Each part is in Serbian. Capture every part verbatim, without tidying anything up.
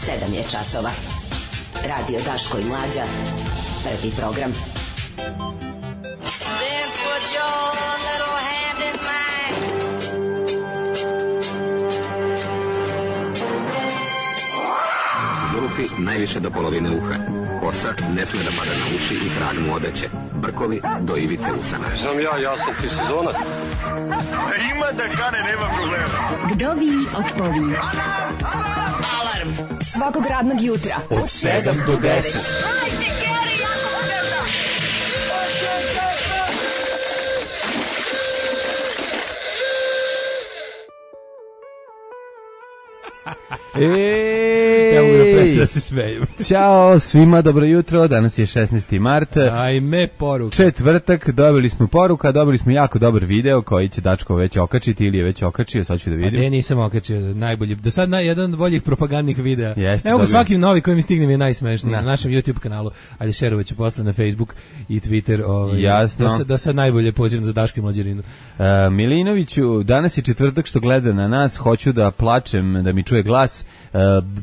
sedam je časova. Radio Daško i Mlađa. Prvi program. Then put your little hand in mine. Zulufi najviše do polovine uha. Kosa ne sme da pada na uši i trag mu odeće. Brkovi do ivice usana. Znam ja, ja sam ti sezonac. A ima da kane, nema problema. Vdovi otpovi. Alarm svakog radnog jutra od sedam do deset. Ej, ja mogu da prestati da se smejem. Ćao svima, dobro jutro. Danas je šesnaesti mart. Ajme poruka. Četvrtak, dobili smo poruka, dobili smo jako dobar video koji će Dačko već okačiti ili je već okačio, sad ću da vidim. A ne, nisam okačio, najbolji. Do sad na, jedan od boljih propagandnih videa. Jeste, evo dobio. Svaki novi koji mi stigne mi je najsmešniji na. na našem YouTube kanalu. Ajde, šerovat ću posle na Facebook i Twitter. Ovaj, Jasno. Da sad, da sad najbolje pozivam za Daško i Mlađerinu. Uh, Milinoviću, danas je četvrtak što gleda na nas, hoću da plačem, da mi čuje glas. Uh,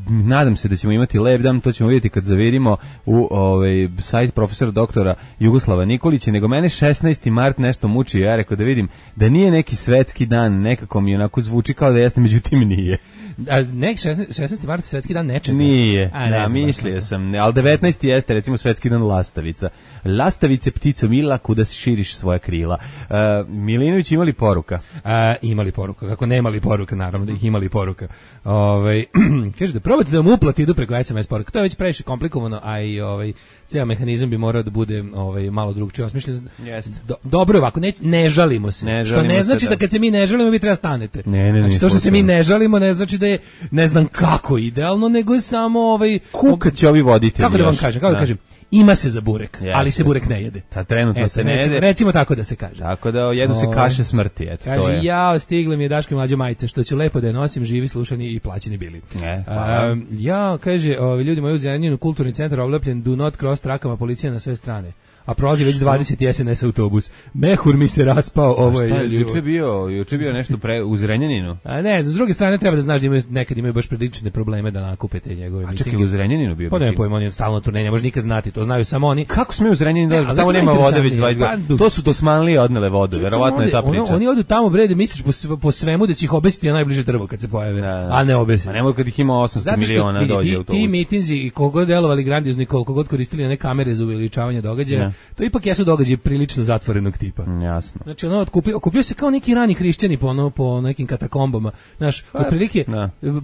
nadam se da ćemo imati lep dan, to ćemo vidjeti kad zavirimo u ovaj sajt profesora doktora Jugoslava Nikolića, nego mene šesnaesti mart nešto muči, ja rekao da vidim da nije neki svetski dan, nekako mi onako zvuči kao da jeste, međutim nije. A nek šesnaesti mart svetski dan nečega. Nije, A, da, mislio sam, ali devetnaesti jeste recimo svetski dan lastavica. Lastavice, ptico mila, kuda si širiš svoja krila. Uh, Milinović, imali poruka? A, imali poruka, kako nemali poruka, naravno da ih imali poruka. Ovaj kaže da probate da mu uplati idu preko es em es poruka. To je već previše komplikovano, a i ovaj ceo mehanizam bi morao da bude ovaj malo drugčije osmišljen. Do, dobro ovako, ne, ne žalimo se. Ne što žalimo ne znači se, da. da kad se mi ne žalimo vi treba stanete. Ne, ne, znači, to što se mi ne žalimo ne znači da je ne znam kako idealno, nego je samo ovaj kuka će ovi voditelji. Kako da vam kažem, kako da, da kažem, ima se za burek, Jeste. ali se burek ne jede. Ta trenutno Eto, se ne recimo, jede. Recimo tako da se kaže. Tako da jedu se kaše smrti, eto kaže, to je. Ja stigle mi je Daško i Mlađa majice, što ću lepo da je nosim, živi, slušani i plaćeni bili. Ne, A, ja, kaže, ovi ljudi moji u Zrenjaninu, kulturni centar oblepljen, do not cross trakama, policija na sve strane. A prolazi već dvadeset es en es autobus. Mehur mi se raspao, ovo je jezivo. Juče bio, juče bio nešto pre u Zrenjaninu. A ne, s druge strane treba da znaš da imaju nekad imaju baš prilične probleme da nakupe te njegove mitinge. A čekaj, u Zrenjaninu bio. Pa ne pojma, on je stalno turneja, može nikad znati, to znaju samo oni. Kako sme u Zrenjaninu da tamo nema vode već dvadeset godina. To su Dosmanlije odnele vodu, verovatno je ta priča. Oni odu tamo bre da misliš po, po svemu da će ih obesiti na najbliže drvo kad se pojave, da, da. a ne obesiti. A nemoj kad ih ima osamsto miliona vidi, dođe ti, autobus. Ti mitinzi i koliko delovali grandiozno i koliko god koristili one kamere za uveličavanje događaja, to ipak jesu događaji prilično zatvorenog tipa. Jasno. Znači ono okupio, okupio se kao neki rani hrišćani po ono po nekim katakombama. Znaš, otprilike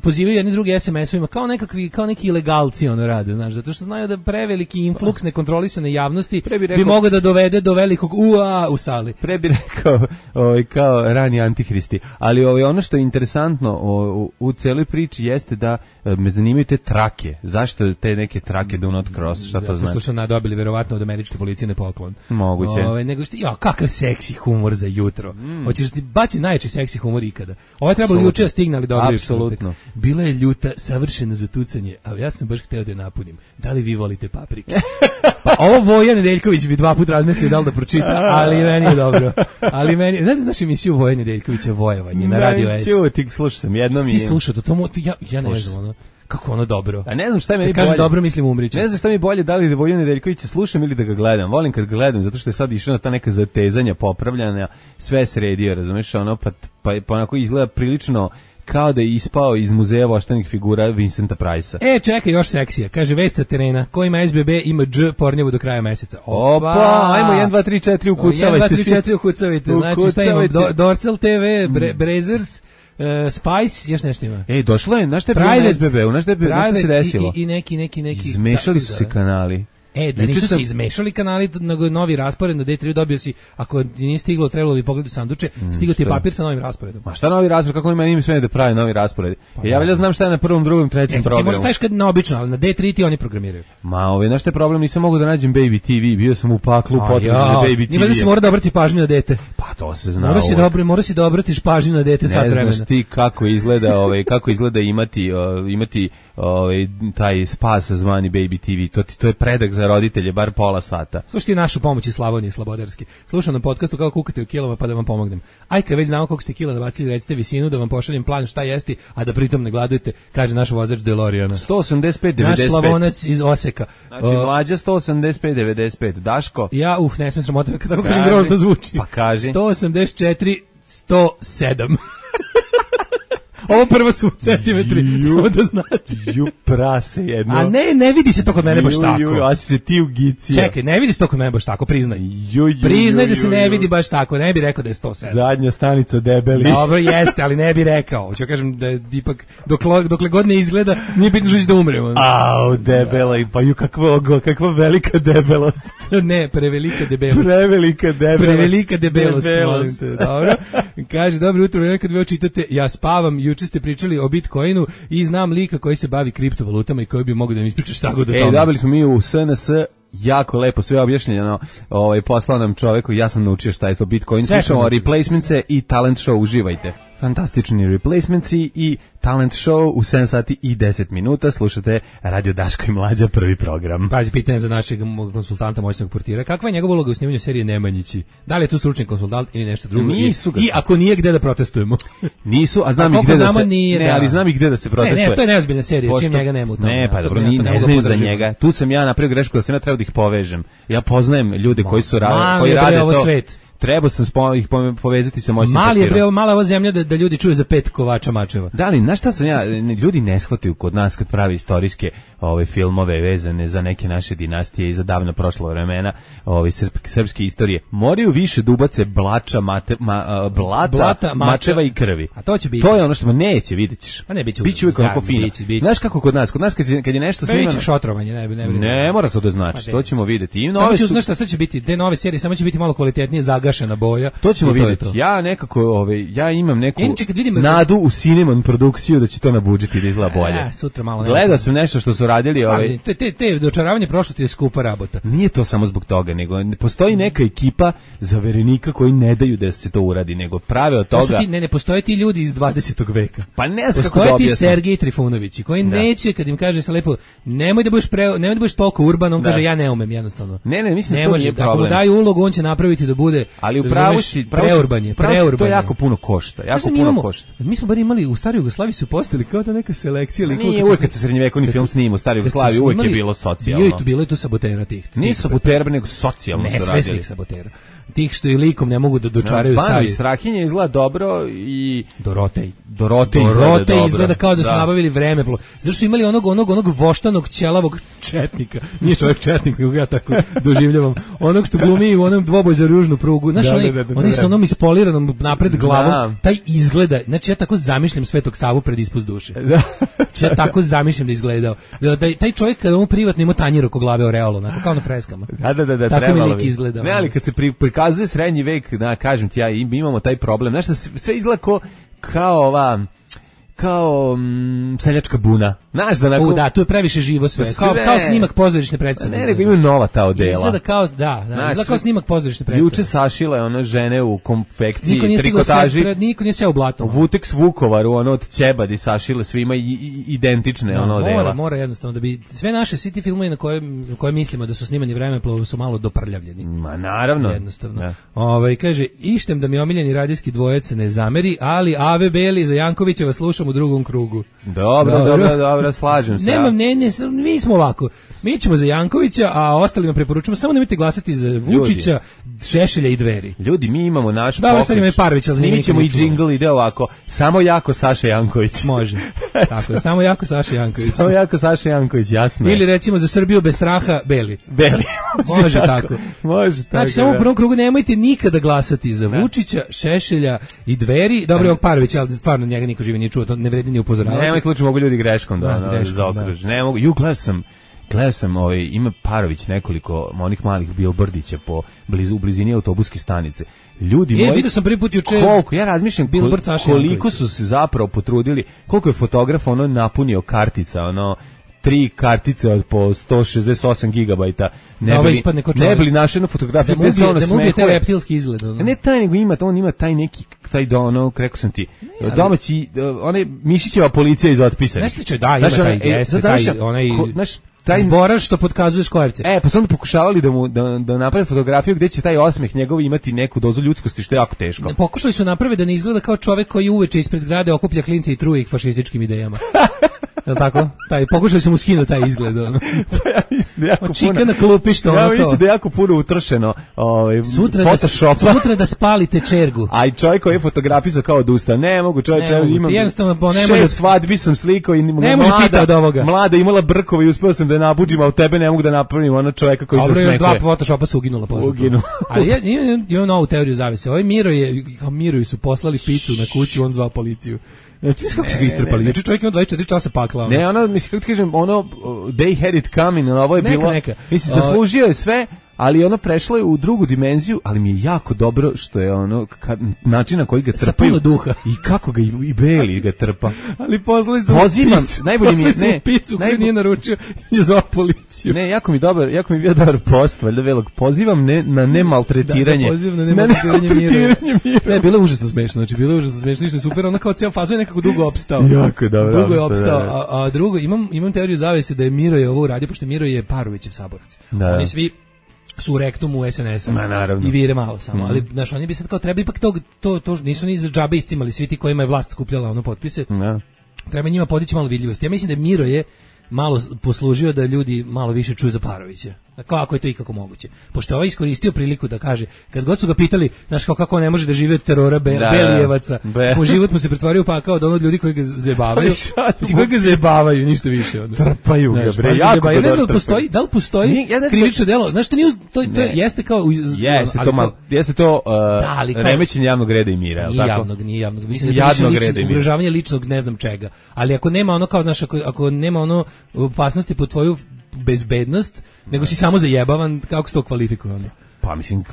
pozivaju jedni drugi es em esovima kao nekakvi kao neki ilegalci ono rade, znaš, zato što znaju da preveliki influks nekontrolisane javnosti bi, rekao, bi mogao da dovede do velikog ua u sali. Pre bi rekao ovaj kao rani antihristi, ali ovaj ono što je interesantno o, u, u celoj priči jeste da me zanimaju te trake. Zašto te neke trake do not cross? Šta to znači? Što su nadobili verovatno od američke policije ne poklon. Moguće. Ove, nego što, ja, kakav seksi humor za jutro. Mm. Hoćeš ti baci najjači seksi humor ikada. Ovo je trebalo juče da stigne, ali dobro. Apsolutno. Bila je ljuta, savršena za tucanje, ali ja sam baš hteo da je napunim. Da li vi volite paprike? Pa ovo Voja Nedeljković bi dva puta razmislio da li da pročita, ali meni je dobro. Ali meni, znaš, znaš emisiju Voja Nedeljkovića Vojevanje na Radio S? Čuo, ti slušao sam jednom. Ti slušao to, to ja, ja ne znam, ono. Kako ono dobro. A ne znam šta je meni bolje. Kaže dobro, mislim umriću. Ne znam šta mi je bolje, da li da Voju Nedeljkovića slušam ili da ga gledam. Volim kad gledam, zato što je sad išao na ta neka zatezanja, popravljanja, sve sredio, razumeš, ono, pa, pa, pa onako izgleda prilično kao da je ispao iz muzeja voštanih figura Vincenta Price-a. E, čekaj, još seksija. Kaže, vest sa terena, ko ima es be be ima dž pornjevu do kraja meseca. Opa, Opa ajmo jedan, dva, tri, četiri ukucavajte. jedan, dva, tri, četiri ukucavajte. Znači, šta imam? Do, Dorsal te ve, Bre, Brazers, Uh, Spice, još nešto ima. Ej, došlo je, znaš šta je bilo na es be be-u, znaš šta se desilo? I, i neki, neki, neki... Izmešali su se kanali. E, da nisu sam... se izmešali kanali, nego novi raspored na D tri dobio si, ako nije stiglo, trebalo bi pogledati sanduče, stiglo ti je papir sa novim rasporedom. Ma šta novi raspored, kako oni meni im smije da pravi novi raspored? Pa, ja valjda znam šta je na prvom, drugom, trećem e, programu. Ti možeš staviš kad na obično, ali na D tri ti oni programiraju. Ma, ove, znaš šta je problem, nisam mogu da nađem Baby ti vi, bio sam u paklu u potrazi za Baby ti vi. Nije da se mora da obrati pažnju na dete. Pa to se zna. Mora si dobro, mora si dobro ti pažnju na dete sat vremena. Ne znaš ti kako izgleda, ovaj kako izgleda imati uh, imati ovaj taj spas zvani Baby T V. To ti to je predak za roditelje bar pola sata. Slušajte našu pomoć iz Slavonije Slobodarski. Slušam na podcastu kako kukate u kilama pa da vam pomognem. Aj kad već znamo koliko ste kila nabacili, recite visinu da vam pošaljem plan šta jesti, a da pritom ne gladujete, kaže naš vozač DeLoreana. sto osamdeset pet devedeset pet. Naš Slavonac iz Oseka. Znači mlađa sto osamdeset pet devedeset pet. Daško? Ja, uf, ne smijem sramota kad tako kažem grozno zvuči. Pa kaži. sto osamdeset četiri sto sedam. Ovo prvo su centimetri, samo da znate. Ju prase jedno. A ne, ne vidi se to kod mene baš ju, tako. Ju, a si se ti ugicija. Čekaj, ne vidi se to kod mene baš tako, priznaj. Ju, ju, priznaj ju, da se ju, ne ju. vidi baš tako, ne bi rekao da je sto sedam. Zadnja stanica debeli. Dobro, jeste, ali ne bi rekao. Hoću kažem da je ipak, dokle, dokle god ne izgleda, nije bitno što će da umremo. Au, debela, i pa ju, kakva, kakva velika debelost. Ne, prevelika debelost. Prevelika debelost. Prevelika debelost, debelost. molim te, dobro. Kaže, dobro jutro, nekad vi očitate, ja spavam, juče ste pričali o Bitcoinu i znam lika koji se bavi kriptovalutama i koji bi mogao da mi ispriča šta god o tome. E, dobili smo mi u S N S jako lepo sve objašnjeno, ovaj, poslao nam čoveku, ja sam naučio šta je to Bitcoin, slušamo replacementse i talent show, uživajte. Fantastični replacementsi i talent show u sedam sati i deset minuta. Slušate Radio Daško i Mlađa, prvi program. Pazi, pitanje za našeg konsultanta, moćnog portira. Kakva je njegova uloga u snimanju serije Nemanjići? Da li je tu stručni konsultant ili nešto drugo? Nisu ga. I, I ako nije, gde da protestujemo? Nisu, a znam a i gde da se... Nije, ne, da. ali znam i gde da se protestuje. Ne, ne, to je neozbiljna serija, Pošto... čim njega nema u tome. Ne, pa dobro, ne, ne, ne znam za njega. Tu sam ja napravio grešku da sam ja trebao da ih povežem. Ja poznajem ljude koji su ra koji rade to. Svet. Trebao sam spo, ih povezati sa moćnim Mali je bre, mala ova zemlja da, da ljudi čuju za pet kovača mačeva. Da li, znaš šta sam ja, ljudi ne shvataju kod nas kad pravi istorijske ove filmove vezane za neke naše dinastije i za davno prošla vremena, ove srpske, srpske istorije, moraju više dubace blača, mate, ma, blata, Blata, mača, mačeva i krvi. A to će biti. To je ono što neće, vidjet ćeš. A ne, biće biće uvijek onako fino. Biće, biće. Znaš kako kod nas, kod nas kad, kad je nešto snimano... Biće šotrovanje, ne, ne, ne, ne mora to da znači, to ćemo vidjeti. I nove samo će, su... znaš šta, sad će biti, te nove serije, samo će biti malo kvalitetnije zagašena boja. To ćemo vidjeti. Ja nekako, ove, ja imam neku Inače, kad vidim, nadu u Cinnamon produkciju da će to nabuđiti da izgleda bolje. Ja, sutra malo. Gledao sam nešto što su radili, ove. Te te te dočaravanje prošlosti je skupa rabota. Nije to samo zbog toga, nego postoji neka ekipa zaverenika koji ne daju da se to uradi, nego prave od toga. Ti, ne, ne postoje ti ljudi iz dvadesetog veka. Pa ne znam kako da objasnim. Postoje ti Sergej Trifunović koji da. neće kad im kaže se lepo, nemoj da budeš pre, nemoj da budeš toliko urban, on da. kaže ja ne umem jednostavno. Ne, ne, mislim ne to može, nije problem. Ako mu daju ulogu, on će napraviti da bude. Ali upravo si preurban je, preurban. To jako puno košta, jako puno imamo, košta. Mi smo bar imali u staroj Jugoslaviji su postojali kao da neka selekcija ili nije uvijek kad se srednjevekovni film snima u staroj Jugoslaviji uvijek je bilo socijalno. Bilo je tu bilo je tu sabotera tih. Nije sabotera nego socijalno su radili. Nesvesnih sabotera. Tih što i likom ne mogu da dočaraju no, stari. Banović Strahinja izgleda dobro i Dorotej. Dorotej, Dorotej izgleda, izgleda kao da su da. nabavili vreme. Zašto su imali onog onog onog voštanog ćelavog četnika. Nije čovjek četnik, nego ja tako doživljavam. Onog što glumi u onom dvoboj za ružnu prugu. Znaš, da, oni, da, da, da, oni sa onom ispoliranom napred glavom, da. Taj izgleda, znači ja tako zamišljam Svetog Savu pred ispust duše. Da. Znači ja tako zamišljam da izgledao. Da, da taj čovjek kada mu privatno ima tanjir oko glave oreolo, onako kao na freskama. Da, da, da, da tako mi lik bi. izgleda. Ne, ali kad se pri, prikazuje srednji vek, da, kažem ti ja, imamo taj problem. Znaš, da sve izgleda ko, kao ova... kao mm, seljačka buna. Znaš da nakon... U, da, tu je previše živo sve. Kao, sve. kao snimak pozorišne predstave. Ne, nego ima nova ta odela. Izgleda kao, da, da izgleda kao snimak pozorišne predstave. Juče sašile one žene u konfekciji, niko nije trikotaži. Pred, niko nije seo u blato. U Vuteks Vukovaru, ono od Ćebadi sašile svima i, i, identične no, ono odela. Mora, mora jednostavno da bi sve naše svi ti filmovi na koje, na koje mislimo da su snimani vremeplovom su malo doprljavljeni. Ma naravno. Jednostavno. Ja. Ovaj kaže ištem da mi omiljeni radijski dvojec ne zameri, ali Ave Beli za Jankovićeva slušam u drugom krugu. Dobro, dobro, dobro, dobro, slažem se. Nemam, ne, ne, mi smo ovako. Mi ćemo za Jankovića, a ostalima preporučujemo samo nemojte glasati za Vučića, ljudi. Šešelja i Dveri. Ljudi, mi imamo naš pokret. Dobro, sad ima Parovića, snimit ćemo i džingl, ide ovako. Samo jako Saša Janković. Može. Tako je, samo jako Saša Janković. Samo jako Saša Janković, jasno. Ili recimo za Srbiju bez straha Beli. Beli. Može tako. Može tako. Znači, samo u prvom krugu nemojte nikada glasati za Vučića, Šešelja i Dveri. Dobro, ovog Parovića, ali stvarno njega niko živi nije čuo, to ne vredi ni upozoravati. Nemoj slučaj, mogu ljudi greškom da, da, da zaokruže. Ne mogu. Ju, gledao sam, gledao sam, ovaj, ima Parović nekoliko onih malih bilbordića po blizu, u blizini autobuske stanice. Ljudi moji, e, vidio sam prvi put juče. Koliko, ja razmišljam koliko, koliko su se zapravo potrudili, koliko je fotograf ono napunio kartica, ono tri kartice od po sto šezdeset osam gigabajta. Ne da, bili, ne bili našu jednu fotografiju da bez ono da smehuje. Da mu reptilski izgled. Ono. Ne taj, nego ima, on ima taj neki, taj do, ono, rekao sam ti, ne, domaći, onaj Mišićeva policija iz otpisa. Nešto će, da, ima znaš, taj, e, jeste, taj, onaj... Ko, znaš, taj zboraš što pokazuje škojevce. E, pa su onda pokušavali da mu da, da naprave fotografiju gdje će taj osmeh njegov imati neku dozu ljudskosti, što je jako teško. Pokušali su napraviti da ne izgleda kao čovjek koji uveče ispred zgrade okuplja klince i truje ih fašističkim idejama. Je li tako? Taj, pokušali su mu skinuti taj izgled. Ono. Pa ja mislim da jako puno... Čika na klupi što ja ono to. Ja mislim da je jako puno utršeno ovaj, sutra Photoshopa. Da, sutra da spalite čergu. A i čovjek koji je fotografisao kao odusta. Ne mogu, čovjek, ne, imam jednostavno, ne šest može, svadbi sam slikao i ne može pita od ovoga. Mlada imala brkove i uspeo sam da je nabuđim, a u tebe ne mogu da napravim ona čovjeka koji se smekuje. Dobro, još dva Photoshopa su uginula posle. Uginu. Ali ja imam, imam novu teoriju zavese. Ovaj Miro je, kao Miroju su poslali picu na kući, on zvao policiju. Znači, kako se ga istrpali? Znači, čovjek ima dvadeset četiri časa pakla. Ne, ono, mislim, kako ti kažem, ono, they had it coming, ovo je neka, bilo... Neka. Mislim, zaslužio je sve, ali ono prešlo je u drugu dimenziju, ali mi je jako dobro što je ono, ka, način na koji ga trpaju. Sa puno duha. I kako ga i, i Beli ga trpa. Ali poslali su Pozivam, picu, najbolje mi je, ne, picu koju najbolj... nije naručio i zvao policiju. Ne, jako mi dobar, jako mi bio dobar post, valjda velog. Pozivam ne, na nemaltretiranje. Da, da pozivam na nemaltretiranje Mira. Ne, bilo je užasno smešno, znači bilo je užasno smešno, ništa super, ono kao cijel fazo je nekako dugo opstao. Jako je dobro. Dugo je opstao, a, a drugo, imam, imam teoriju zavese da je Miro je ovo uradio, pošto Miro je Parovićev saborac. Da. Oni svi su u rektumu es en esa i vire malo samo, mm-hmm. ali znaš, oni bi sad kao treba ipak to, to, to nisu ni za džabe iscimali svi ti kojima je vlast skupljala ono potpise, da. Treba njima podići malo vidljivosti. Ja mislim da Miro je malo poslužio da ljudi malo više čuju za Parovića. Kako je to ikako moguće? Pošto je ovaj iskoristio priliku da kaže, kad god su ga pitali, znaš kao kako ne može da živi od terora be, da, Belijevaca, be. U život mu se pretvorio pa kao od onog ljudi koji ga zebavaju, mislim koji ga zebavaju, ništa više. Onda. Trpaju ga, bre, jako ja ne znam da postoji, da li postoji Ni, ja krivično delo, znaš što nije, to, to je, jeste kao... Jeste to, mal, jeste to uh, da, remećenje javnog reda i mira, nije tako? Javnog, nije javnog, mislim da je lično, ugrožavanje ličnog ne znam čega, ali ako nema ono kao, znaš, ako, ako nema ono opasnosti po tvoju bezbednost, nego si samo zajebavan, kako se to kvalifikuje ono? Pa mislim,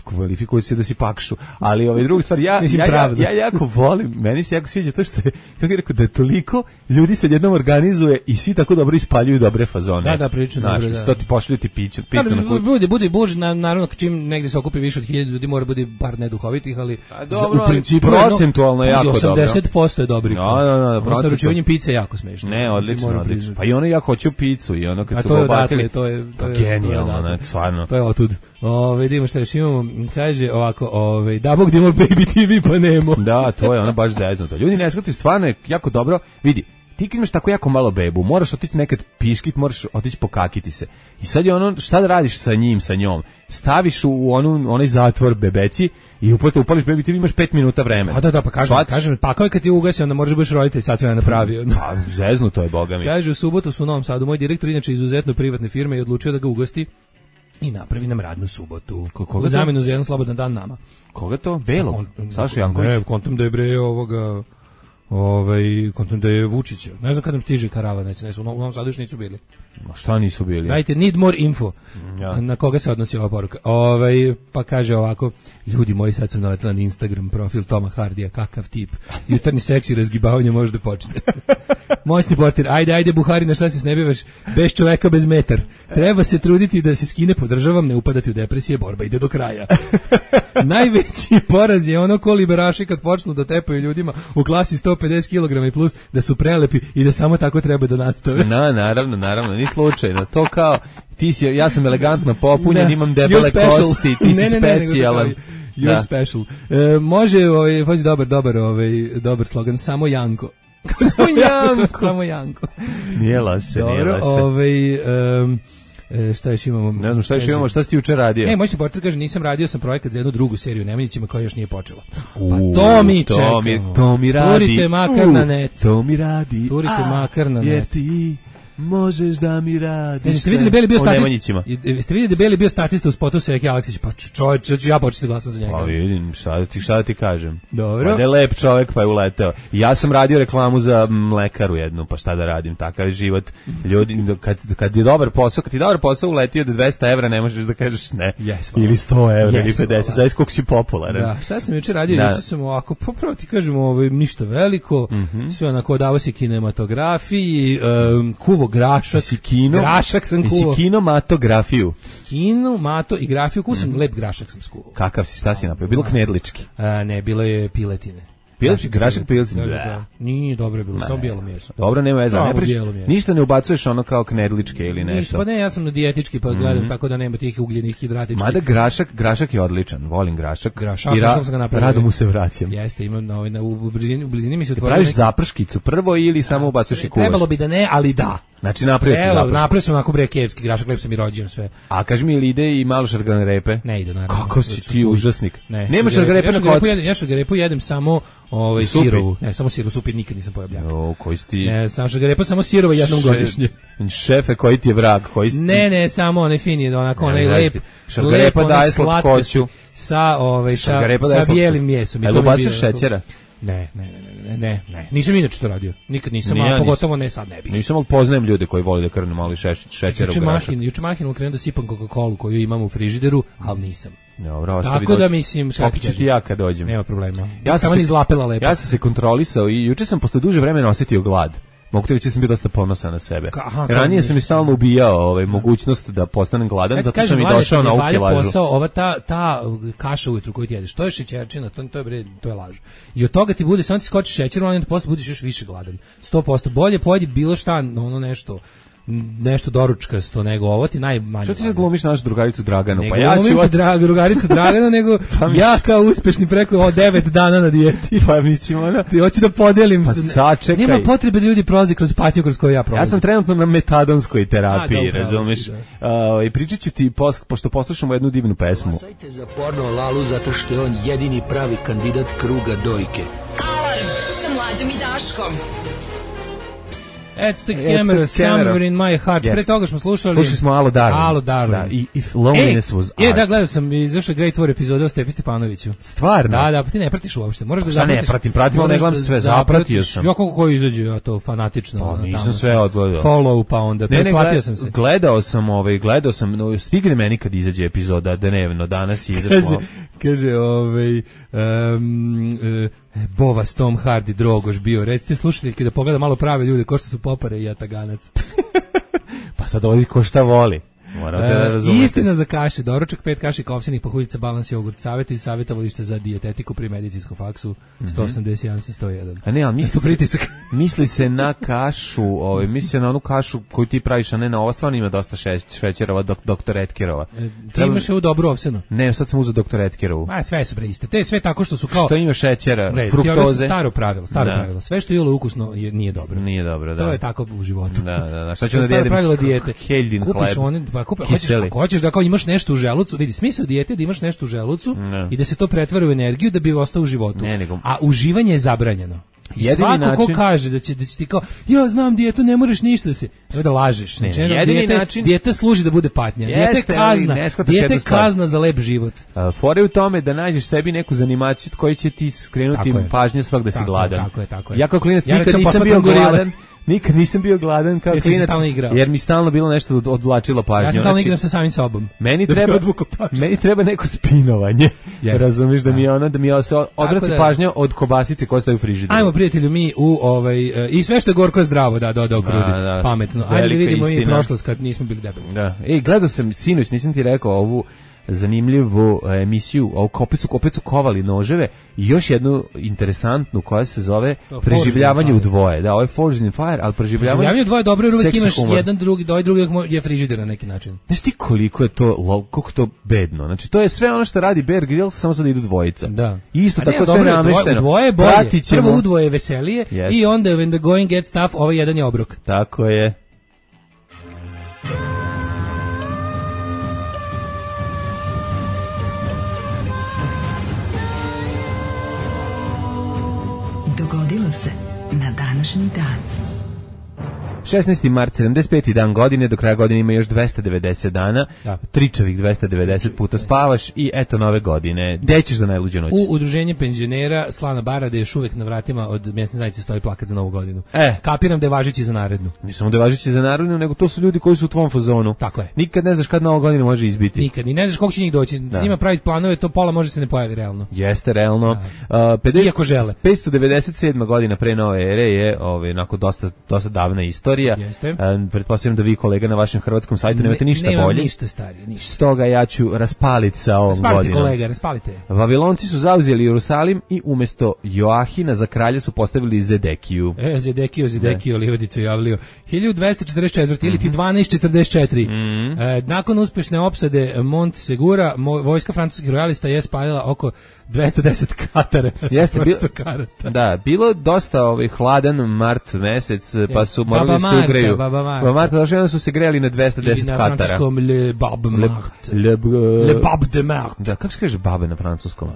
kvalifikuje se da si pakšu, ali ove druge stvari, ja, ja, ja, ja jako volim, meni se jako sviđa to što je, kako je rekao, da toliko ljudi se jednom organizuje i svi tako dobro ispaljuju dobre fazone. Da, da, prilično dobro, da. To ti pošalju ti piću, picu da, na koju... Bude, bude buž, na, naravno, čim negdje se okupi više od hiljadu ljudi, mora bude par neduhovitih, ali a, dobro, u principu... Procentualno je jako dobro. osamdeset posto je dobrih. No, no, no, procentualno. Naručivanjem pice je jako smešno. Ne, odlično, odlično. Pa i ono ja hoću picu i ono kad su ga ubacili... To je genijalno, stvarno. To je otud. O, vidimo šta još imamo, kaže ovako, ovaj, da Bog da imamo Baby ti vi pa nemo. Da, to je ono baš zeznuto. Ljudi ne shvataju, stvarno je jako dobro, vidi, ti kad imaš tako jako malo bebu, moraš otići nekad piškit, moraš otići pokakiti se. I sad je ono, šta da radiš sa njim, sa njom? Staviš u onu, onaj zatvor bebeći i upravo upališ bebi, ti imaš pet minuta vremena. A da, da, pa kažem, Svat... kažem pa kao je kad ti ugasi, onda možeš biti roditelj, sat vremena napravio. Pa, zeznuto je, boga mi. Kaže, u subotu su u Novom Sadu, moj direktor, inače izuzetno privatne firme, je odlučio da ga ugosti i napravi nam radnu subotu. Koga u zamenu za jedan slobodan dan nama. Koga to? Velog? Saša Janković? Ne, kontam da je bre ovoga, ovaj, kontam da je Vučića. Ne znam kad nam stiže karavan, ne znam, u Novom Sadu još nisu bili. Ma šta nisu bili? Dajte, need more info. Ja. Na koga se odnosi ova poruka? Ovaj, pa kaže ovako, ljudi moji, sad sam naletela na Instagram profil Toma Hardija, kakav tip. Jutarnji seksi razgibavanje može da počne. Moćni portir, ajde, ajde, Buhari, na šta se snebivaš? Bez čoveka, bez metar. Treba se truditi da se skine, podržavam, ne upadati u depresije, borba ide do kraja. Najveći poraz je ono ko liberaši kad počnu da tepaju ljudima u klasi sto pedeset kilograma i plus, da su prelepi i da samo tako treba da nastave. No, naravno, naravno, ni slučajno. To kao, ti si, ja sam elegantno popunjen, imam debele kosti, ti si ne, ne, specijalan. Ne, you're da. Special. E, može, ovaj, hoći dobar, dobar, ovaj, dobar slogan, samo Janko. Samo Janko. Samo Janko. Nije loše, dobro, nije loše. Ovaj, um, E, šta još imamo? Ne znam šta još imamo, šta si ti juče radio? E, moj se portir kaže, nisam radio, sam projekat za jednu drugu seriju Nemanjićima koja još nije počela. Pa to mi čekamo. To mi, to mi radi. Turite makar uh, na net. To mi radi. Turite a, makar na net. Jer ti možeš da mi radiš. Jeste vidjeli Beli bio statist? Jeste vidjeli da Beli bio statista u spotu Seki Aleksić? Pa čovječ, ću ja početi glasati za njega. Pa vidim, šta ti, šta ti kažem. Dobro. Pa ne lep čovjek pa je uleteo. Ja sam radio reklamu za mlekaru jednu, pa šta da radim, takav je život. Ljudi, kad, kad je dobar posao, kad ti dobar posao uletio do dvesta evra, ne možeš da kažeš ne. Yes, ili sto evra, yes, ili pedeset, zavis koliko si popularan. Da, šta sam juče radio, da. Juče sam ovako, popravo ti kažemo, ovaj, ništa veliko, mm-hmm. sve onako odavo se kinematografiji, um, kuvo kuvo grašak. Si kino, grašak sam kuvo. Si kino matografiju. Kino, mato i grafiju, kuo sam mm. lep grašak sam skuvao. Kakav si, šta si napravio? Bilo knedlički? A, ne, bilo je piletine. Piletine, grašak piletine? Da, da, da. Nije dobro je bilo, samo bijelo meso. Dobro, nema veze, ne priš, ništa ne ubacuješ ono kao knedličke ili nešto. Ništa, pa ne, ja sam na dijetički pa gledam, mm-hmm. tako da nema tih ugljenih hidratičkih. Mada grašak, grašak je odličan, volim grašak. Grašak, I ra, sam ga napravio. Rado mu se vraćam. Jeste, imam na, na, u, blizini, u blizini mi se otvorilo. Praviš neki... zaprškicu prvo ili samo ubacuješ i kuvaš? Trebalo bi da ne, ali da. Znači napravio sam zaprškicu. Napravio sam onako brekevski grašak, lep sam i rođen sve. A kaži mi ili ide i malo šargarepe? Ne ide, naravno. Kako si ti užasnik? Ne, nema šargarepe na kocki. Ja šargarepu jedem samo ovaj sirovu. Ne, samo sirovu, supir nikad nisam pojeo bljaka. O, koji si ti? Ne, samo šargarepa samo sirova jednom Še... godišnje. Šefe, koji ti je vrag? Koji si... Ne, ne, samo onaj fini, onako onaj lep. Šargarepa daje slatkoću. Sa ovaj sa, sa bijelim mjesom. Jel ubaciš šećera? Ne, ne, ne, ne, ne, ne. Nisam inače to radio. Nikad nisam, a pogotovo ne sad ne bih. Nisam, ali poznajem ljude koji vole da krnu malo šećera u grašak. Juče Mahin ukrenuo da sipam Coca-Colu koju imam u frižideru, ali nisam. Dobro, ostavi. Tako da mislim, popit ću ti ja kad dođem. Nema problema. Ja sam izlapela lepo. Ja sam se kontrolisao i juče sam posle duže vremena osetio glad. Mogu te reći, sam bio dosta ponosan na sebe. Aha, ranije sam mi stalno ubijao ovaj, mogućnost da postanem gladan, zato što sam i došao na ovu kilažu. Posao, ova ta, ta kaša ujutru koju ti jedeš, to je šećerčina, to, to, je, bre, to je laž. I od toga ti bude, samo ti skoči šećer, onda posle budeš još više gladan. sto posto bolje pojedi bilo šta, ono nešto, nešto doručkasto nego ovo ti najmanje. Što ti sad glumiš našu drugaricu Draganu? Ne pa ja ću od... dra, drugaricu Draganu, nego pa ja kao uspešni preko o devet dana na dijeti. Pa mislim ona. Ti hoću da podelim. Pa sačekaj. Nema potrebe da ljudi prolaze kroz patnju kroz koju ja prolazim. Ja sam trenutno na metadonskoj terapiji, razumiješ? I pričat ću ti, post, pošto poslušamo jednu divnu pesmu. Glasajte za porno Lalu zato što je on jedini pravi kandidat kruga dojke. Alarm sa Mlađom i Daškom. It's the camera, It's the camera. Somewhere in my heart. Yes. Pre toga smo slušali... Slušali smo Alo Darling. Alo Darling. Da, i If Loneliness e, was e, art. Da, gledao sam, izašao Great War epizoda o Stepi Stepanoviću. Stvarno? Da, da, pa ti ne pratiš uopšte. Moraš da zapratiš. Šta ne pratim, pratim, ali ne gledam sve, zapratio sam. Ja kako koji izađe, ja to fanatično. Pa nisam sve odgledao. Follow, pa onda, ne, pretplatio ne, sam se. Gledao sam, ovaj, gledao sam, no, stigne meni kad izađe epizoda dnevno, danas je izašlo. Kaže, kaže, ovaj... Um, uh, Bova s Tom Hardy Drogoš bio. Recite slušateljke da pogleda malo prave ljude ko što su Popare i Jataganac. Pa sad ovdje ko šta voli. Morate da razumete. Istina za kaše, doručak, pet kaši kovsinih pahuljica, balans jogurt, savjeti i savjetovalište za dijetetiku pri medicinskom faksu sto osamdeset jedan sto jedan. A ne, ali misli se, pritisak. Misli se na kašu, ovaj, misli se na onu kašu koju ti praviš, a ne na ovo, stvarno ima dosta šećerova, dok, doktor Etkerova. E, ti Treba... imaš ovu dobru ovsenu? Ne, sad sam uzeo doktor Etkerovu. A, sve su bre iste. Te sve tako što su kao... Što ima šećera, ne, fruktoze. Staro pravilo, staro da. pravilo. Sve što je ukusno je, nije dobro. Nije dobro, da. To je tako u životu. Da, da, da. Šta ću da jedem? Pravilo dijete. Heldin hleb. One, pa kupiš, hoćeš, hoćeš da kao imaš nešto u želucu, vidi, smisao dijete da imaš nešto u želucu ne. i da se to pretvara u energiju da bi ostao u životu. Ne, nego... A uživanje je zabranjeno. I jedini svako način... ko kaže da će, da će ti kao, ja znam dijetu, ne moraš ništa da se, evo da lažeš. Ne, znači, jedini dijete, način... dijete služi da bude patnja. Jeste, dijete kazna, dijete kazna za lep život. Uh, fore u tome da nađeš sebi neku zanimaciju koji će ti skrenuti pažnje svog da si tako gladan. Je, tako je, tako je. Ja kao klinac ja nikad nisam bio gladan. Nikad nisam bio gladan kao klinac, jer mi stalno bilo nešto odvlačilo pažnju. Ja sam stalno igram sa samim sobom. Meni treba, meni treba neko spinovanje. Yes. Razumiješ da mi je ono, da mi se odvrati da, pažnja od kobasice koja stoji u frižideru. Ajmo prijatelju mi u ovaj, uh, i sve što je gorko je zdravo, da, dodao krudi, da, da, pametno. Ajde da vidimo i prošlost kad nismo bili debeli. Da. Ej, gledao sam sinoć, nisam ti rekao ovu zanimljivu emisiju, opet su, opet su kovali noževe i još jednu interesantnu koja se zove to, preživljavanje u dvoje. Da, ovo je Forged in Fire, ali preživljavanje, preživljavanje u dvoje dobro, jer uvijek imaš humor. Jedan drugi, doj drugi je frižider na neki način. Znaš ti koliko je to, koliko to bedno? Znači to je sve ono što radi Bear Grylls, samo sad idu dvojica. Da. I isto tako sve namešteno. U dvoje je bolje, prvo u dvoje je veselije yes. i onda when the going gets tough, ovaj jedan je obrok. Tako je. Dogodilo se na današnji dan. šesnaesti mart, sedamdeset peti dan godine, do kraja godine ima još dvesta devedeset dana, da. Tričavih dvesta devedeset puta spavaš i eto nove godine. Gde ćeš za najluđu noć? U udruženje penzionera Slana Barade još uvek na vratima od mjesne zajednice stoji plakat za novu godinu. E. Kapiram da je važeći za narednu. Ne samo da je važeći za narednu, nego to su ljudi koji su u tvom fazonu. Tako je. Nikad ne znaš kad nova godina može izbiti. Nikad, ni ne znaš koliko će njih doći. Da. S njima praviti planove, to pola može se ne pojavi realno. Jeste, realno. Uh, pedeset, Iako žele. petsto devedeset sedma godina pre nove ere je ovaj, onako dosta, dosta davna istorija. istorija. Uh, pretpostavljam da vi, kolega, na vašem hrvatskom sajtu nemate ništa ne, bolje. ništa starije, ništa. Stoga ja ću raspaliti sa ovom raspalite, godinom. Kolega, raspalite. Vavilonci su zauzeli Jerusalim i umjesto Joahina za kralja su postavili Zedekiju. E, Zedekiju, Zedekiju, Livodicu javlio. hiljadu dvesta četrdeset četvrte ili ti dvanaest četrdeset četiri. Mm-hmm. E, nakon uspješne opsade Mont Segura, mo, vojska francuskih rojalista je spalila oko dvesta deset katara. Jeste, bil, da, bilo dosta ovaj hladan mart mesec, pa su morali da se ugreju. Baba Marta. Baba Marta, došli onda su se grejali na dvesta deset katara. I na francuskom Le Bab Mart. Le, le, le Bab de Mart. Da, kako se kaže babe na francuskom?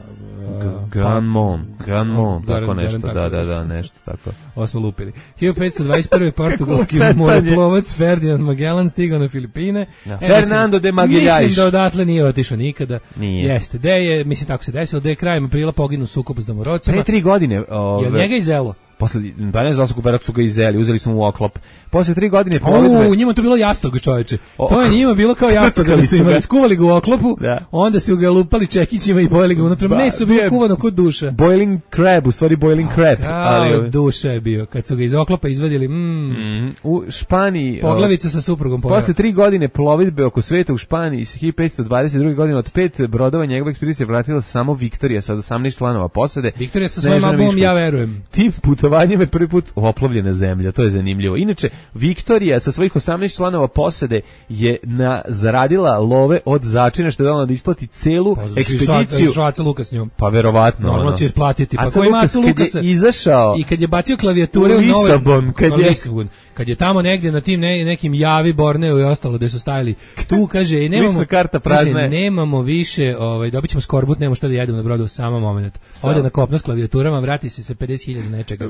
Grand Mont, Grand Mont, tako nešto, da, da, da, nešto tako. Ovo smo lupili. hiljadu petsto dvadeset prve portugalski moreplovac Ferdinand Magellan stigao na Filipine. Ja, e, Fernando de Magalhães. Mislim da odatle nije otišao nikada. Nije. Jeste, da je, mislim tako se desilo, da je krajem aprila poginu sukob s domorocima. Pre tri godine. Ove, je njega izelo? Posle, pa ne znam su verovatno su ga izeli, uzeli smo u oklop. Posle tri godine plovidbe... O, njima to bilo jastog, čoveče. To je njima bilo kao jastog, kada su imali, skuvali ga u oklopu, da. Onda su ga lupali čekićima i pojeli ga unutra. Ba, meso bilo kuvano kod duša. Boiling crab, u stvari boiling crab. Ali od duša je bio. Kad su ga iz oklopa izvadili, mm, mm, u Španiji... Poglavica o, sa suprugom pojela. Posle tri godine plovidbe oko sveta u Španiji iz hiljadu petsto dvadeset druge godine od pet brodova njegove ekspedicije vratila samo Viktorija sa osamnaest članova posade. Viktorija sa svojim albumom Ja verujem. Tim putovanjem je prvi put oplovljena zemlja, to je zanimljivo. Inače, Viktorija sa svojih osamnaest članova posade je na, zaradila love od začina što je dala da isplati celu pa, ekspediciju. Pa Aca Lukas s njom. Pa verovatno. Normalno će isplatiti. Pa Aca Lukas kad je izašao i kad je bacio klavijature u Lisabon, kad je Lisabon, kad je tamo negdje na tim ne, nekim Javi, Borneo i ostalo gde su stajali. Tu kaže, nemamo, karta kaže, nemamo više, ovaj, dobit ćemo skorbut, nemamo šta da jedemo na brodu u samo moment. Ode na kopno s klavijaturama, vrati se sa pedeset hiljada nečega.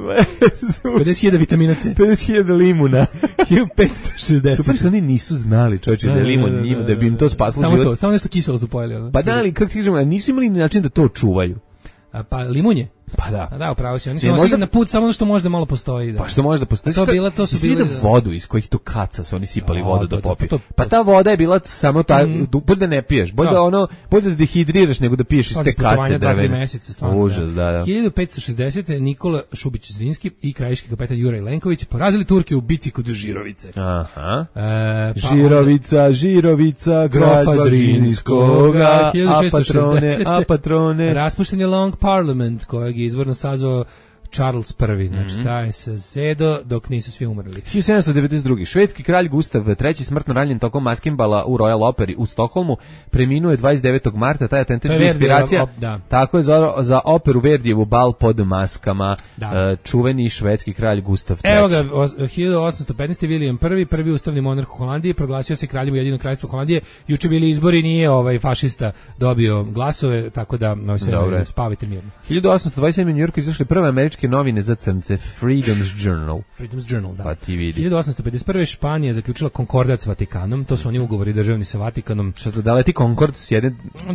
pedeset hiljada vitamina C. pedeset hiljada limuna. hiljadu petsto šezdeset. Super što oni nisu znali, čovječe, da je limun njima, da bi im to spasilo samo život. To, samo nešto kiselo su pojeli. Ono. Pa da li, kako ti kažemo, nisu imali način da to čuvaju. A, pa limunje? Pa da. A da, upravo si. Oni su možda na put samo ono što možda malo postoji. Da. Pa što možda postoji. To bila, to su bile da vodu iz kojih to kaca su oni sipali vodu da, da popiju. Pa, pa ta voda je bila samo ta, mm. bolje da ne piješ, bolje da, da ono, bolje da dehidriraš nego da piješ iz te kace drvene. Užas, da, da. hiljadu petsto šezdesete Nikola Šubić Zrinski i krajiški kapetan Juraj Lenković porazili Turke u bici kod Žirovice. Aha. E, pa Žirovica, onda, Žirovica, grofa Zrinskoga, a patrone, a patrone. Raspušten je Long Parliament kojeg je izvorno sazvao Charles prvi, znači mm-hmm. taj se sedo dok nisu svi umrli. hiljadu sedamsto devedeset druge švedski kralj Gustav treći smrtno ranjen tokom maskimbala u Royal Operi u Stokholmu preminuo je dvadeset devetog marta, taj atentat je inspiracija. Op, da. Tako je za, za operu Verdijevu Bal pod maskama, uh, čuveni švedski kralj Gustav treći. Evo ga, o, hiljadu osamsto petnaeste William prvi, prvi ustavni monarh u Holandiji, proglasio se kraljem Ujedinjenog kraljevstva Holandije. Juče bili izbori, nije ovaj fašista dobio glasove, tako da no, se ne, spavite mirno. hiljadu osamsto dvadeset sedme u Njujorku izašle prve američke novine za crnce, Freedom's Journal. Freedom's Journal, da. Pa ti vidi. hiljadu osamsto pedeset prve Španija zaključila konkordat s Vatikanom, to su oni ugovori državni sa Vatikanom. Šta to, da leti konkord s jedne...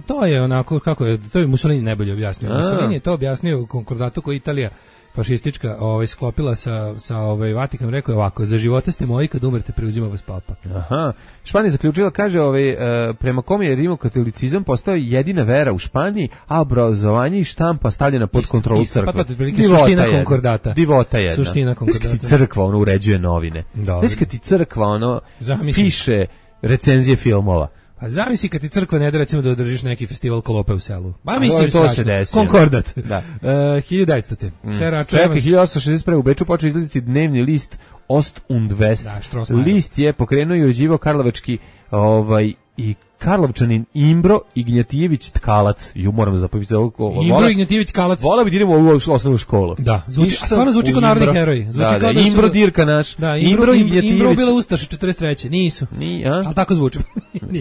To je onako, kako je, to je Mussolini najbolje objasnio. A. Mussolini je to objasnio u konkordatu koji Italija fašistička ovaj sklopila sa sa ovaj Vatikanom, rekao je ovako: za života ste moji, kad umrete preuzima vas papa. Aha. Španija zaključila, kaže, ovaj e, prema kome je rimokatolicizam postao jedina vera u Španiji, a obrazovanje i štampa stavljena pod isto, kontrolu crkve. Pa to je suština konkordata. Divota jedna. Suština konkordata. Neka ti crkva ono uređuje novine. Neka ti crkva ono Zamisli. Piše recenzije filmova. A zamisli kad ti crkva ne da recimo da održiš neki festival Kolope u selu. Ba mislim to se desi. Konkordat. Da. Uh, hiljadu devetsto. Mm. Čekaj, hiljadu osamsto šezdeset prve u Beču počeo izlaziti dnevni list Ost und West. Da, list je pokrenuo i uređivao karlovački ovaj i Karlovčanin Imbro Ignjatijević Tkalac. Ju moram zapisati ovo. Imbro Ignjatijević Tkalac. Vola bi da idemo u ovu osnovnu školu. Da, zvuči, stvarno zvuči kao narodni heroj. Zvuči da, kao da, da Imbro Dirka naš. Da, Imbro, Imbro, Imbro bila ustaša četrdeset treće Nisu. Ni, a? Ali tako zvuči.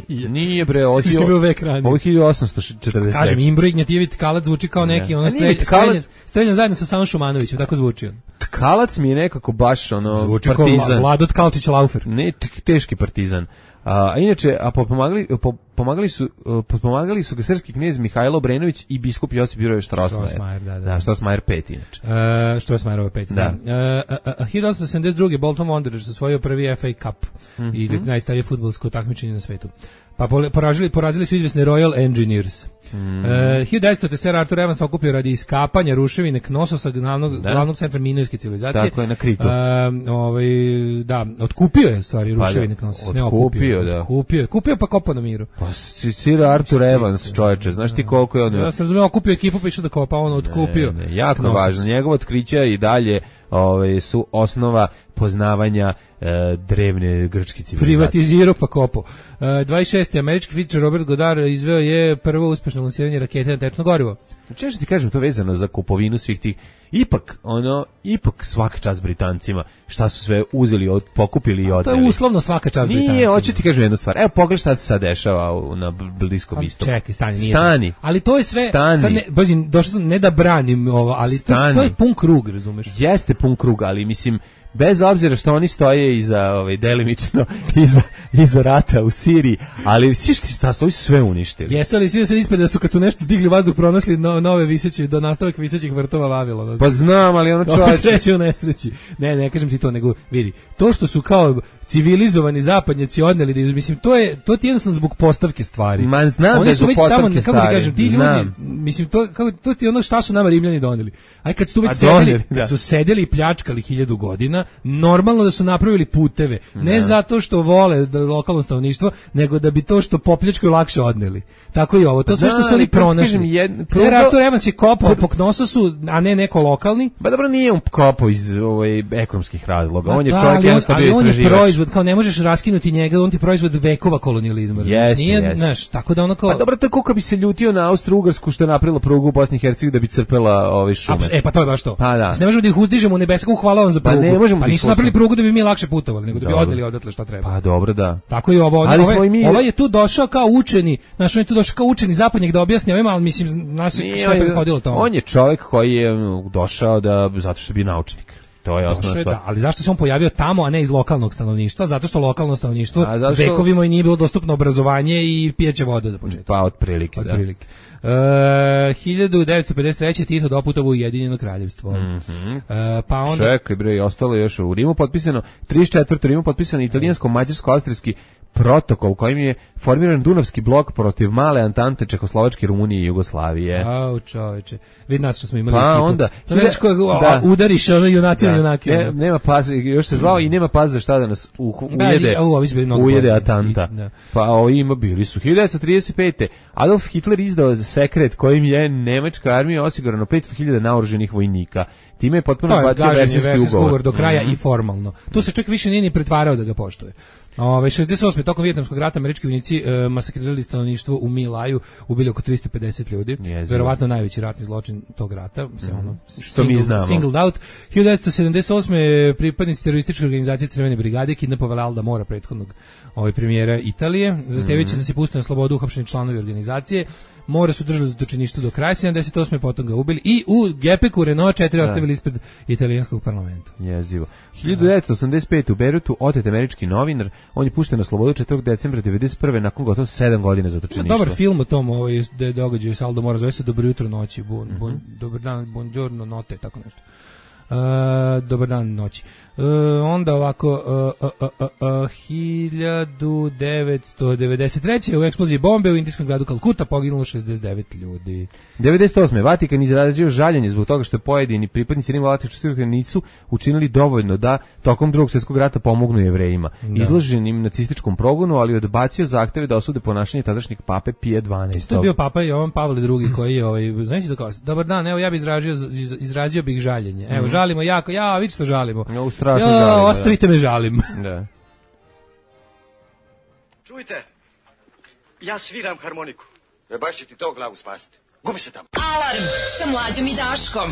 Nije. Nije bre, ovo je hiljadu osamsto četrdeset treće. Kažem, Imbro Ignjatijević Tkalac zvuči kao neki ono streljan, streljan zajedno sa Savom Šumanovićem, tako zvuči on. Tkalac mi je nekako baš ono zvuči partizan. Kao Vlado Tkalčić Laufer. Ne, teški partizan. A inače, a pomagali, po, pomagali su uh, pomagali su ga srpski knez Mihajlo Obrenović i biskup Josip Juraj Strossmayer. Da, da. Da, Strossmayer pet inače. Uh, Strossmayerova pet. Da. da. Uh, uh, uh, hiljadu osamsto sedamdeset druge. Bolton Wanderers osvojio prvi F A Cup mm-hmm. ili najstarije fudbalsko takmičenje na svetu. Pa poražili, porazili su izvesne Royal Engineers. Mm. E, hiljadu devetsto Sir Arthur Evans okupio radi iskapanja ruševine Knososa, glavnog, glavnog centra minojske civilizacije. Tako je, na Kritu. E, ovaj, da, otkupio je stvari ruševine Knososa. Ne otkupio, da. Otkupio je, kupio pa kopao na miru. Pa Sir Arthur Evans, čoveče, znaš ti koliko je on... Ja sam razumio, okupio ekipu pa išao da kopa, on otkupio. Ne, ne, jako Knosos. Važno, njegovo otkrića i dalje ove, su osnova poznavanja e, drevne grčke civilizacije. Privatizirao pa kopo. E, dvadeset šesti američki fizičar Robert Goddard izveo je prvo uspešno lansiranje rakete na tečno gorivo. Često ti kažem to vezano za kupovinu svih tih. Ipak, ono, ipak svaka čast Britancima, šta su sve uzeli, od, pokupili i odneli. To je uslovno svaka čast Britancima. Nije, hoću ti kažem jednu stvar. Evo, pogledaj šta se sad dešava u, na Bliskom istoku. Čekaj, stani, nije. Stani. Ali to je sve, Stani. sad ne, bazim, došao sam ne da branim ovo, ali to, to je pun krug, razumeš? Jeste pun krug, ali mislim, bez obzira što oni stoje iza, ovaj, delimično, iza, iza rata u Siriji, ali svi što sta, su sve uništili. Jesu li svi se ispred da su kad su nešto digli vazduh pronašli no, nove viseće, do nastavak visećih vrtova Vavilona. Pa znam, ali ono čovječe. Sreće u nesreći. Ne, ne kažem ti to, nego vidi, to što su kao civilizovani zapadnjaci odneli, da mislim, to je, to ti jednostavno zbog postavke stvari. Man, znam oni su već tamo, kako ti kažem, ti znam. ljudi, mislim, to, kako, to ti ono šta su nama Rimljani doneli. Aj kad su već A sedeli, doneli, kad da. su sedeli i pljačkali hiljadu godina, normalno da su napravili puteve, ne da. zato što vole da lokalno stanovništvo, nego da bi to što popljačkaju lakše odneli. Tako i ovo, to sve što su oni pronašli. Sir Arthur Evans je kopao po Knososu, a ne neko lokalni. Ba dobro, nije on kopao iz ovaj, ekonomskih razloga, on je da, čovjek jednostavno bio istraživač. istraživač. On je proizvod, kao ne možeš raskinuti njega, on ti proizvod vekova kolonijalizma. Yes, nije, yes. znaš, tako da ono kao... Pa dobro, to je kako bi se ljutio na Austro-Ugarsku što je napravila prugu u Bosni i Hercegovini da bi crpela ove šume. A, e pa to je baš to. Pa da. Ne možemo da ih uzdižemo u nebeskom, hvala vam za prugu. Pa ne možemo pa da ih nisu napravili prugu da bi mi lakše putovali, nego da bi Dobro. odneli odatle šta treba. Pa dobro, da. Tako i ovo. Ali ovaj, smo i mi... ovaj je tu došao kao učeni, znaš, on je tu došao kao učeni zapadnjak da objasni ovima, ali mislim, naš sve prethodilo tome. On je čovjek koji je došao da, zato što je bio naučnik. To je osnovna stvar. Da, ali zašto se on pojavio tamo, a ne iz lokalnog stanovništva? Zato što lokalno stanovništvo što... vekovima i nije bilo dostupno obrazovanje i pijeće vode za početak. Pa otprilike, od da. Prilike. Uh, hiljadu devetsto pedeset treće Tito doputovo Ujedinjeno kraljevstvo. Mm-hmm. Uh, pa onda... Čekaj bre, ostalo je još u Rimu potpisano, trideset četvrto u Rimu potpisano italijansko-mađarsko-austrijski protokol kojim je formiran Dunavski blok protiv male Antante Čehoslovačke, Rumunije i Jugoslavije. Au, čoveče. Vidi nas što smo imali pa ekipu. onda To nešto koje da. udariš ono junaci da. na junake. Ne, nema paze, još se zvao i nema paze šta da nas u, ujede, da, u, ujede Atanta. Da. Pa o, ima bili su. hiljadu devetsto trideset pete. Adolf Hitler izdao sekret kojim je nemačka armija osigurano petsto hiljada naoruženih vojnika. Time je potpuno bacio versijski ugovor. ugovor do kraja mm-hmm. i formalno. Tu se čak više nije ni pretvarao da ga poštuje. Ove, šezdeset osme tokom Vijetnamskog rata američki vojnici e, masakrirali stanovništvo u My Laju, ubili oko tristo pedeset ljudi. Jezivo. Verovatno najveći ratni zločin tog rata, se mm. ono što single, mi znamo. Singled out. hiljadu devetsto sedamdeset osme pripadnici terorističke organizacije Crvene brigade kidnapovali Alda Mora, prethodnog ovaj premijera Italije, zahtevajući mm. da se puste na slobodu uhapšeni članovi organizacije. More su držali za točiništvo do kraja sedamdeset osme potom ga ubili i u Gepeku Renault četiri da. ostavili ispred italijanskog parlamenta. Jezivo. hiljadu devetsto osamdeset pete u Beirutu otet američki novinar, on je pušten na slobodu četvrtog decembra devedeset prve nakon gotovo sedam godina zatočeništva. Dobar film o tom, ovaj da događaju sa Aldo Mora, zove se Dobro jutro noći, bon, bon, mm-hmm. dobar dan, buongiorno notte, tako nešto. Uh, dobar dan noći. Uh, onda ovako uh, uh, uh, uh, hiljadu devetsto devedeset treće u eksploziji bombe u indijskom gradu Kalkuta poginulo šezdeset devet ljudi. devedeset osme Vatikan izrazio žaljenje zbog toga što pojedini pripadnici rimokatoličke crkve nisu učinili dovoljno da tokom Drugog svjetskog rata pomognu Jevrejima, da. izloženim nacističkom progonu, ali odbacio zahteve da osude ponašanje tadašnjeg pape Pije dvanaestog. To je bio papa Jovan Pavle drugi koji je ovaj, znači da kao, dobar dan, evo ja bih izrazio izrazio bih žaljenje. Evo, mm. žalimo jako, ja, vi što žalimo. Ja, strašno ja, žalimo, ostavite da. me, žalim. Da. Čujte, ja sviram harmoniku. E baš će ti to glavu spasiti. Gubi se tamo. Alarm sa Mlađom i Daškom.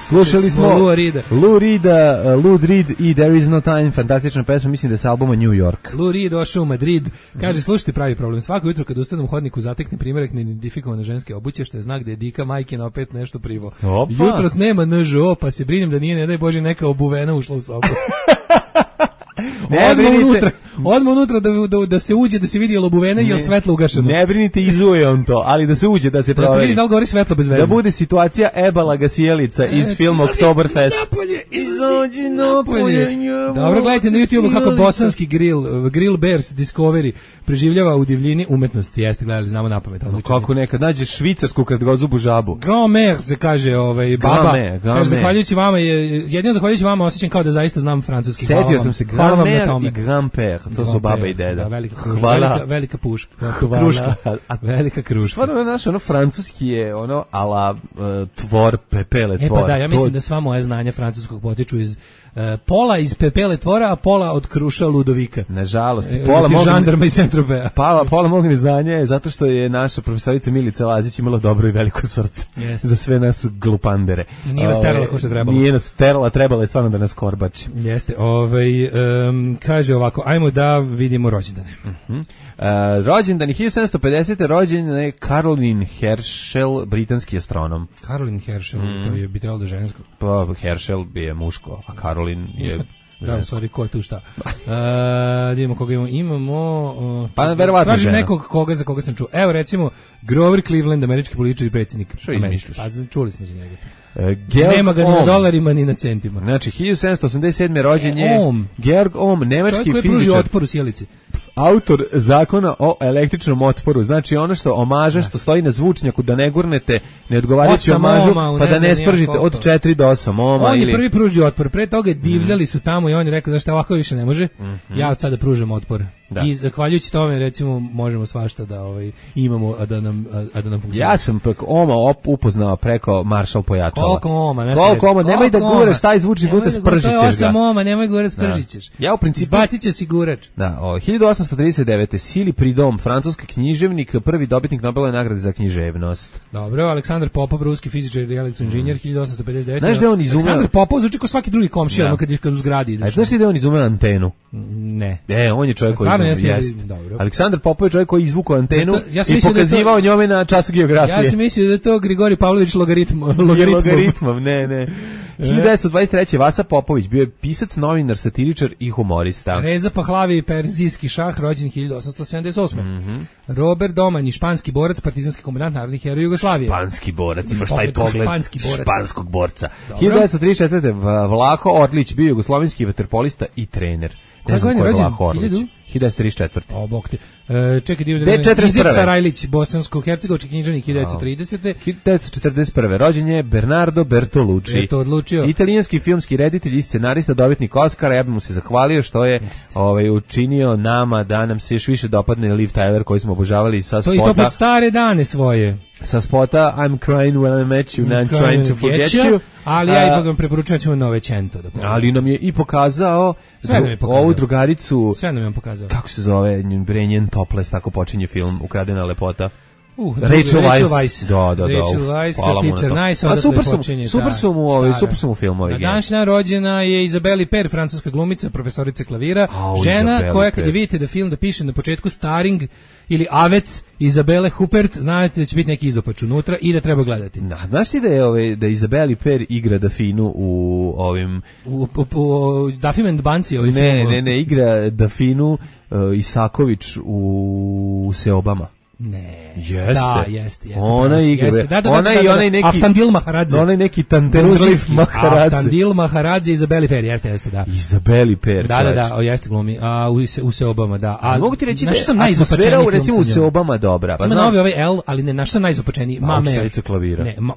Slušali smo Lou Reeda, Lou Reeda, uh, Lou Reed i There is no time, fantastična pesma, mislim da je sa albuma New York. Lou Reed došao u Madrid, kaže, slušajte, pravi problem, svako jutro kad ustanem u hodniku zatekne primjerak neidentifikovane ženske obuće, što je znak da je Dika majkina opet nešto privo. Opa. Jutros nema N Ž O, pa se brinem da nije, ne daj Bože, neka obuvena ušla u sobu. Ne odmah brinite, unutra, odmah unutra da, da, da se uđe, da se vidi je li obuvena i je li svetlo ugašeno. Ne brinite, izuje on to, ali da se uđe, da se proveri. Da se vidi da li gori svetlo bez veze. Da bude situacija Ebala Gasijelica iz e, filma Oktoberfest. Napolje, izađi napolje. Dobro, gledajte na YouTube kako bosanski grill, Grill Bears Discovery preživljava u divljini umetnosti. Jeste gledali, znamo napamet. No, kako nekad nađeš švicarsku kratkozubu žabu. Grand-mère se kaže, ovaj, baba. Grand-mère, grand-mère. Kaže, zahvaljujući vama, je, jedino zahvaljujući vama osjećam kao da zaista znam francuski. Setio sam se, grand-mère i grand-père, to su baba i deda. Da, velika kruška, velika, velika puška. Kruška, velika kruška. Stvarno, naš, ono, francuski je, ono, ala uh, tvor, pepele tvor. E pa da, ja mislim to... da sva moja znanja francuskog potiču iz Uh, pola iz pepele tvora, a pola od kruša Ludovika. Nažalost, e, pola mog žandarma i Saint-Tropeza. Pola, pola mog neznanja je zato što je naša profesorica Milica Lazić imala dobro i veliko srce yes. za sve nas glupandere. I nije nas terala kao što trebalo. Nije nas terala, trebalo je stvarno da nas korbači. Jeste, ovaj, um, kaže ovako, ajmo da vidimo rođendane. Uh-huh. Uh, rođendan je hiljadu sedamsto pedesete. rođen je Caroline Herschel, britanski astronom. Caroline Herschel, mm. to je bi trebalo da žensko. Pa Herschel bi je muško, a Caroline je da, sorry, ko je tu šta? Uh, da imamo koga imamo. Imamo... Uh, pa verovatno tražim nekog koga za koga sam čuo. Evo recimo, Grover Cleveland, američki političar i predsjednik. Što izmišljaš? Pa čuli smo za njega. Uh, Nema ga ni na dolarima ni na centima. Znači, hiljadu sedamsto osamdeset sedme. rođen je Ohm. Georg Ohm, nemački fizičar. Čovjek koji pruži otpor u sjelici. Autor zakona o električnom otporu. Znači ono što omaža, što stoji na zvučnjaku, da ne gurnete neodgovarajući omažu, pa da ne spržite od četiri do osam ohma. On je ili... prvi pružio otpor. Pre toga divljali su tamo i on je rekao da šta ovako više ne može. Mm-hmm. Ja od sada pružam otpor. Da. I zahvaljujući tome recimo možemo svašta da ovaj imamo a da nam a, a da nam funkcionira. Ja sam preko Oma op upoznao preko Maršal pojačala. Koliko Oma, znači. Koliko Oma, nemoj da guraš taj zvučni puta, spržićeš ga. osam Oma, nemoj guraš, spržićeš. Ja u principu baciće sigurač. Da, o, hiljadu osamsto trideset devete. Sili Pridom, francuski književnik, prvi dobitnik Nobelove nagrade za književnost. Dobro, Aleksandar Popov, ruski fizičar i elektroinženjer, mm. hiljadu osamsto pedeset devete. Znaš da on izumeo... Aleksandar Popov zvuči kao svaki drugi komšija, ono kad je kad u zgradi ideš. A znaš da on izumeo antenu? Ne. E, on je čovjek koji izumeo. Aleksandar Popov je čovjek koji izvukao antenu to, ja i pokazivao to, njome na času geografije. Ja sam mislio da je to Grigorij Pavlović logaritm, logaritmom. Logaritmom, ne, ne. hiljadu devetsto dvadeset treće. Vasa Popović bio je pisac, novinar, satiričar i humorista. Reza Pahlavi, perzijski šah, rođen hiljadu osamsto sedamdeset osme. Mm-hmm. Robert Domanji, španski borac, partizanski komandant narodnih heroja Jugoslavije. Španski borac, imaš taj pogled borac. španskog borca. hiljadu devetsto trideset četvrte. Vlaho Orlić bio jugoslovenski vaterpolista i trener. Ne znam ko je Vlaho Orlić. hiljadu devetsto trideset četvrte. O, bog ti. E, čekaj, dio da Izica Rajlić, bosansko-hercegovački književnik, hiljadu devetsto tridesete. hiljadu devetsto četrdeset prve. rođen je Bernardo Bertolucci. Je to odlučio. Italijanski filmski reditelj i scenarista, dobitnik Oscara. Ja bih mu se zahvalio što je ovaj, učinio nama da nam se još više dopadne Liv Tyler koji smo obožavali sa spota. To i to pod stare dane svoje. Sa spota I'm crying when I met you, I'm trying to forget you. you. Ali ja ipak vam preporučujem ćemo Novecento da pogledamo. Ali nam je i pokazao, Sve nam je pokazao. ovu drugaricu. Sve nam je pokazao. Kako se zove, Brenjen Topless, tako počinje film Ukradena lepota. Uh, Rachel Weisz. Da, da, da. Rachel Weisz, Katica Nice, a super su, super su mu, ovi, super su mu filmovi. Na današnja rođena je Izabeli Per, francuska glumica, profesorica klavira, oh, žena Izabeli koja Per. kad je vidite da film da piše na početku Starring ili Avec Izabele Huppert, znate da će biti neki izopač unutra i da treba gledati. Da, znaš ti da je ove, da Izabeli Per igra Dafinu u ovim u, u, u Duffy and Banci ovaj ne, film. Ne, ne, igra Dafinu uh, Isaković u Seobama. Ne. Jeste. Da, jeste, jeste. Ona igra. Jeste. Da, da, ona da, i da, onaj neki Aftandil Maharadze. Onaj neki Tandendlis Maharadze. Aftandil Maharadze i Izabeli Per, jeste, jeste, da. Izabeli Per. Da, da, da, o, jeste glumi. A u se u Seobama, da. A mogu ti reći da sam najizopačeniji film. Recimo u Seobama dobra. Pa ima novi ovaj L, ali ne, naš sam najizopačeniji. Mamer. Klavira. Ne, ma,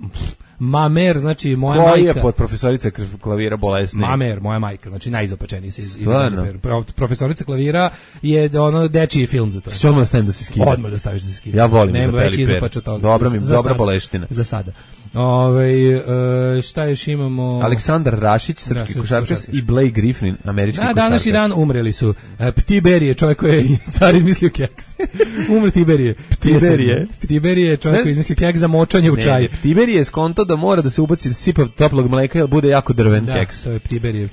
Mamer, znači moja Koja majka. Koja je pod profesorica klavira bolesna? Mamer, moja majka, znači najizopačeniji se iz Izabeli Per. Profesorica klavira je ono dečiji film za to. Što odmah stavim da se skida? Odmah da staviš da se skida. Ja volim Izabeli Per. Dobra mi, dobra boleština. Za sada. Ove, uh, šta još imamo? Aleksandar Rašić, srpski košarkaš i Blake Griffin, američki košarkaš. Na današnji dan umreli su uh, Ptiberije, čovjek koji je car izmislio keks. Umre Tiberije. Ptiberije. Ptiberije, čovjek koji je izmislio keks za močanje u čaju. Ptiberije je skonto da mora da se ubaci sipa toplog mleka jer bude jako drven da, keks. To je Ptiberije.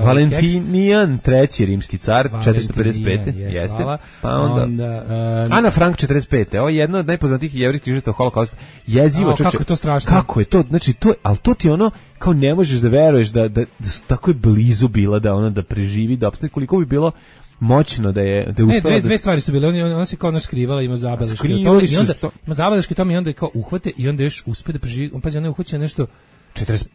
Valentinijan, treći rimski car, četiristo pedeset pete. Yes, jeste. Hvala. Pa onda, onda uh, Ana Frank, četrdeset pete. Ovo je jedno od najpoznatijih jevrejskih žrtava holokausta. Jezivo, čoče. Kako je to strašno? Kako je to? Znači, to, ali to ti ono, kao ne možeš da veruješ da, da, da tako je blizu bila da ona da preživi, da opstane, koliko bi bilo moćno da je da je uspela. Ne, dve, da... dve stvari su bile, ona, ona se kao naš skrivala, ima zabeleške o tome i onda ima zabeleške o tome i onda je kao uhvate i onda još uspe da preživi, on pazi, ona je uhvaćena nešto četrdeset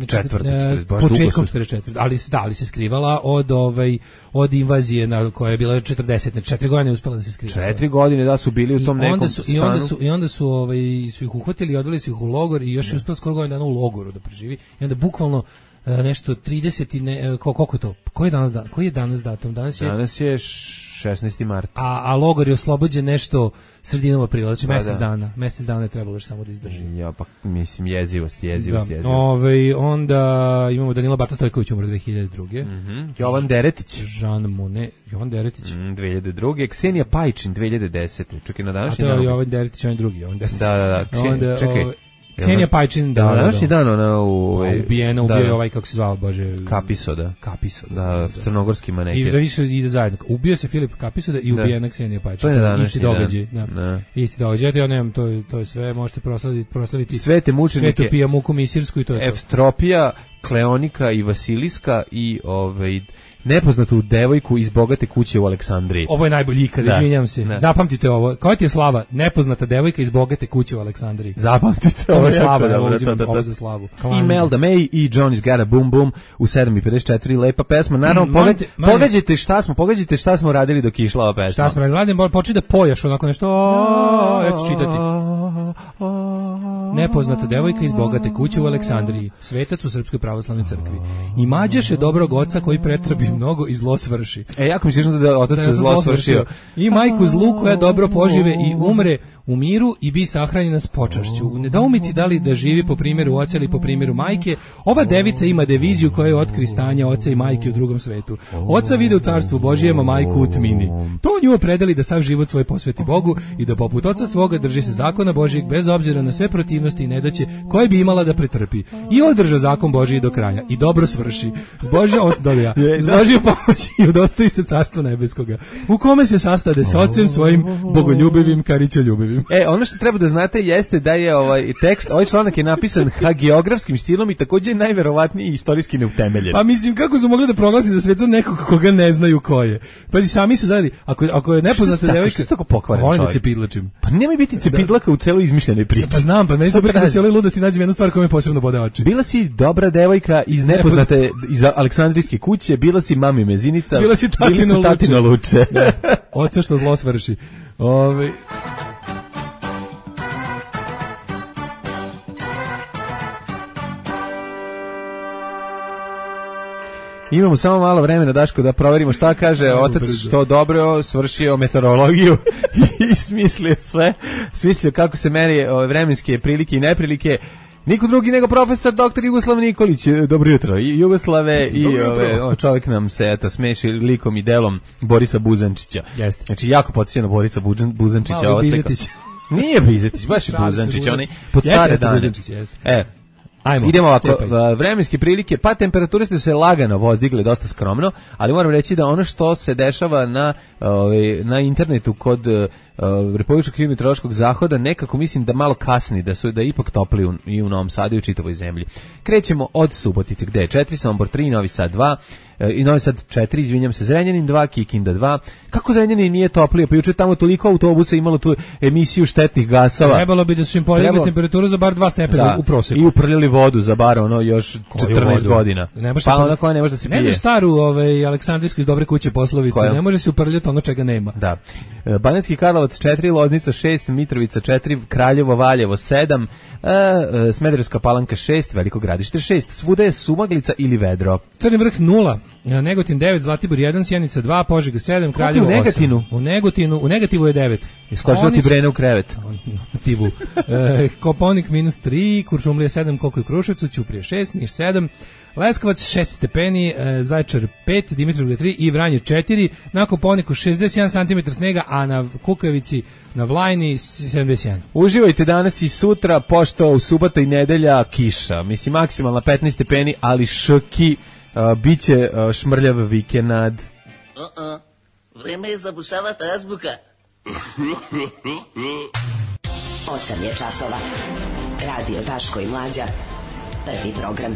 četvrti, početkom četrdeset četvrte ali se da li se skrivala od ovaj od invazije na koja je bila četrdeset, četiri godine uspela da se skriva. četiri godine da su bili u tom nekom su, stanu. I onda su i onda su ovaj su ih uhvatili i odveli su ih u logor i još je uspela skoro godinu dana u logoru da preživi. I onda bukvalno nešto trideset i ne, koliko je to? Koji je danas dan? Koji je danas datum? Danas je Danas je šesnaesti mart. A a logor je oslobođen nešto sredinom aprila, znači mjesec da. dana. Mjesec dana je trebalo još samo da izdrži. Ja pa mislim jezivost, jezivost, da. jezivost. Ovaj onda imamo Danila Bata Stojković umro dve hiljade druge. Mhm. Mm Jovan Deretić, Jean Monnet, Jovan Deretić. Mm, dve hiljade druge. Ksenija Pajčin dve hiljade desete. Čekaj, na današnji dan. A to je Jovan Deretić, on je drugi, Jovan Deretić. Da, da, da. Ksen, onda, čekaj. Ovaj, Ksenija Pajčin, da, da, da. Današnji dan ona u ovaj ubijena, ubio je ovaj kako se zvao, bože, Kapisoda. Kapisoda. Da, crnogorski maneker. I da više ide zajedno. Ubio se Filip Kapisoda i ubijena Ksenija Pajčin. To je današnji isti događaj, da. da. Isti događaj. Ja nemam, to je to je sve, možete proslaviti, proslaviti Svete mučenike. Svetu Pija Muku Misirsku i to je Evstropija, Kleonika i Vasiliska i ovaj nepoznatu devojku iz bogate kuće u Aleksandriji. Ovo je najbolji ikad, izvinjavam se. Da. Zapamtite ovo. Koja ti je slava? Nepoznata devojka iz bogate kuće u Aleksandriji. Zapamtite ovo. Ovo je slava, da, ovo, da, da, ovo za slavu. I Melda May i Johnny's Got a Boom Boom u sedam i pedeset četiri, lepa pesma. Naravno, mm, pogađ, manje, pogađajte šta smo, pogađajte šta smo radili dok je išla ova pesma. Šta smo radili? Radim, počni da pojaš onako nešto, ja ću čitati. Nepoznata devojka iz bogate kuće u Aleksandriji, svetac u Srpskoj pravoslavnoj crkvi. I mađaše dobrog oca koji pretrabi mnogo i zlo svrši. E, jako mi se da je otac da zlo svršio. I majku zlu koja dobro požive i umre u miru i bi sahranjena s počašću. U nedoumici da li da živi po primjeru oca ili po primjeru majke, ova devica ima deviziju koja je otkri stanja oca i majke u drugom svetu. Oca vide u carstvu Božijem, a majku u tmini. To nju opredeli da sav život svoj posveti Bogu i da poput oca svoga drži se zakona Božijeg bez obzira na sve protivnosti i nedaće koje bi imala da pretrpi. I održa zakon Božiji do kraja i dobro svrši. S Božijom osdoja, s Božijom pomoći i udostoji se carstva nebeskoga, u kome se sastade s ocem svojim bogoljubivim, karićoljubivim. E, ono što treba da znate jeste da je ovaj tekst, ovaj članak je napisan hagiografskim stilom i takođe je najverovatnije istorijski neutemeljen. Pa mislim, kako su mogli da proglasi za svet za nekog koga ne znaju ko je? Pazi, sami su znali, ako, ako je nepoznata devojka... Što je tako pokvaren čovjek? Volim da cepidlačim. Pa nemoj biti cepidlaka u celoj izmišljenoj priči. Pa znam, pa meni su preko na cijeloj ludosti nađem jednu stvar koja me posebno bode oči. Bila si dobra devojka iz nepoznate, iz Aleksandrijske kuće, bila si mami mezinica, bila si tatino, bila si tatino luče. luče. Da. Oca što zlo svrši. Ove... Imamo samo malo vremena, Daško, da proverimo šta kaže otac, što dobro svršio meteorologiju i smislio sve, smislio kako se meri vremenske prilike i neprilike. Niko drugi nego profesor doktor Jugoslav Nikolić. Dobro jutro. I Jugoslave i ove, o, čovjek nam se eto smeši likom i delom Borisa Buzančića. Jeste. Znači jako podsjeća na Borisa Buzančića. Malo Bizetić. Nije Bizetić, baš je Buzančić, onaj pod stare dane. E, Ajmo, idemo ovako, cijepaj. Vremenske prilike, pa temperature su se lagano vozdigle, dosta skromno, ali moram reći da ono što se dešava na, ovaj, na internetu kod uh, Republičkog hidrometeorološkog zahoda, nekako mislim da malo kasni, da su da je ipak topli u, i u Novom Sadu i u čitavoj zemlji. Krećemo od Subotice, gde je četiri, Sombor tri, Novi Sad dva, i Novi Sad četiri, izvinjam se, Zrenjanin dva, Kikinda dva. Kako Zrenjanin nije toplije? Pa juče tamo toliko autobusa imalo tu emisiju štetnih gasova. Trebalo bi da su im podigli Trebalo... temperaturu za bar dva stepena da. u proseku. I uprljali vodu za bar ono još četrnaest godina. Pa ona koja ne može da se pije. Ne znaš staru ovaj, Aleksandrijsku iz Dobre kuće poslovicu, koja? Ne može se uprljati ono čega nema. Da. Banatski Karlovac četiri, Loznica šest, Mitrovica četiri, Kraljevo, Valjevo sedam, e, Smederevska Palanka šest, Veliko Gradište šest, svuda je sumaglica ili vedro. Crni vrh nula, Negotin devet, Zlatibor jedan, Sjenica dva, Požega sedam, Kraljevo osam. U Negatinu? U Negotinu, u negativu je devet. Iskočila ti Brene u krevet. Negativu. e, Koponik minus tri, Kuršumlija sedam, koliko je u Kruševcu, Ćuprije šest, Niš sedam, Leskovac šest stepeni, e, Zaječar pet, Dimitrovgrad tri i Vranje četiri, na Koponiku šezdeset jedan centimetara snega, a na Kukavici, na Vlajni sedamdeset jedan. Uživajte danas i sutra, pošto u subota i nedelja kiša. Mislim, maksimalna petnaest stepeni, ali ški, uh, bit će uh, šmrljav vikend. Uh-uh. Vreme je zabušavati azbuka. osam je časova. Radio Daško i Mlađa. Prvi program.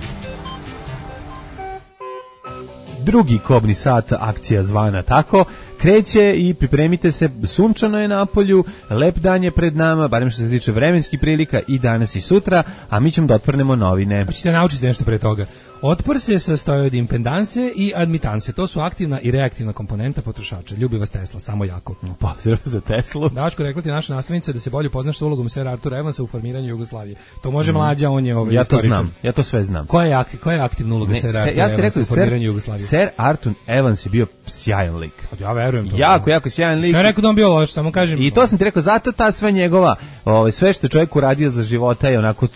drugi kobni sat, akcija zvana tako, kreće i pripremite se, sunčano je na polju, lep dan je pred nama, barem što se tiče vremenskih prilika i danas i sutra, a mi ćemo da otprnemo novine. Hoćete naučiti nešto pre toga. Otpor se sastoji od impedanse i admitanse. To su aktivna i reaktivna komponenta potrošača. Ljubi vas Tesla, samo jako. Pozdrav za Teslu. Daško, rekla ti naša nastavnica da se bolje poznaš sa ulogom Sera Artura Evansa u formiranju Jugoslavije. To može mm. Mlađa, on je ovaj ja istoričan. Ja to znam, ja to sve znam. Koja je, ak, koja je aktivna uloga Sera Artura ja Evansa u formiranju Jugoslavije? Ser Artur Evans je bio sjajan lik. Ja verujem to. Jako, jako sjajan lik. Sve rekao da on bio loš, samo kažem. I to sam ti rekao, zato ta sve njegova, ovaj, sve što je čovjek uradio za života je onako,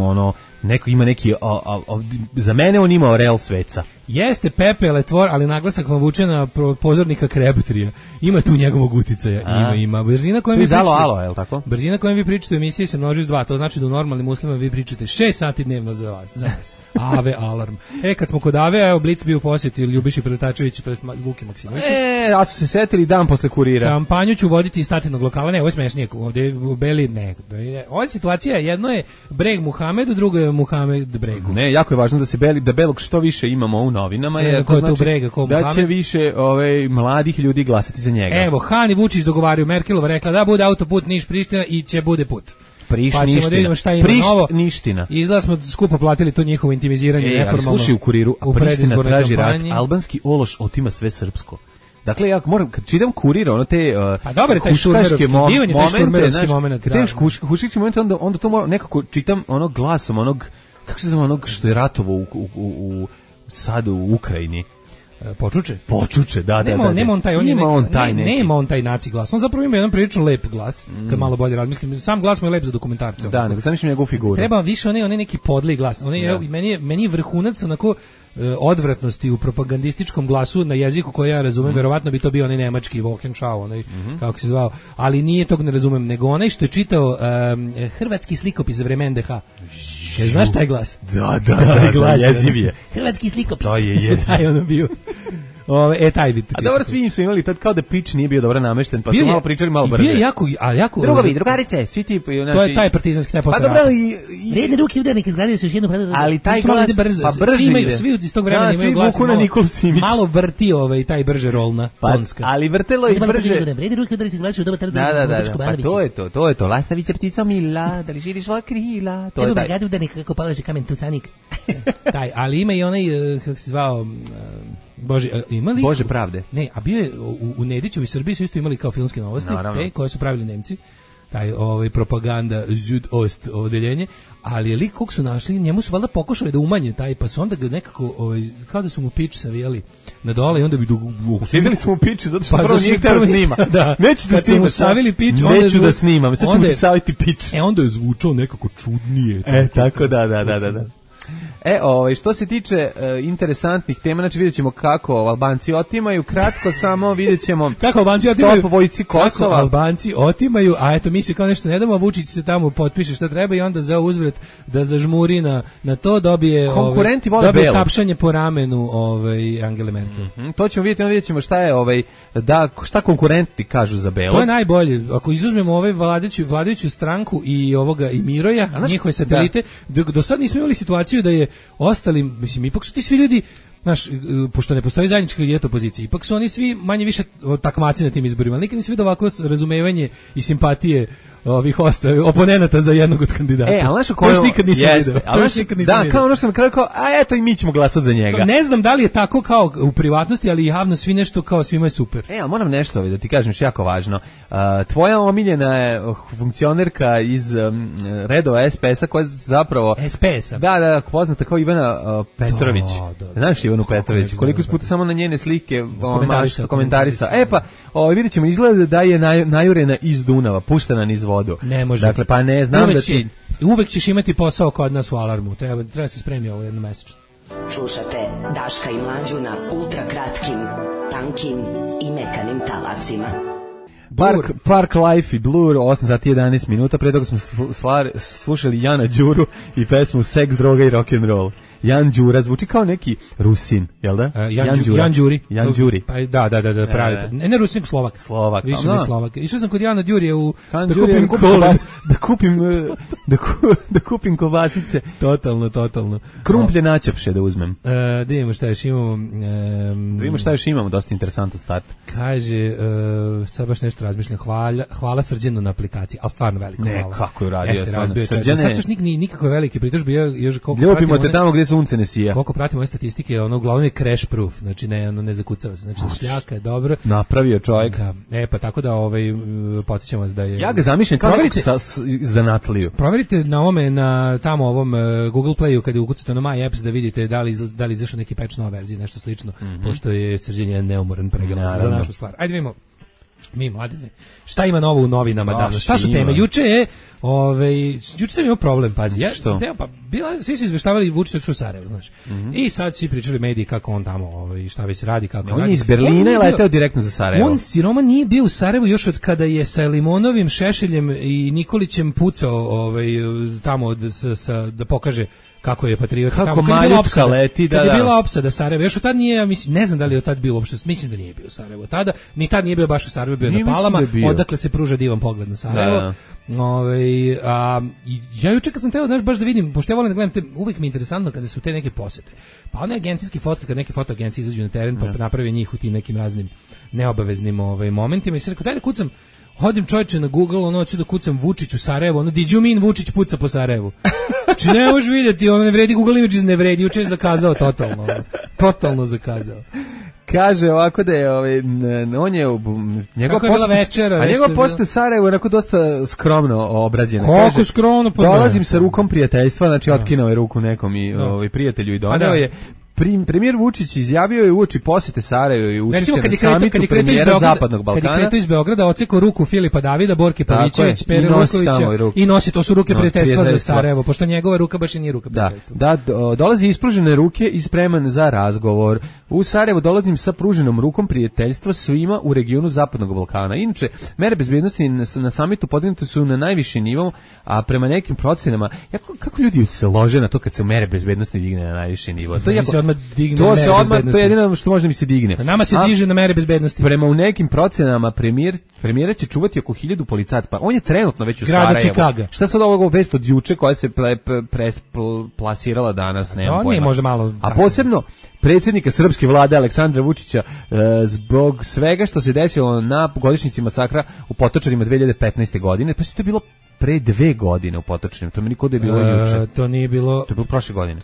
ono, neko ima neki, o, o, o, za mene on imao real sveca. Jeste Pepe Letvor, ali naglasak vam vuče na pozornika Krebtrija. Ima tu njegovog uticaja, ima, ima. Brzina kojom vi pričate, alo, alo, je li tako? Brzina kojom vi pričate u emisiji se množi s dva, to znači da u normalnim uslovima vi pričate šest sati dnevno za vas, za nas. Ave alarm. E, kad smo kod Ave, evo Blic bio u posjeti Ljubiši Preletačeviću, to je Vuki Maksimoviću. E, a su se setili dan posle kurira. Kampanju ću voditi iz statinog lokala, ne, ovo je smešnije, ovdje u Beli, ne. Ova situacija, jedno je Breg Muhamedu, drugo je Muhamed Bregu. Ne, jako je važno da se Beli, da Belog što više imamo u novinama, jer to znači Brega, ko da Muhamed? Će više ovaj, mladih ljudi glasati za njega. Evo, Han i Vučić dogovaraju, Merkelova rekla da bude autoput Niš-Priština i će bude put. Priš pa ćemo da vidimo šta ima Prišt novo. Niština. I izgleda smo skupo platili to njihovo intimiziranje e, neformalno. Slušaj u Kuriru, a u Priština traži kampanji. rat, albanski ološ otima sve srpsko. Dakle, ja moram, kad čitam Kurir, ono te uh, pa dobro, taj šturmerovski, mo divan je taj šturmerovski znaš, moment. Kad teš huškički moment, onda, onda to moram, nekako čitam onog glasom, onog, kako se zove, onog što je ratovo u, u, u, u sad u Ukrajini. Počuče? Počuče, da, nema, da, da. Nema on taj, on ima je on neki, taj ne, neki. Nema on taj naci glas. On zapravo ima jedan prilično lep glas, mm. kad malo bolje razmislim. Sam glas mu je lep za dokumentarce. Da, nego zamišljam njegovu figuru. Treba više onaj, onaj neki podli glas. Onaj, ja. meni, je, meni je vrhunac onako odvratnosti u propagandističkom glasu na jeziku koji ja razumem, mm. verovatno bi to bio onaj nemački Wolkenschau, onaj, mm-hmm. kako se zvao, ali nije tog ne razumem, nego onaj što je čitao um, hrvatski slikopis za vreme en de ha. Kaj, znaš taj glas? Da, da, da, da, jeziv je. Hrvatski slikopis. To je jeziv. Taj ono bio. Ove, e, taj bit. A dobro, svi im su imali tad kao da pitch nije bio dobro namešten, pa su malo pričali malo brže. Bio je jako, a jako... Drugovi, drugarice, svi ti... Znači, to je taj partizanski, taj posle rata. Pa dobro, i... Redne ruke udarnik izgledaju se još jedno... Ali taj glas, brzo, pa brže svi imaju, ide. Svi iz tog vremena imaju glas malo, malo vrti ovaj, taj brže rolna, pa, tonska. Ali vrtelo i brže... Redne ruke udarnik izgledaju dobar trd. Da, da, da, pa to je to, to je to. Lastavica ptico mila, da li širiš svoja krila. To je taj. Evo udarnik kako palaže kamen tucanik. Taj, ali ima i onaj, kako se zvao... Bože, imali Bože pravde. Ne, a bio je u, u Nediću i Srbiji su isto imali kao filmske novosti, te koje su pravili Nemci. Taj ovaj propaganda Südost odeljenje, ali je lik kog su našli, njemu su valjda pokušali da umanje taj, pa su onda ga nekako ovaj, kao da su mu pič savijali na dole i onda bi usvidjeli smo mu pič zato što pa prvo nije htio da snima. Da, neću da snima. Savili pič, neću da snimam, sad ćemo ti saviti pič. E onda je zvučao nekako čudnije. E tako da, da, da, da. da. E, ovaj, što se tiče e, interesantnih tema, znači vidjet ćemo kako Albanci otimaju, kratko samo vidjet ćemo kako Albanci otimaju, vojci Kosova. Kako Albanci otimaju, a eto mi se kao nešto ne damo, Vučić se tamo potpiše šta treba i onda za uzvrat da zažmuri na, na to dobije, konkurenti ovaj, dobije belo. tapšanje po ramenu ovaj, Angele Merkel. Mm-hmm, to ćemo vidjeti, onda vidjet ćemo šta je, ovaj, da, šta konkurenti kažu za belo. To je najbolje, ako izuzmemo ovaj vladajuću, vladajuću stranku i ovoga i Miroja, znaš, njihove satelite, da. do, do sad nismo imali situaciju da je ostali, mislim, ipak su ti svi ljudi, znaš, pošto ne postoji zajednička dijet opozicije, ipak su oni svi manje više takmaci na tim izborima, ali nikad nisi vidio ovako razumevanje i simpatije ovih osta, oponenata za jednog od kandidata. E, ali znaš ko je... nikad nisam jeste, vidio. Ali nikad nisam da, vidio. Kao ono što sam kao, kao, a eto i mi ćemo glasati za njega. Ne znam da li je tako kao u privatnosti, ali javno svi nešto kao svima je super. E, ali moram nešto da ti kažem što jako važno. Uh, tvoja omiljena je funkcionerka iz um, redova es pe es-a koja je zapravo... es pe es-a? Da, da, poznata kao Ivana uh, Petrović. Da, da, znaš Ivanu Petrović? Koliko puta samo na njene slike komentarisa. komentarisa. E pa, ovaj, vidjet ćemo, izgleda da je naj, najurena iz Dunava, puštena niz vodu. Ne može. Dakle, pa ne, znam uvek da ti... Će, uvek ćeš imati posao kod nas u Alarmu. Treba, treba se spremiti ovo jedno mesečno. Slušate Daška i Mlađu na ultra kratkim, tankim i mekanim talasima. Park Park Life i Blur, osam sati i jedanaest minuta, pre toga smo sl- slušali Jana Đuru i pesmu Seks, droga i rock'n'roll. Jan Đura zvuči kao neki Rusin, jel da? Uh, Jan, Jan, Đura. Jan Đuri. Jan Đuri. Pa da, da, da, da, pravi. E, ne, ne Rusin, Slovak. Slovak. Više mi Slovak. Išao sam kod Jana Đurije u Jan da Đurije, kupim kobas, da kupim da, ku, da kupim kobasice. Totalno, totalno. Krumplje načepše da uzmem. Uh, da vidimo šta još imamo. Um, da vidimo šta još imamo, dosta interesantan start. Kaže, uh, sad baš nešto razmišljam, hvala, hvala Srđanu na aplikaciji, ali stvarno veliko ne, hvala. Ne, kako je radio. Srđane. Sad još nik, nikakve velike pritužbe, još koliko ljubimo te tamo gdje sunce ne sija. Koliko pratimo ove statistike, ono uglavnom je crash proof, znači ne, ono ne zakucava se, znači šljaka je dobro. Napravio čovjek. Da, e pa tako da ovaj podsjećam vas da je. Ja ga zamišljam kao nekog sa zanatliju. Proverite na ovome na tamo ovom uh, Google Playu kad ukucate na My Apps da vidite da li da li izašao neki patch nova verzija, nešto slično, mm-hmm. pošto je Srđan neumoran pregalac za našu stvar. Ajde vidimo. Mi mladine. Šta ima novo u novinama danas? Šta su teme? Juče je, ovaj, juče sam imao problem, pazi. Ja sam teo, pa bila, svi su izveštavali Vučić od Sarajevo, znaš. Mm-hmm. I sad svi pričali mediji kako on tamo, ovaj, šta već radi, kako on radi. Je iz Berlina i leteo direktno za Sarajevo. On siroma nije bio u Sarajevu još od kada je sa Limonovim, Šešeljem i Nikolićem pucao, ovaj, tamo da, sa, sa, da pokaže kako je patriota kako tamo, kad je bila opsada, leti, da, kad je bila da. opsada Sarajeva, još od tad nije, ja mislim, ne znam da li je od tad bio uopšte, mislim da nije bio u Sarajevu tada, ni tad nije bio baš u Sarajevu, bio nije na Palama, da odakle se pruža divan pogled na Sarajevo. Da, da. Ove, a, ja juče kad sam teo, znaš, baš da vidim, pošto ja volim da gledam, te, uvijek mi je interesantno kada su te neke posete, pa one agencijske fotke, kad neke fotoagencije izađu na teren, pa naprave njih u tim nekim raznim neobaveznim ovaj, momentima i se rekao, daj da kucam, hodim čovječe na Google, ono hoću da kucam Vučić u Sarajevo, ono did you mean Vučić puca po Sarajevu. Znači ne možeš vidjeti, ono ne vredi Google Images, ne vredi, juče je zakazao totalno, ono, totalno zakazao. Kaže ovako da je ovaj on je njegov post, a njegov post Sarajevo je onako dosta skromno obrađen. Kako skromno? Pa dolazim sa rukom prijateljstva, znači otkinuo je ruku nekom i ovaj prijatelju i doneo je. Premijer Vučić izjavio je uoči posete Sarajevu i učešće na samitu premijera Zapadnog Balkana. Kad je kretao iz Beograda, ocekao ruku Filipa Davida, Borke Pavićević, Pere Lukovića i nosi, to su ruke no, prijateljstva za Sarajevo, pošto njegova ruka baš i nije ruka prijateljstva. Da, da, dolazi ispružene ruke i spreman za razgovor. U Sarajevo dolazim sa pruženom rukom prijateljstva svima u regionu Zapadnog Balkana. Inače, mere bezbednosti na samitu podignute su na najviši nivo, a prema nekim procenama, jako, kako ljudi se lože na to kad se mere bezbednosti digne na najviši nivo? To je jako, to se odmah, to je jedino što može mi se digne. A nama se a, diže na mere bezbednosti. Prema u nekim procenama premijer, premijera će čuvati oko hiljadu policajaca. Pa on je trenutno već u Grada Sarajevu. Čikaga. Šta sad ovog vest od juče koja se ple, pre, pre, plasirala danas, nemam no, pojma. Nije može malo. A posebno predsjednika srpske vlade Aleksandra Vučića e, zbog svega što se desilo na godišnjici masakra u Potočarima dve hiljade petnaeste. godine. Pa se to bilo pre dve godine u Potočarima. To mi niko da je bilo e, juče. To nije bilo. To je bilo prošle godine.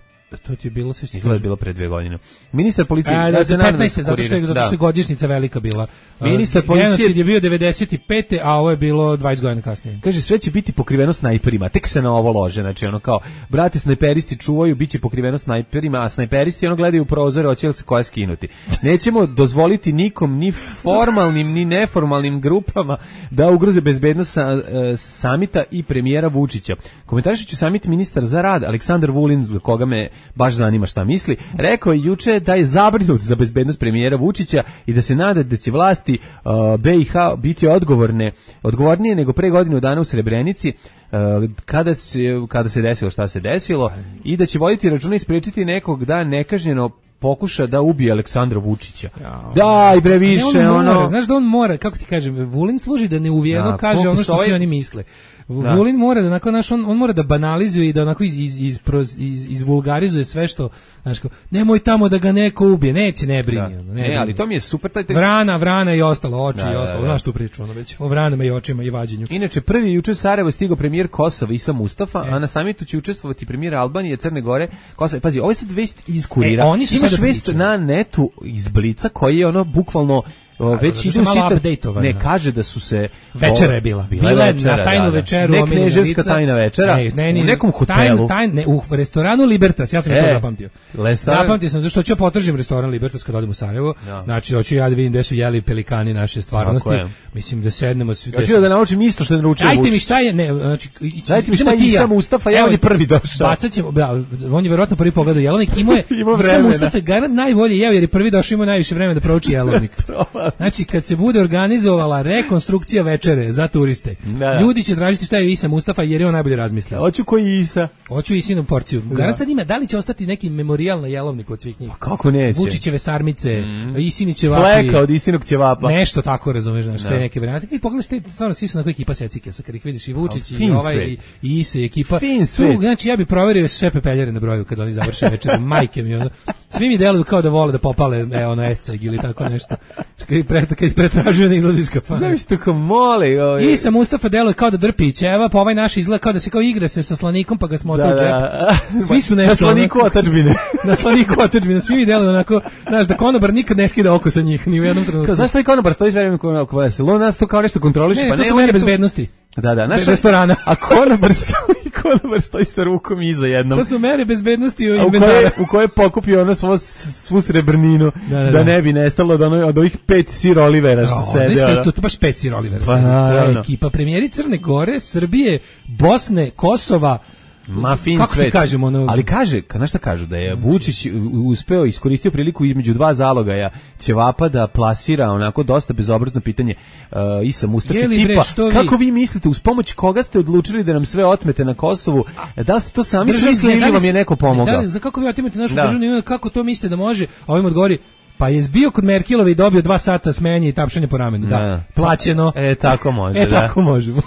To ti je bilo sve što je bilo pre dve godine. Ministar policije, a, da, za petnaeste zato što je zato što je godišnjica velika bila. Ministar policije genocid je bio devedeset pete. a ovo je bilo dvadeset godina kasnije. Kaže sve će biti pokriveno snajperima. Tek se na ovo lože, znači ono kao brate snajperisti čuvaju, biće pokriveno snajperima, a snajperisti ono gledaju u prozore, hoće li se koja skinuti. Nećemo dozvoliti nikom ni formalnim ni neformalnim grupama da ugroze bezbednost sa, uh, samita i premijera Vučića. Komentarišući samit ministar za rad Aleksandar Vulin, za koga me baš zanima šta misli, rekao je juče da je zabrinut za bezbednost premijera Vučića i da se nada da će vlasti uh, B i H biti odgovorne, odgovornije nego pre godinu dana u Srebrenici uh, kada se, kada se desilo šta se desilo i da će voditi računa i spriječiti nekog da nekažnjeno pokuša da ubije Aleksandra Vučića. Ja, daj bre više on mora, ono. Znaš da on mora, kako ti kažem, Vulin služi da neuvijeno da, kaže ono što ovaj... svi oni misle. Da. Vulin mora da onako, naš, on, on mora da banalizuje i da onako iz, iz, iz, iz, izvulgarizuje sve što, znaš, kao, nemoj tamo da ga neko ubije, neće, ne brini. Da. Ne, ne brini. Ali to mi je super. Taj... Vrana, vrana i ostalo, oči da, i ostalo, da, da. Znaš tu priču, ono već, o vranama i očima i vađenju. Inače, prvi juče Sarajevo stigao premijer Kosova Isa Mustafa, e. a na samitu će učestvovati premijer Albanije, Crne Gore, Kosova. Pazi, ovo je sad vest iz kurira. E, oni su imaš vest na netu iz Blica koji je ono bukvalno O, već idu sita, ne kaže da su se večera je bila bila, bila večera, na tajnu da, da. večeru ne knježevska tajna večera ne, ne, ne, u nekom hotelu tajn, tajn, ne, u restoranu Libertas ja sam e, to zapamtio restoran... zapamtio sam zašto hoću ja potržim restoran Libertas kad odem u Sarajevo ja. Znači hoću ja da vidim gde su jeli pelikani naše stvarnosti mislim da sednemo svi ja hoću da naučim isto što je naručio Vučić dajte mi šta je ne znači dajte mi šta je Isa Mustafa ja on je prvi došao bacaćemo da on je verovatno prvi pogledao jelovnik imao je Isa Mustafa garant najbolje jeo jer je prvi došao ima najviše vremena da prouči jelovnik Znači, kad se bude organizovala rekonstrukcija večere za turiste, da. Ljudi će tražiti šta je Isa Mustafa jer je on najbolje razmislio. Hoću koji Isa. Hoću Isinu porciju. Da. Garant sad ima, da li će ostati neki memorijal na jelovniku od svih njih? A kako neće? Vučićeve sarmice, mm. Isini ćevapi. Fleka od Isinog ćevapa. Nešto tako, razumeš, znači, te neke varijante. I pogledaš, te, stvarno svi su na koji ekipa secike, sa kad ih vidiš i Vučić i ovaj i, i Ise ekipa. Fin svet. Tu, znači, ja bih proverio sve pepeljare na broju kad oni završe večer. Majke mi, ono. Svi mi deluju kao da vole da popale, e, ono, esceg ili tako nešto. Kad ih pre, pretražuju, ne izlazi iz kafana. Znaš tako moli. Ovaj. Isa Mustafa deluje kao da drpi ćeva, pa ovaj naš izgleda kao da se kao igra se sa slanikom, pa ga smo da, u džep. Svi su nešto. Na slaniku otadžbine. Na slaniku otadžbine. Svi mi deluju onako, znaš, da konobar nikad ne skida oko sa njih, ni u jednom trenutku. Znaš što je konobar, stoji s vremenom oko veselo, nas to kao nešto kontroliše, ne, pa to ne, su mere bezbednosti. Da, da, naš restorana. A konobar stoji, konobar stoji sa rukom iza jednom. To su mere bezbednosti u inventaru. U koje je pokupio ono svo, svu srebrninu, da, da, da. da ne bi nestalo od, ono, od ovih pet Sir Olivera što sede. Ne, to, to baš pet Sir Olivera pa, sede. To je ekipa premijeri Crne Gore, Srbije, Bosne, Kosova, Ma fin kako svet. ti kažemo, ono... Ali kaže, znaš šta kažu, da je Vučić uspeo, iskoristio priliku između dva zalogaja ćevapa da plasira onako dosta bezobrazno pitanje uh, Isa Mustafa tipa, bre, kako vi? vi mislite, uz pomoć koga ste odlučili da nam sve otmete na Kosovu, da li ste to sami smislili ili vam je neko pomogao? Da li, za kako vi otimate našu državnu imovinu, kako to mislite da može, a ovim odgovori, pa je zbio kod Merkelove i dobio dva sata smenje i tapšanje po ramenu, da, da. Plaćeno. E, tako može, e, da. tako možemo.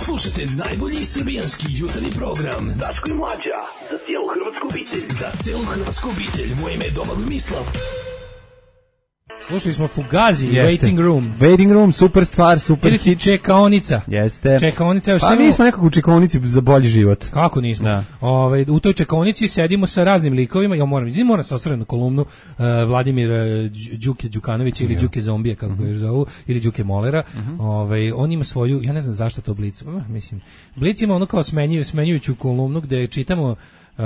Slušajte najbolji srbijanski jutarnji program Daško i Mlađa, za cijelu hrvatsku obitelj. Za cijelu hrvatsku obitelj, moje ime je Domagoj Mislav. Slušali smo Fugazi, Jeste. Waiting Room. Waiting Room, super stvar, super hit. Ili čekaonica. Jeste. Čekaonica. Pa mi smo nekako u čekaonici za bolji život. Kako nismo? Da. Ove, u toj čekaonici sedimo sa raznim likovima. Ja moram, izvim, moram se osvrnuti na kolumnu uh, Vladimir uh, Đuke Đukanovića ili Đuke Zombije, kako ga još zovu, ili Đuke Molera. Uh -huh. Ove, on ima svoju, ja ne znam zašto to Blic. Mislim, Blic ima ono kao smenjuju, smenjujuću kolumnu gde čitamo Uh,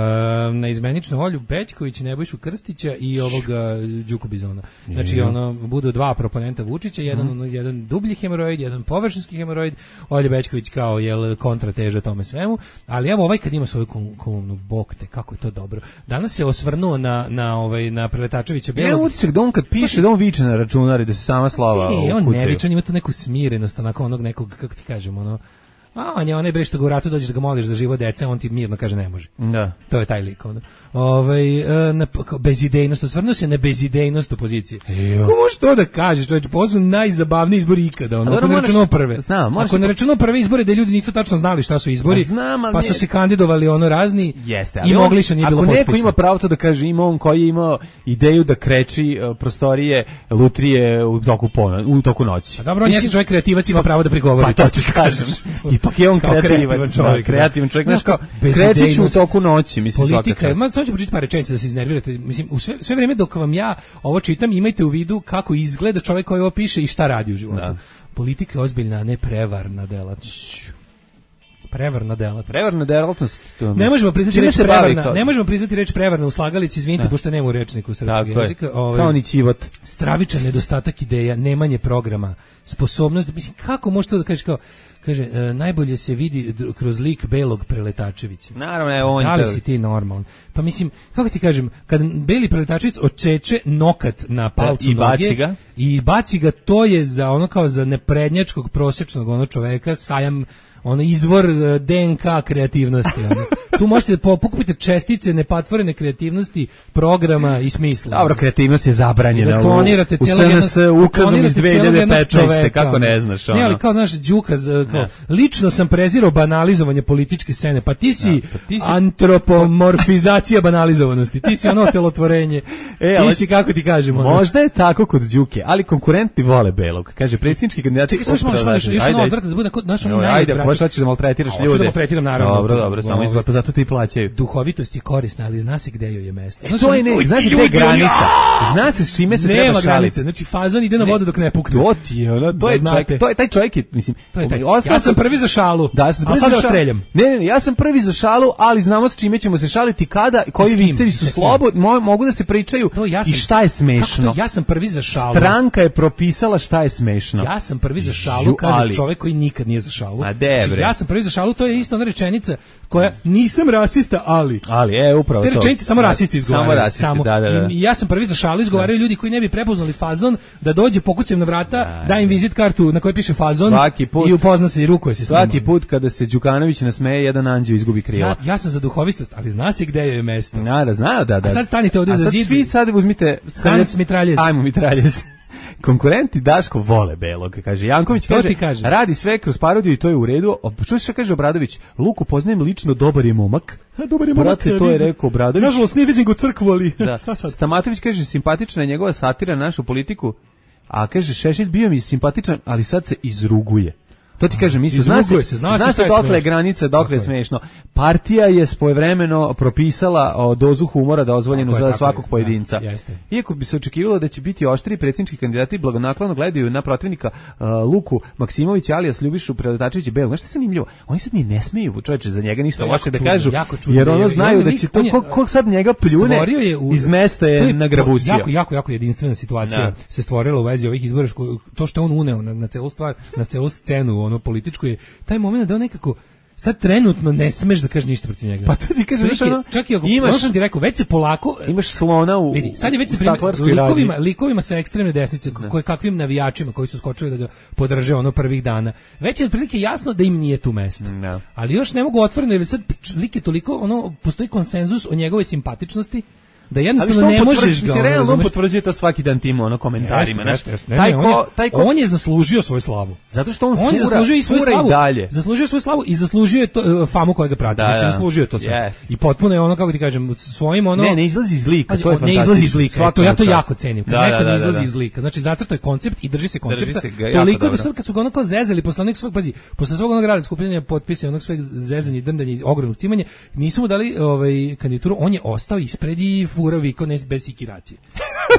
na izmeničnu volju Bećković, Nebojšu Krstića i ovoga Đuku Bizona. Znači, ono, budu dva proponenta Vučića, jedan, mm. jedan dublji hemoroid, jedan površinski hemoroid, Olja Bećković kao jel, kontrateža tome svemu, ali evo ovaj kad ima svoju kolumnu, bog te, kako je to dobro. Danas se osvrnuo na, na, ovaj, na Preletačevića Belog. Ne, utisak da on kad piše, da on viče na računari, da se sama slava e, on ne viče, on ima tu neku smirenost, onako onog nekog, kako ti kažemo, ono, a on je onaj bre što ga u ratu dođeš da ga moliš za život dece, on ti mirno kaže ne može. Da. To je taj lik onda. Ovaj na bezidejnost, osvrnuo se na bezidejnost opozicije. Kako može to da kaže, čovjek, posle najzabavniji izbori ikada, ono, ako ne računamo prve. Znam, ako ne računamo prve izbore da ljudi nisu tačno znali šta su izbori, znam, pa su se kandidovali ono razni. Jeste, i mogli su, nije bilo potpisa. Ako neko ima pravo to da kaže, ima on koji je imao ideju da kreči uh, prostorije lutrije u toku pona, u toku noći. A dobro, on je čovjek kreativac, ima pravo da prigovori, pa, to ti kažeš. Ipak je on kreativac čovjek, kreativan čovjek, znači kao krećeš u toku noći, mislim svaka. Politika, ma samo ću pročitati par rečenica da se iznervirate. Mislim, u sve, sve vrijeme dok vam ja ovo čitam, imajte u vidu kako izgleda čovjek koji ovo piše i šta radi u životu. Da. Politika je ozbiljna, a ne prevarna delatnost. Prevarna delatnost. Prevarna delatnost. Ne možemo priznati reč prevarna. Ne možemo priznati reč prevarna u slagalici, izvinite, pošto nema u rečniku srpskog jezika. Ovaj, kao ni ćivot. Stravičan nedostatak ideja, nemanje programa, sposobnost, mislim, kako možeš to da kažeš kao, kaže, e, najbolje se vidi kroz lik Belog Preletačevića. Naravno, je on. Da li si ti normalan? Pa mislim, kako ti kažem, kad Beli Preletačević očeče nokat na palcu i noge baci ga. i baci ga, to je za ono kao za neprednjačkog prosječnog ono čoveka sajam, ono izvor D N K kreativnosti. Ono. Tu možete pokupiti čestice nepatvorene kreativnosti, programa i smisla. Dobro, kreativnost je zabranjena. Da klonirate u, u S N S ukazom iz dve hiljade petnaeste. Kako ne znaš? Ono. Ne, ali kao znaš, Đuka, kao, lično sam prezirao banalizovanje političke scene, pa ti si, da, pa ti si... antropomorfizacija banalizovanosti, ti si ono telotvorenje, e, ti si, kako ti kažemo. Možda je tako kod Đuke, ali konkurenti vole Belog. Kaže, predsjednički kandidati... Čekaj, samo što još ono odvrtno, da bude naš ono najodvratniji. Možeš hoćeš da maltretiraš ljude. Hoću da maltretiram, naravno. Dobro, dobro, samo izgleda, pa zato ti plaćaju. Duhovitost je korisna, ali zna se gde joj je mesto. Znači, to je ne, zna se gde je granica. Zna se s čime se nema treba šaliti. Granice, znači fazon ide na vodu dok ne pukne. To ti je, ono, to je čovjek, to je taj čovjek, mislim. To je taj. Ja sam prvi za šalu. Da, ja sam prvi za šalu. Streljam. Ne, ne, ja sam prvi za šalu, ali znamo s čime ćemo se šaliti kada, koji vicevi su slobodni, mogu da se pričaju i šta je smešno. Ja sam prvi za šalu. Stranka je propisala šta je smešno. Ja sam prvi za šalu, kaže čovjek koji nikad nije za šalu. Znači, bre. ja sam prvi za šalu, to je isto ona rečenica koja nisam rasista, ali. Ali, e, upravo te to. Te rečenice samo rasisti izgovaraju. Samo rasisti, samo. Da, da, da. I ja sam prvi za šalu, izgovaraju ljudi koji ne bi prepoznali fazon, da dođe, pokucam na vrata, da, da im vizit kartu na kojoj piše fazon put, i upozna se i rukuje se s svaki njima. Put kada se Đukanović nasmeje, jedan anđeo izgubi krila. Ja, ja sam za duhovistost, ali zna se gde je mesto. Da, da, zna, da, da. A sad stanite ovdje za zid. A sad svi sad uzmite... Hans mitraljez. Ajmo mitraljez. Konkurenti Daško vole belog, kaže Janković, kaže, kaže, radi sve kroz parodiju i to je u redu. Čuj šta kaže Obradović, Luku poznajem lično, dobar je momak. A, dobar je momak. Brate, to je rekao Obradović. Nažalost, ne vidim ga u crkvu, ali da. Šta sad? Stamatović kaže, simpatična je njegova satira na našu politiku, a kaže, Šešelj bio mi simpatičan, ali sad se izruguje. To ti kažem isto, zna se, se, zna, zna se dokle je granica, dokle je smešno. Partija je svojevremeno propisala o, dozu humora dozvoljenu tako za je, svakog je, pojedinca. Ja, iako bi se očekivalo da će biti oštri predsjednički kandidati blagonaklono gledaju na protivnika uh, Luku Maksimovića, alias Ljubišu Preletačevića Belu. Znaš što je zanimljivo? Oni sad ni ne smeju, čoveče, za njega ništa loše da kažu, čudno, jer ono znaju da će to, ko, ko sad njega pljune u, iz mesta je, je nagrabusio. Jako, jako, jako jedinstvena situacija da. Se stvorila u vezi ovih izbora, to što je on uneo na, na celu stvar, na celu scenu, ono političko je taj moment da on nekako sad trenutno ne smeš da kažeš ništa protiv njega. Pa to ti kažeš, ono, čak i ako imaš, ti rekao, već se polako imaš slona u, vidi, sad je već se likovima, likovima sa ekstremne desnice, ne. Koje kakvim navijačima koji su skočili da ga podrže ono prvih dana. Već je otprilike jasno da im nije tu mesto. Ne. Ali još ne mogu otvoreno, jer sad lik je toliko, ono, postoji konsenzus o njegove simpatičnosti, da jednostavno ne možeš ga. Ali realno on potvrđuje to svaki dan tim ono komentarima, jeste, jeste, ne, taj ne, ko, on, je, taj ko... on je zaslužio svoju slavu. Zato što on, on fura, je zaslužio i svoju slavu. I dalje. Zaslužio svoju slavu i zaslužio je to, uh, famu koja ga prati. Da, znači zaslužio to sve. Yes. I potpuno je ono, kako ti kažem, svojim ono. Ne, ne izlazi iz lika, to je ne izlazi iz lika. To ja to jako cenim. Kad da, neko da, ne izlazi da, da. iz lika. Znači zato to je koncept i drži se koncepta. Toliko da sad kad su ga onako zezali posle nekog svog pazi, posle svog onog rada skupljanja potpisa, onog sveg zezanja, drndanja, ogromnog cimanja, nisu mu dali ovaj kandidaturu, on je ostao ispred i furavi kod ne bez ikiracije.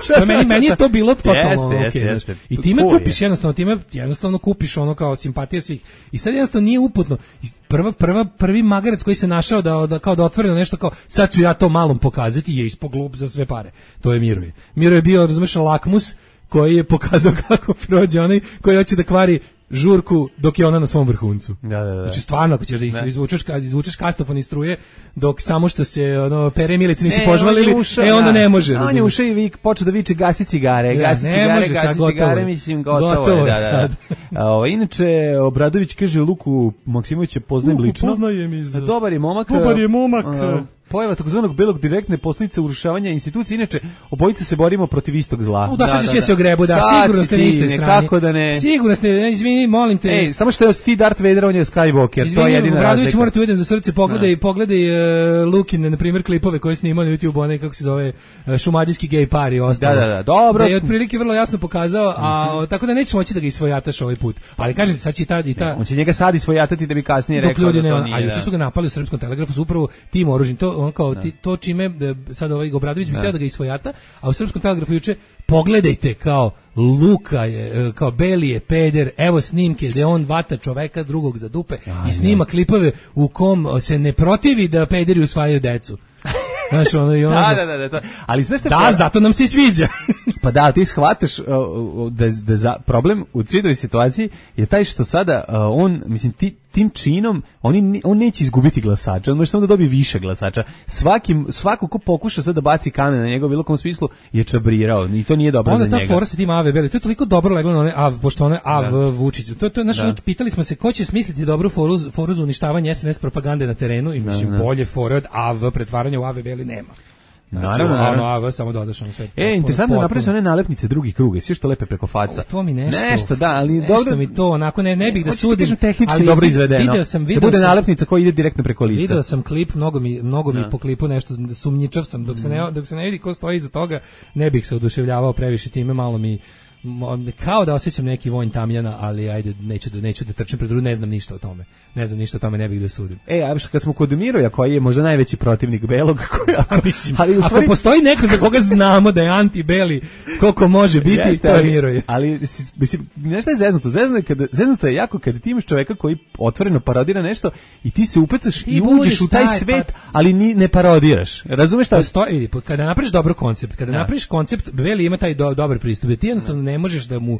Što meni meni je to bilo totalno okej. I time kupiš jednostavno, time jednostavno kupiš ono kao simpatije svih. I sad jednostavno nije uputno. Prva prva prvi magarac koji se našao da, da kao da otvoreno nešto kao sad ću ja to malom pokazati je ispod glup za sve pare. To je Miroje. Miroje je bio, razumeš, lakmus koji je pokazao kako prođe onaj koji hoće da kvari žurku dok je ona na svom vrhuncu. Da, da, da. Znači stvarno ako ćeš da ih izvučeš, kad izvučeš kastofon iz struje dok samo što se ono pere milice nisu e, požvalili, ušao, e onda ne može. On je ušao i vik počeo da viče gasi cigare, da, gasi cigare, može, gasi gotovo, cigare, mislim gotovo, gotovo je, da, da. O, inače Obradović kaže Luku Maksimovića poznajem Luku, lično. Poznajem iz... Dobar je momak. Dobar je momak. A, pojava takozvanog belog direktne posljedice urušavanja institucije. Inače, obojice se borimo protiv istog zla. U, da, sad da, sve da. Se ogrebu, da, sad sigurno ste na istoj strani. Da ne. Sigurno ste, izvini, molim te. Ej, samo što je ti Darth Vader, on je Skywalker, izvini, to je jedina razlika. Obradović, morate uvedem za srce, pogledaj, no. pogledaj uh, Lukine, na primjer, klipove koje snimao na YouTube, onaj, kako se zove, uh, šumadijski gej par i ostalo. Da, da, da, dobro. Da je otprilike vrlo jasno pokazao, a mm-hmm. tako da nećeš moći da ga isvojataš ovaj put. Ali kažete, sad će ta i ta... Ne, on će njega sad isvojatati da bi kasnije rekao da to nije. A juče su ga napali u Srpskom telegrafu, su upravo tim oružjem, to on kao ti, to čime sad ovaj Obradović bi htio da ga isvojata, a u Srpskom telegrafu juče pogledajte kao Luka je, kao Beli je peder, evo snimke gde on vata čoveka drugog za dupe ja, i snima ja. klipove u kom se ne protivi da pederi usvajaju decu. Znaš, ono i ono. Da, da, da, da, to. Ali znaš šta? Da, pa, zato nam se sviđa. Pa da, ti shvataš uh, da, da za problem u cijeloj situaciji je taj što sada uh, on, mislim, ti, tim činom oni, on neće izgubiti glasača, on može samo da dobije više glasača. Svakim, svako ko pokuša sad da baci kamen na njega u bilo kom smislu je čabrirao i to nije dobro onda za njega. Onda ta fora sa tim A V Beli, to je toliko dobro leglo na one A V, pošto one A V da. Vučić. To, to je naš, da. Pitali smo se ko će smisliti dobru foru, foru za uništavanje S N S propagande na terenu i mislim da, da. bolje fore od A V, pretvaranja u A V Beli nema. Znači, naravno, naravno. A V samo dodaš ono sve. E, interesantno napraviš one nalepnice drugih kruga, sve što lepe preko faca. O, to mi nešto. Nešto, da, ali nešto dobro. mi to, onako ne, ne bih da sudim. Kažem, tehnički ali dobro izvedeno. Video sam, video da bude sam, nalepnica koja ide direktno preko lica. Video sam klip, mnogo mi, mnogo mi po klipu nešto sumnjičav sam, dok se ne, dok se ne vidi ko stoji iza toga, ne bih se oduševljavao previše time, malo mi kao da osjećam neki vonj tamjana, ali ajde, neću da neću da trčim pred drugom, ne znam ništa o tome. Ne znam ništa o tome, ne bih da sudim. E, a kad smo kod Miroja, koji je možda najveći protivnik belog, koja, a mislim, ali stvari... ako postoji neko za koga znamo da je anti-beli, koliko može biti, jeste, to je Miroje. Ali, mislim, nešto je zeznuto. Zeznuto je, kada, zeznuto je jako kada ti imaš čoveka koji otvoreno parodira nešto i ti se upecaš i, i uđeš u taj svet, pa... ali ni, ne parodiraš. Razumeš šta? Postoji, kada napraviš dobar koncept, kada da. napraviš koncept, Beli ima taj do, dobar pristup. Ti jednostavno ne ne možeš da mu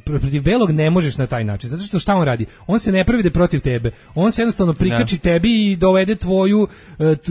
protiv belog ne možeš na taj način, zato što šta on radi? On se ne pravi da je protiv tebe, on se jednostavno prikači ne. tebi i dovede tvoju,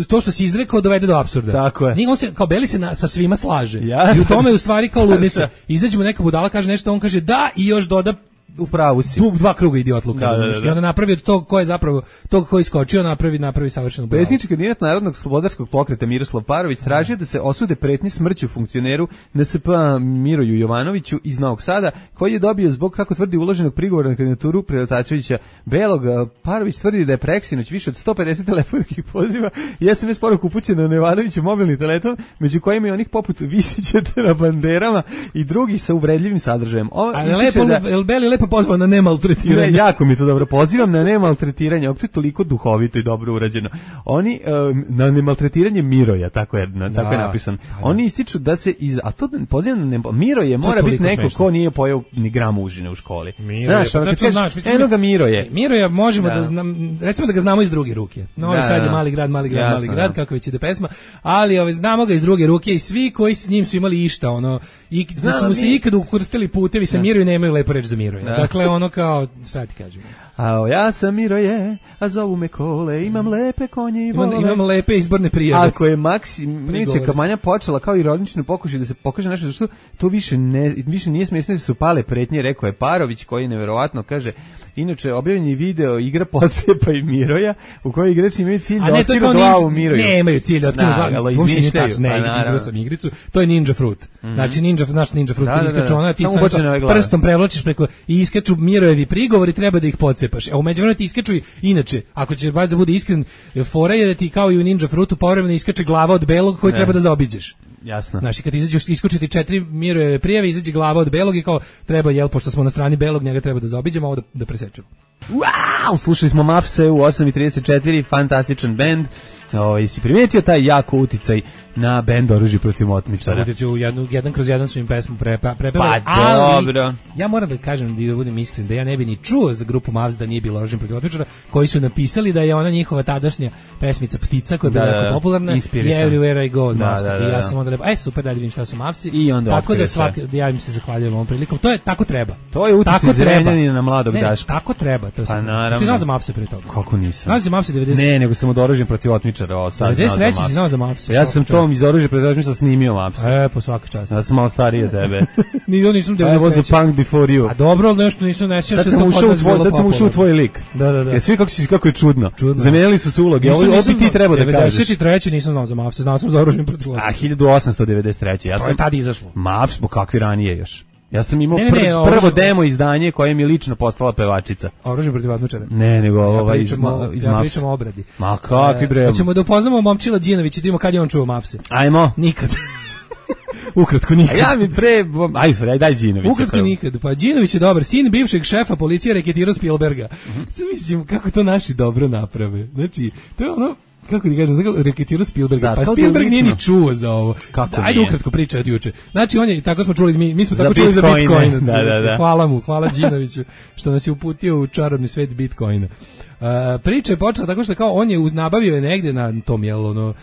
to što si izrekao dovede do apsurda. Tako je. Nije, on se, kao beli se na, sa svima slaže. Ja. I u tome je u stvari kao ludnica. Izađe mu neka budala, kaže nešto, on kaže da i još doda u pravu si. Tu dva kruga idiotluka. Da, da, da. I onda napravi od tog ko je zapravo, tog ko je iskočio, napravi, napravi savršeno bravo. Predsjednički kandidat Narodnog slobodarskog pokreta Miroslav Parović tražio da se osude pretnje smrću funkcioneru N S P Miroju Jovanoviću iz Novog Sada, koji je dobio zbog, kako tvrdi, uloženog prigovora na kandidaturu Preletačevića Belog. Parović tvrdi da je preksinoć više od sto pedeset telefonskih poziva i S M S poruku upućena na Jovanoviću mobilni telefon, među kojima i onih poput Visićete na banderama i drugih sa uvredljivim sadržajem. Ovo, ali lepo, da, El Beli lepo pozvao na nemaltretiranje. Ne, jako mi to dobro. Pozivam na nemaltretiranje. Ovo je toliko duhovito i dobro urađeno. Oni um, na nemaltretiranje Miroja, tako je, na, tako da, je napisano. Da. Oni ističu da se iz, a to pozivam na nemal, Miroje mora biti neko smešno. Ko nije pojeo ni gram užine u školi. Miroje, znaš, pa tačno znaš, mislim, eno ga Miroje. Miroja možemo da, da znam, recimo da ga znamo iz druge ruke. Novi da, Sad je mali grad, mali grad, jasno, mali grad, da. Kako već ide pesma, ali ove, znamo ga iz druge ruke i svi koji s njim su imali išta, ono, i da su mu se ikad ukrstili putevi sa Miroju, nemaju lepo reč za Miroja. Dakle, ono kao, sad ti kažem. A ja sam Miroje, a zovu me Kole, imam lepe konje i volove. Imam, imam lepe izborne prijave. Ako je Maksimica kampanja počela kao ironični pokušaj da se pokaže nešto, zašto to više, ne, više nije smiješno da su pale pretnje, rekao je Parović, koji neverovatno kaže, inače objavljen je video igra Podsepa i Miroja, u kojoj igrači imaju cilj da otkrivu glavu Miroju. Ne, imaju cilj da otkrivu glavu. To se nije tačno, ne, igrao sam igricu, to je Ninja Fruit. Mm-hmm. Znači Ninja, naš Ninja Fruit, kad iskaču ona, ti sam prstom prevlačiš preko i iskaču Mirojevi prigovori, treba da ih podsepaš. A u međuvremenu ti iskaču i inače, ako ćeš baš da bude iskren, fora je da ti kao i u Ninja Fruitu povremeno iskače glava od belog koju ne. Treba da zaobiđeš. Jasno. Znači kad izađeš iskočiti četiri Mirojeve prijave, izađe glava od belog i kao treba, jel, pošto smo na strani belog, njega treba da zaobiđemo, ovo da, da presečemo. Wow, slušali smo Mafse u osam i trideset četiri, fantastičan bend. Ovaj si primetio taj jako uticaj na bend Oružje protiv otmičara. Uticaj u jednu jedan kroz jedan su im pesmu prepevali. Pre, pa ali, dobro. Ja moram da kažem da budem iskren da ja ne bi ni čuo za grupu Mavs da nije bilo Oružje protiv otmičara, koji su napisali da je ona njihova tadašnja pesmica Ptica koja je bila jako popularna. Everywhere I Go, da, Mavs. Da, da, I ja sam onda rekao, aj super, da vidim šta su Mavsi. I onda tako da svaki da ja im se zahvaljujem ovom prilikom. To je tako treba. To je uticaj Zrenjanina na mladog ne, Daška. Tako treba, to. Pa naravno. Ti znaš za Mavse pre toga? Kako nisam? Znaš za Mavse devedeset? Ne, nego sam od Oružja protiv otmičara, o sad. devedeset treći si znao za Mavse. Ja sam tom iz Oružja protiv otmičara snimio Mavse. E, po svaka čast. Ja sam malo stariji od tebe. Ni ja nisam devedeset treći. I was a punk before you. A dobro, nešto nisam nešto. Sad sam ušao u tvoj, sad sam ušao u tvoj lik. Da, da, da. Ja svi kako si kako je čudno. čudno. Zamenili su se uloge. Ovo opet ti treba da kažeš. devedeset treći nisam znao za Mavse, znao sam za Oružje protiv otmičara. A hiljadu osamsto devedeset treći Ja sam tad izašlo. Mavs, kakvi ranije još. Ja sam imao ne, ne, ne, prvo oružje... demo izdanje koje mi je lično postala pevačica. Oružje protiv otmičara. Ne, nego ovaj ja iz, iz ja Mavs. pričam o obradi. Ma kakvi bre. Hoćemo da upoznamo Momčila Đinovića i da vidimo kad je on čuo Mavse. Ajmo. Nikad. Ukratko nikad. A ja mi pre, ajde, daj, daj Đinovića. Ukratko prvo. Nikad. Pa Đinović je dobar, sin bivšeg šefa policije reketirao Spielberga. Mm-hmm. Sad mislim kako to naši dobro naprave. Znači, to je ono, kako ti kažem, znači reketirao Spielberga. Da, pa Spielberg nije ni čuo za ovo. Kako da, ajde ukratko priča od juče. Znači on je, tako smo čuli, mi, mi smo za tako Bitcoin, čuli za Bitcoin. Da, da, da. Hvala mu, hvala Đinoviću što nas je uputio u čarobni svet Bitcoina. Uh, priča je počela tako što kao on je nabavio je negde na tom jel ono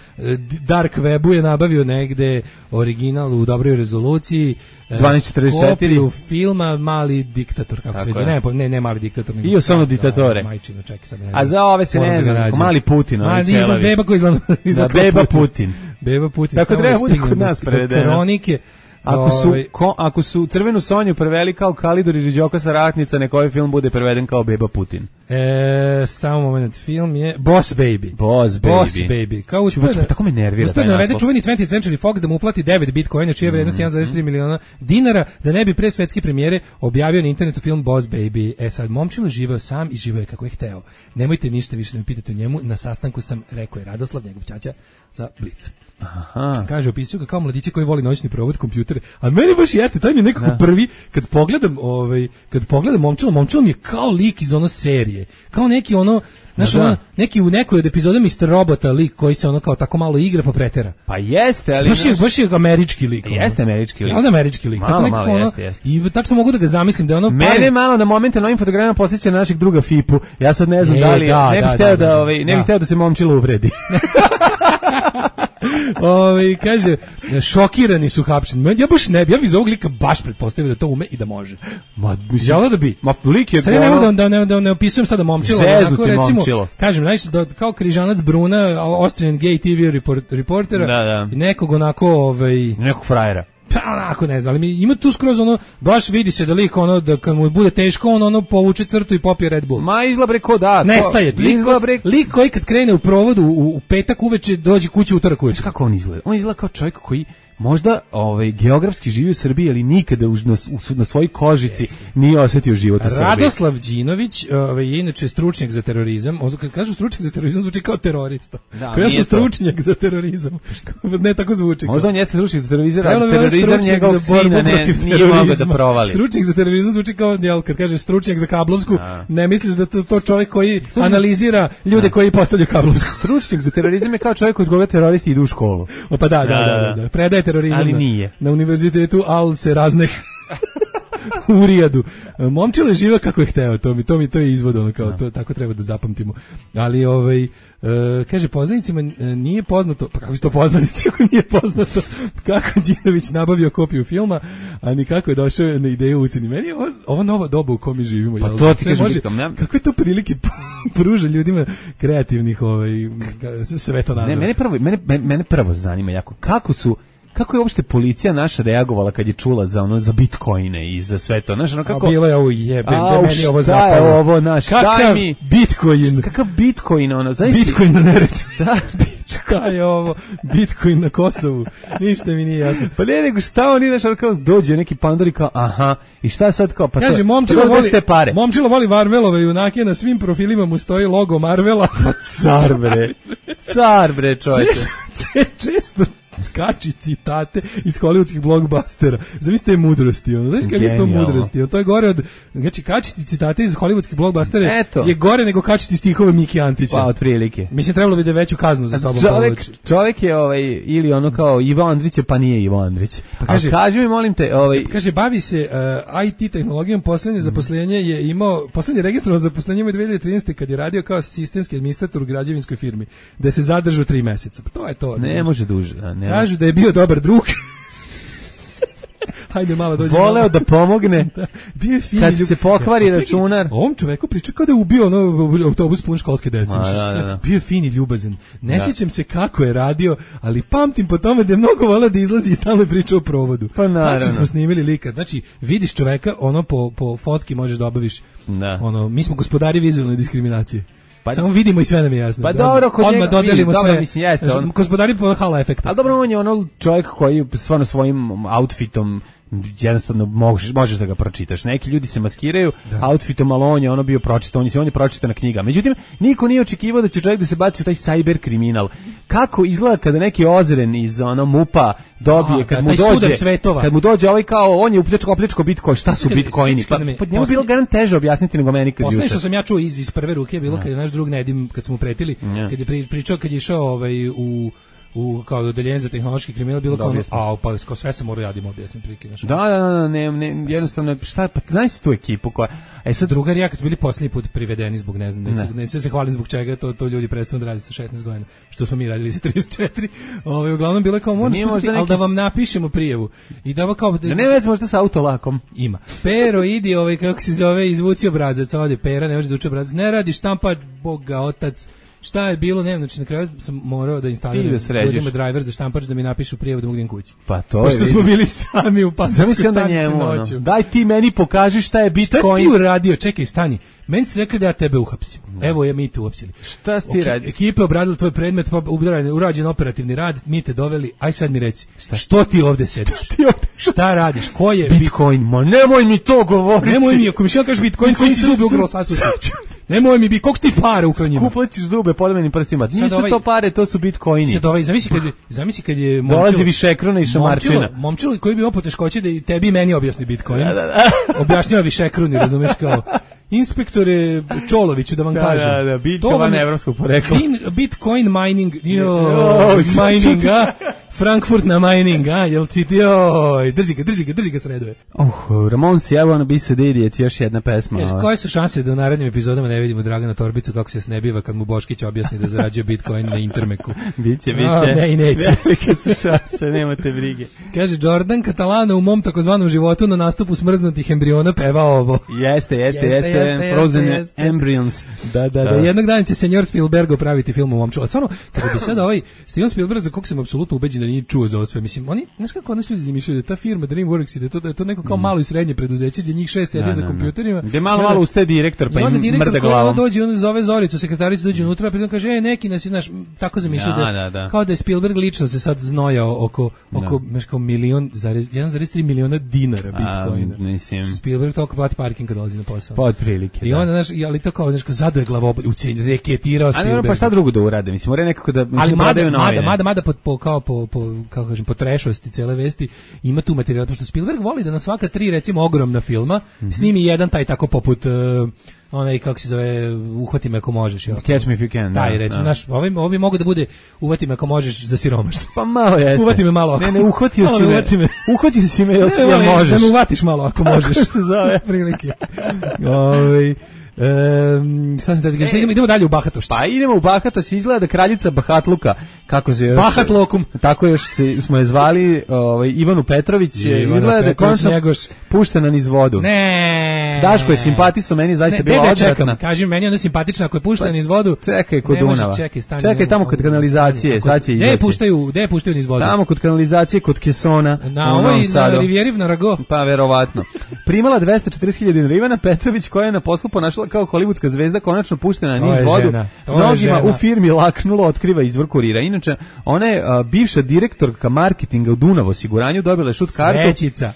dark webu je nabavio negde original u dobroj rezoluciji dvanaest četrdeset četiri kopiju filma Mali diktator kako tako se zove ne, ne ne Mali diktator nego i osnovno diktatore majčino čekaj sad ne a za ove se ne znam Mali Putin ma izgleda beba koji izgleda da beba Putin beba Putin tako treba bude kod nas prevedeno kronike. Ako su, ko, ako su Crvenu Sonju preveli kao Kalidor i Riđoka sa Ratnica, nek ovaj film bude preveden kao Beba Putin. E, samo moment, film je Boss Baby. Boss Baby. Boss Baby. Kao uspred, tako me nervira taj naslov. Uspred čuveni twentieth Century Fox da mu uplati devet bitcoina, čija je vrednost jedan zarez tri miliona dinara, da ne bi pre svetske premijere objavio na internetu film Boss Baby. E sad, Momčilo živeo sam i živeo je kako je hteo. Nemojte ništa više da me pitate o njemu, na sastanku sam rekao je Radoslav, njegov ćaća, za Blic. Aha. Kaže, opisuju ga kao mladiće koji voli noćni provod kompjutere, a meni baš jeste, taj mi je nekako da. Prvi, kad pogledam, ovaj, kad pogledam Momčilo, Momčilo mi je kao lik iz ono serije, kao neki ono, znaš, da. Ono, neki u nekoj od epizoda mister Robota lik koji se ono kao tako malo igra pa pretera. Pa jeste, ali... Baš je, baš je američki lik. Jeste američki lik. Ja, onda američki lik. Malo, tako malo, ono, jeste, jeste. I tačno mogu da ga zamislim da je ono... Mene pare... malo na momente na ovim fotografijama posjeća na našeg druga Fipu. Ja sad ne znam e, da li... Da, ne bih da, hteo da, da, da, ovaj, ne bih hteo da se Momčilo uvredi. Ove, kaže, šokirani su hapšeni. Ja baš ne bi, ja bi za ovog lika baš pretpostavio da to ume i da može. Ma, mislim, ja da bi. Ma, lik je... Sad ne mogu da, da, ne, da ne opisujem sada momčilo. Zeznuti recimo, momčilo. Kažem, znači, da, kao križanac Bruna, Austrian gay te ve report, reportera, da, da. nekog onako... Ovaj, nekog frajera. Pa onako ne znam, ali ima tu skroz ono, baš vidi se da lik ono, da kad mu bude teško, on ono povuče crtu i popije Red Bull. Ma izlabre ko da. Nestaje. Lik, lik koji kad krene u provodu u, u petak uveče dođe kući u utorak uveče. Kako on izgleda? On izgleda kao čovjek koji možda ovaj geografski živi u Srbiji, ali nikada u, na, na svojoj kožici Jeste. nije osjetio život u Srbiji. Radoslav Đinović ovaj, je inače stručnjak za terorizam. Kad kažu stručnjak za terorizam, zvuči kao terorista. Da, ja sam stručnjak za terorizam. Ne tako zvuči. Možda on jeste stručnjak za terorizam, ali terorizam njegovog sina ne, nije mogao da provali. Stručnjak za terorizam zvuči kao, jel, kad kažeš stručnjak za kablovsku, da. ne misliš da to, to čovjek koji analizira ljude da. koji postavljaju kablovsku. Stručnjak za terorizam je kao čovjek od koga teroristi idu u školu. O, pa da, da, da, da, da. Predaje terorizam ali nije. Na, na univerzitetu Al se razne u Rijadu. Momčilo je živa kako je hteo, to mi to mi to je izvod, ono kao to tako treba da zapamtimo. Ali ovaj e, kaže poznanicima nije poznato, pa kako je to poznanici ako nije poznato kako Đinović nabavio kopiju filma, a ni kako je došao na ideju uceni. Meni je ovo, ovo nova doba u kojoj mi živimo. Pa to ti kažem, kako je to prilike pruža ljudima kreativnih ovaj svetonazora. Ne, mene prvo mene mene prvo zanima jako kako su kako je uopšte policija naša reagovala kad je čula za ono za bitcoine i za sve to, znaš, ono kako a bilo je ovo jebe, a, meni ovo zapalo. Ovo naš, kakav mi bitcoin, kakav bitcoin ono, znaš, bitcoin na Neretvi. Da, šta je ovo? Bitcoin na Kosovu. Ništa mi nije jasno. Pa ne, nego šta on ide, kao dođe neki pandor i kao, aha, i šta sad kao, pa kaže, to, momčilo pa voli, pare. Momčilo voli Marvelove junake, na svim profilima mu stoji logo Marvela. Pa car bre, car bre čovječe. Često kači citate iz hollywoodskih blockbustera. Zamislite je mudrosti, ono. Znaš kako je to mudrosti? Ono, to je gore od, znači kačiti citate iz hollywoodskih blockbustera Eto. je gore nego kačiti stihove Miki Antića. Pa, otprilike. Mislim, trebalo bi da veću kaznu za sobom čovjek, čovjek je ovaj, ili ono kao Ivo Andrić, pa nije Ivo Andrić. Pa kaže, kaži mi, molim te, ovaj... Kaže, bavi se uh, I T tehnologijom, poslednje zaposlenje je imao, poslednje registrovano zaposlenje imao dve hiljade trinaeste kad je radio kao sistemski administrator u građevinskoj firmi, da se zadržao tri meseca. Pa to je to. Ne, ne može duže. Ne kažu da je bio dobar drug. Hajde malo dođe. Voleo malo da pomogne. Da, bio je fin. Kad se pokvari računar. Ovom čoveku priča kao da je ubio ono autobus pun školske dece. Da, da, da. Bio je fin i ljubazan. Ne da. sjećam se kako je radio, ali pamtim po tome da je mnogo voleo da izlazi i stalno je pričao o provodu. Pa naravno. Znači smo snimili lika. Znači vidiš čoveka, ono po, po fotki možeš da obaviš. Da. Ono, mi smo gospodari vizualne diskriminacije. Pa samo vidimo i sve nam je jasno. Pa dobro, kod odmah dodelimo dobro, sve. Mislim, jeste, on... Gospodari po hala efekta. A dobro, on je ono čovjek koji stvarno svojim outfitom jednostavno možeš, možeš da ga pročitaš. Neki ljudi se maskiraju da. outfitom, ali on je ono bio pročitan, on je, on je pročitana knjiga. Međutim, niko nije očekivao da će čovjek da se baci u taj cyber kriminal. Kako izgleda kada neki ozren iz ono mupa dobije, Aha, kad da, mu dođe, svetova. kad mu dođe ovaj kao, on je upljačko, opljačko bitcoin, šta su bitcoini? Pa, pa njemu bilo garant teže objasniti nego meni kad juče. Poslednje što sam ja čuo iz, iz prve ruke je bilo kad je naš drug Nedim, kad smo mu pretili, ja. kad je pričao, kad je išao ovaj, u u kao odeljenje za tehnološki kriminal bilo kao a pa kao sve se mora radimo objasnim prilike znači. Da, da, da, ne, ne, jednostavno šta pa znaš tu ekipu koja e sad drugar ja kad su bili poslednji put privedeni zbog ne znam ne, ne. neće se hvalim zbog čega to to ljudi prestanu da rade sa šesnaest godina što smo mi radili sa trideset četiri. Ovaj uglavnom bilo kao možda neki... al da vam napišemo prijavu i da kao da ne veze možda sa autolakom ima Pero idi ovaj kako se zove izvuci obrazac ovde Pera ne može da izvuči obrazac ne radi štampa Boga otac. Šta je bilo, ne, znači na kraju sam morao da instaliram ljudima driver za štampač da mi napišu prijavu da mogu idem kući. Pa to pošto smo bili sami u pasarskoj stanici noću. Ono, daj ti meni pokaži šta je bitcoin. Šta si ti uradio? Čekaj, stani. Meni se rekli da ja tebe uhapsim. No. Evo je mi te uhapsili. Šta si ti radio? Ekipa obradila tvoj predmet, pa urađen operativni rad, mi te doveli. Aj sad mi reci, šta? Što ti ovde sediš? Šta, ti ovde? Šta radiš? Ko je bitcoin? Ma nemoj mi to govoriti. Nemoj mi, ako mi še kažeš bitcoin, koji ti zubi ugrlo sasuti. Nemoj mi bi, koliko ti pare ukrao njima? Skuplaćiš zube podmenim prstima. Nisu ovaj, to pare, to su bitcoini. Sad ovaj, zamisli kad, zamisli kad je momčilo... Dolazi višekrona i šamarčina. Momčilo, momčilo koji bi imao poteškoće da i tebi i meni objasni bitcoin. Da, da, da. Objašnjava višekroni, razumeš kao... Inspektore Čoloviću da vam da, kažem. Da, da, bitka van evropskog porekla. Bitcoin mining, jo, mining, a? Frankfurt na Mining, a, jel ti ti, oj, drži ga, drži ga, drži ga sreduje. Uh, Ramonsi, I wanna be sad idiot, još jedna pesma. Kaže, koje su šanse da u narednim epizodama ne vidimo Dragana Torbicu kako se snebiva kad mu Boškić objasni da zarađuje Bitcoin na Intermeku? Biće, biće. No, ne i neće. Velike su šanse, nemate brige. Kaže, Jordan Catalano u mom takozvanom životu na nastupu smrznutih embriona peva ovo. Jeste, jeste, jeste, jeste, jeste Frozen jeste. Embryons. Da, da, da, jednog dana će senjor Spielberg praviti film o momču. Stvarno, kada bi sad ovaj Steven Spielberg, za kog sam apsolutno ubeđen da nije čuo za ovo sve, mislim, oni, znaš kako nas ljudi zamišljaju, da ta firma DreamWorks i da je to, da je to neko kao malo i srednje preduzeće, gdje njih šest sedi za kompjuterima. Gdje malo, malo uste direktor, pa im mrde glavom. Dođe, on zove Zoricu, sekretaricu, dođe unutra, pa kaže, e, neki nas je, naš, tako zamišljaju da, da, da, kao da je Spielberg lično se sad znojao oko, oko, znaš, kao milion, jedan zarez tri miliona dinara Bitcoina. A, mislim. Spielberg toliko plati parking kad dolazi na posao. Pa otprilike. I onda, znaš, ali to kao, znaš, kao zado je glavobolj, ucijenj, reketirao Spielberg. A ne, pa šta drugo da urade, mislim, mora nekako da, mislim, ali prodaju novine. Mada, mada, mada, po, po, kao po, po, kako kažem, po trešosti cele vesti, ima tu materijal, pošto Spielberg voli da na svaka tri, recimo, ogromna filma, mm-hmm. snimi jedan taj tako poput, uh, onaj, kako se zove, uhvati me ako možeš. Catch me if you can. Taj, da, recimo, da. naš, ovi, ovi mogu da bude uhvati me ako možeš za siromaštvo. Pa malo jeste. Uvati me malo ako. Ne, ne, uhvatio si me. me. Uhvatio si me, jel si ja možeš. Da me uvatiš malo ako možeš. Kako se zove? Prilike. Ovi... Um, šta sam da idemo, idemo dalje u bahatošću. Pa idemo u bahatošću, izgleda da kraljica Bahatluka, kako se još Bahat Lokum, tako još se, smo je zvali, ovaj Ivanu Petrović, izgleda da je konačno puštena niz vodu. Ne. Daško je simpatiso, meni zaista ne, bila ne, odvratna. Čekam, kaži meni onda simpatična ako je puštena niz vodu. Čekaj kod Dunava. Čekaj, stani, čekaj tamo kod kanalizacije, sad će izaći. Gde puštaju, gde puštaju niz vodu? Tamo kod kanalizacije, kod Kesona. Na ovoj na Rivieri na Rago. Pa verovatno. Primala dvesta četrdeset hiljada dinara. Ivana Petrović, koja je na poslu ponašala kao holivudska zvezda, konačno puštena na niz vodu. Mnogima u firmi laknulo, otkriva izvor Kurira. Inače, ona je a, bivša direktorka marketinga u Dunav osiguranju, dobila je šut kartu. Svećica.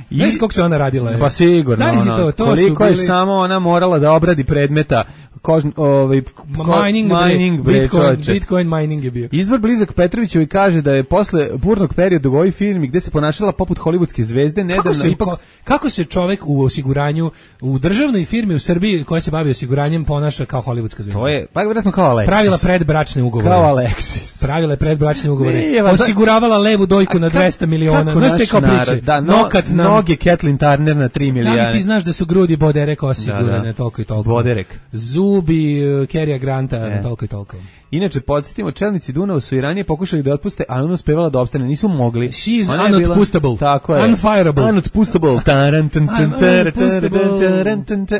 I znaš koliko se ona radila? Je? Pa sigurno. Ona, to, to koliko je bili... samo ona morala da obradi predmeta kožn, ovaj, ko, mining, mining bre, Bitcoin, Bitcoin mining je bio. Izvor blizak Petrovićevi kaže da je posle burnog perioda u ovoj firmi gde se ponašala poput holivudske zvezde, nedavno kako se, ipak... kako se čovek u osiguranju, u državnoj firmi u Srbiji koja se bavi osiguranjem ponaša kao holivudska zvezda? To je, pa vjerojatno kao Alexis. Pravila predbračne ugovore. Kao Alexis. Pravila je predbračne ugovore. Nije, osiguravala levu dojku na dvesta miliona. Znaš te kao priče? Da, no, Nokat nam... Noge Kathleen Turner na tri miliona. Da li ti znaš da su grudi Boderek osigurane, da, da. toliko i toliko? Boderek. Zubi Kerija Granta, e. toliko i toliko. Inače, podsjetimo, čelnici Dunava su i ranije pokušali da otpuste, ali ona uspevala da opstane, nisu mogli. She's unotpustable. Tako je. Unfireable. Unotpustable.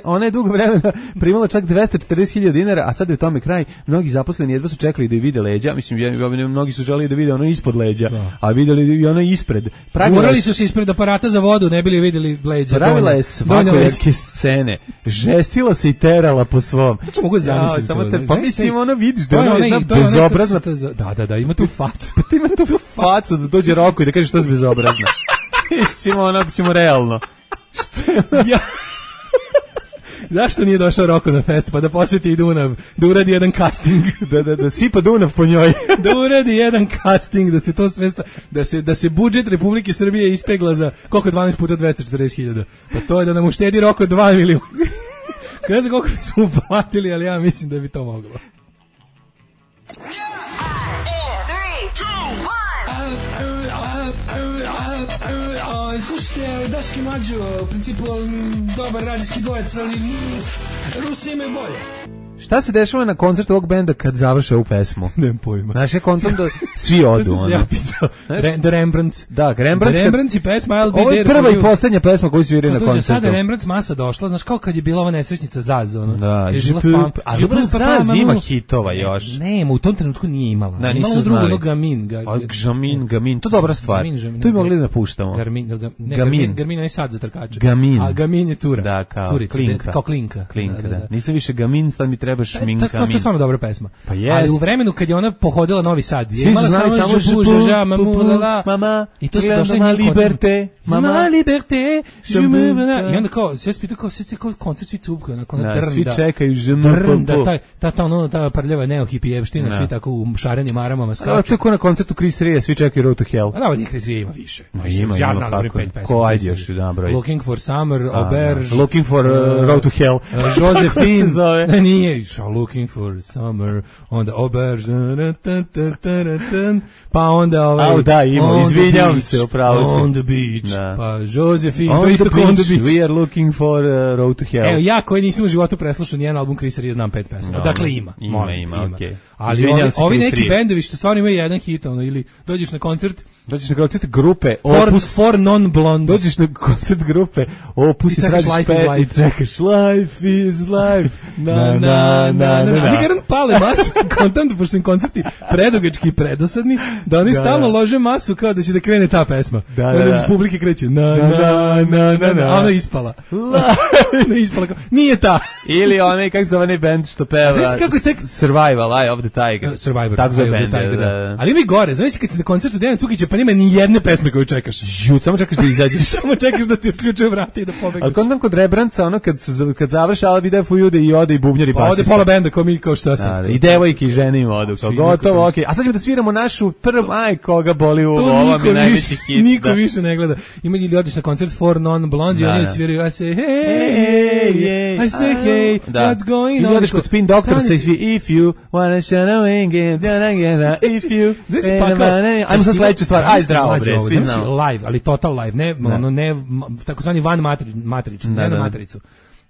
Ona je dugo vremena primala čak dvesta četrdeset hiljada dinara, a sad je u tome kraj. Mnogi zaposleni jedva su čekali da je vide leđa. Mislim, mnogi su želeli da vide ono ispod leđa, da. A videli i ono ispred. Gurali su se ispred aparata za vodu, ne bili vidjeli leđa. Pravila je svakojarske scene. Žestila se i terala po svom. Znači, mogu zamisliti ja, to. Pa mislim, ono vidiš da je jedna bezobrazna. Da, da, da, ima tu facu. Pa ti ima tu facu da dođe Roko i da kaže što je bezobrazna. Mislim, onako ćemo realno. Što je ono? Ja. Zašto nije došao Roko na fest, pa da posjeti i Dunav, da uradi jedan casting, da da da sipa Dunav po njoj, da uradi jedan casting, da se to sve sta, da se da se budžet Republike Srbije ispegla za koliko dvanaest puta dvesta četrdeset hiljada. Pa to je da nam uštedi Roko dva miliona. Ne znam koliko smo platili, ali ja mislim da bi to moglo. Slušajte, Daški Mlađo, u principu dobar radijski dvojec, ali Rusi imaju bolje. Šta se dešava na koncertu ovog benda kad završe ovu pesmu? Nemam pojma. Znaš, je kontom da svi odu. To sam ja pitao. The Rembrandts. Da, Rembrandts. The Rembrandts i pesma I'll Be There. Ovo je prva i poslednja pesma koju sviraju na koncertu. Sada Rembrandts masa došla, znaš, kao kad je bila ova nesrećnica Zaz, ono. Da, je bila fan. A dobro, Zaz ima hitova još. Ne, u tom trenutku nije imala. Da, imala drugo, ono Gamin. Gamin, Gamin, to je dobra stvar. To bi mogli da napuštamo. Gamin. Gamin je sad za trkače. Gamin. A Gamin je cura. Da, kao Klinka. Kao Klinka. Klinka, da. Nisam više Gamin, sad mi trebaš Minka. To je stvarno dobra pesma. Pa jest. Ali u vremenu kad je ona pohodila Novi Sad, je imala samo samo žabu, žaža, mamu, lala, mama, i to su došli njih liberte, mama, liberté, žemu, i onda kao, sve se pita kao, sve kao koncert svi cupkaju, onako, ona drnda. Svi čekaju, žemu, drnda, ta, ta, ta, ono, ta prljava neohipijevština, svi tako u šarenim maramama skaču. A to je ko na koncertu Chris Rea, svi čekaju Road to Hell. A da, ovdje Chris Rea ima više. Ima, ja znam da pet pesma. Ko ajde još da broj. Looking for Summer, Auberge. Looking for Road to Hell. Josephine. Nije, looking for summer, onda Auberge, pa onda ovaj... Au, da, imao, izvinjavam se, upravo se. On the beach, da. pa Josephine, on to isto kao on the beach. We are looking for uh, Road to Hell. Evo, ja koji nisam u životu preslušao nijedan album Chrisa Ria, znam pet pesama. No, dakle ima, ima, molim, ima, ima. okej. Okay. Ali ovi, ovi neki bendovi što stvarno imaju jedan hit, ono, ili dođeš na koncert, dođeš na koncert grupe For, Opus, for non-blondes. dođeš na koncert grupe Opus i čekaš Life is Life. I čekaš Life is Life. Na, na, na, na, na. Ali garant pale masu, kontam da pošto sam koncerti predugački i predosadni, da oni da, stalno lože masu kao da će da krene ta pesma. Da, da, onda da. iz publike kreće na, na, na, na, na, a ona ispala. Ona ispala kao, nije ta. Ili onaj, kako zove onaj band što peva tek... Survival, Eye of the Tiger. Uh, Survivor, tako zove band, band, Tiger, da, da. Ali mi gore, znaš kad si na koncertu Dejana Cukića, pa nema ni jedne pesme koju čekaš. Žut, samo čekaš da izađeš. Samo čekaš da ti otključuje vrata i da pobegneš. Ali kod nam kod Rebranca, ono kad, su, kad završi I'll be there for you, da i ode i bubnjar i pa basista. ode pola benda kao mi, kao šta sam. Da, i devojke i žene im odu, kao gotovo, okej. Okay. A sad ćemo da sviramo našu prvu, aj, koga boli u ovo, mi najveći hit. Niko više ne gleda. Ima ili odiš na koncert For Non-Blondes i oni odsviraju, I say, hey, hey, I say, hey, what's going on? Ili odiš kod Spin Doctor, say, if you wanna shine a wing, if you... Ajmo sad sledeću stvar, aj zdravo, bre, svi znamo. Live, ali total live, ne, ono, ne, takozvani van matrični, ne na matricu.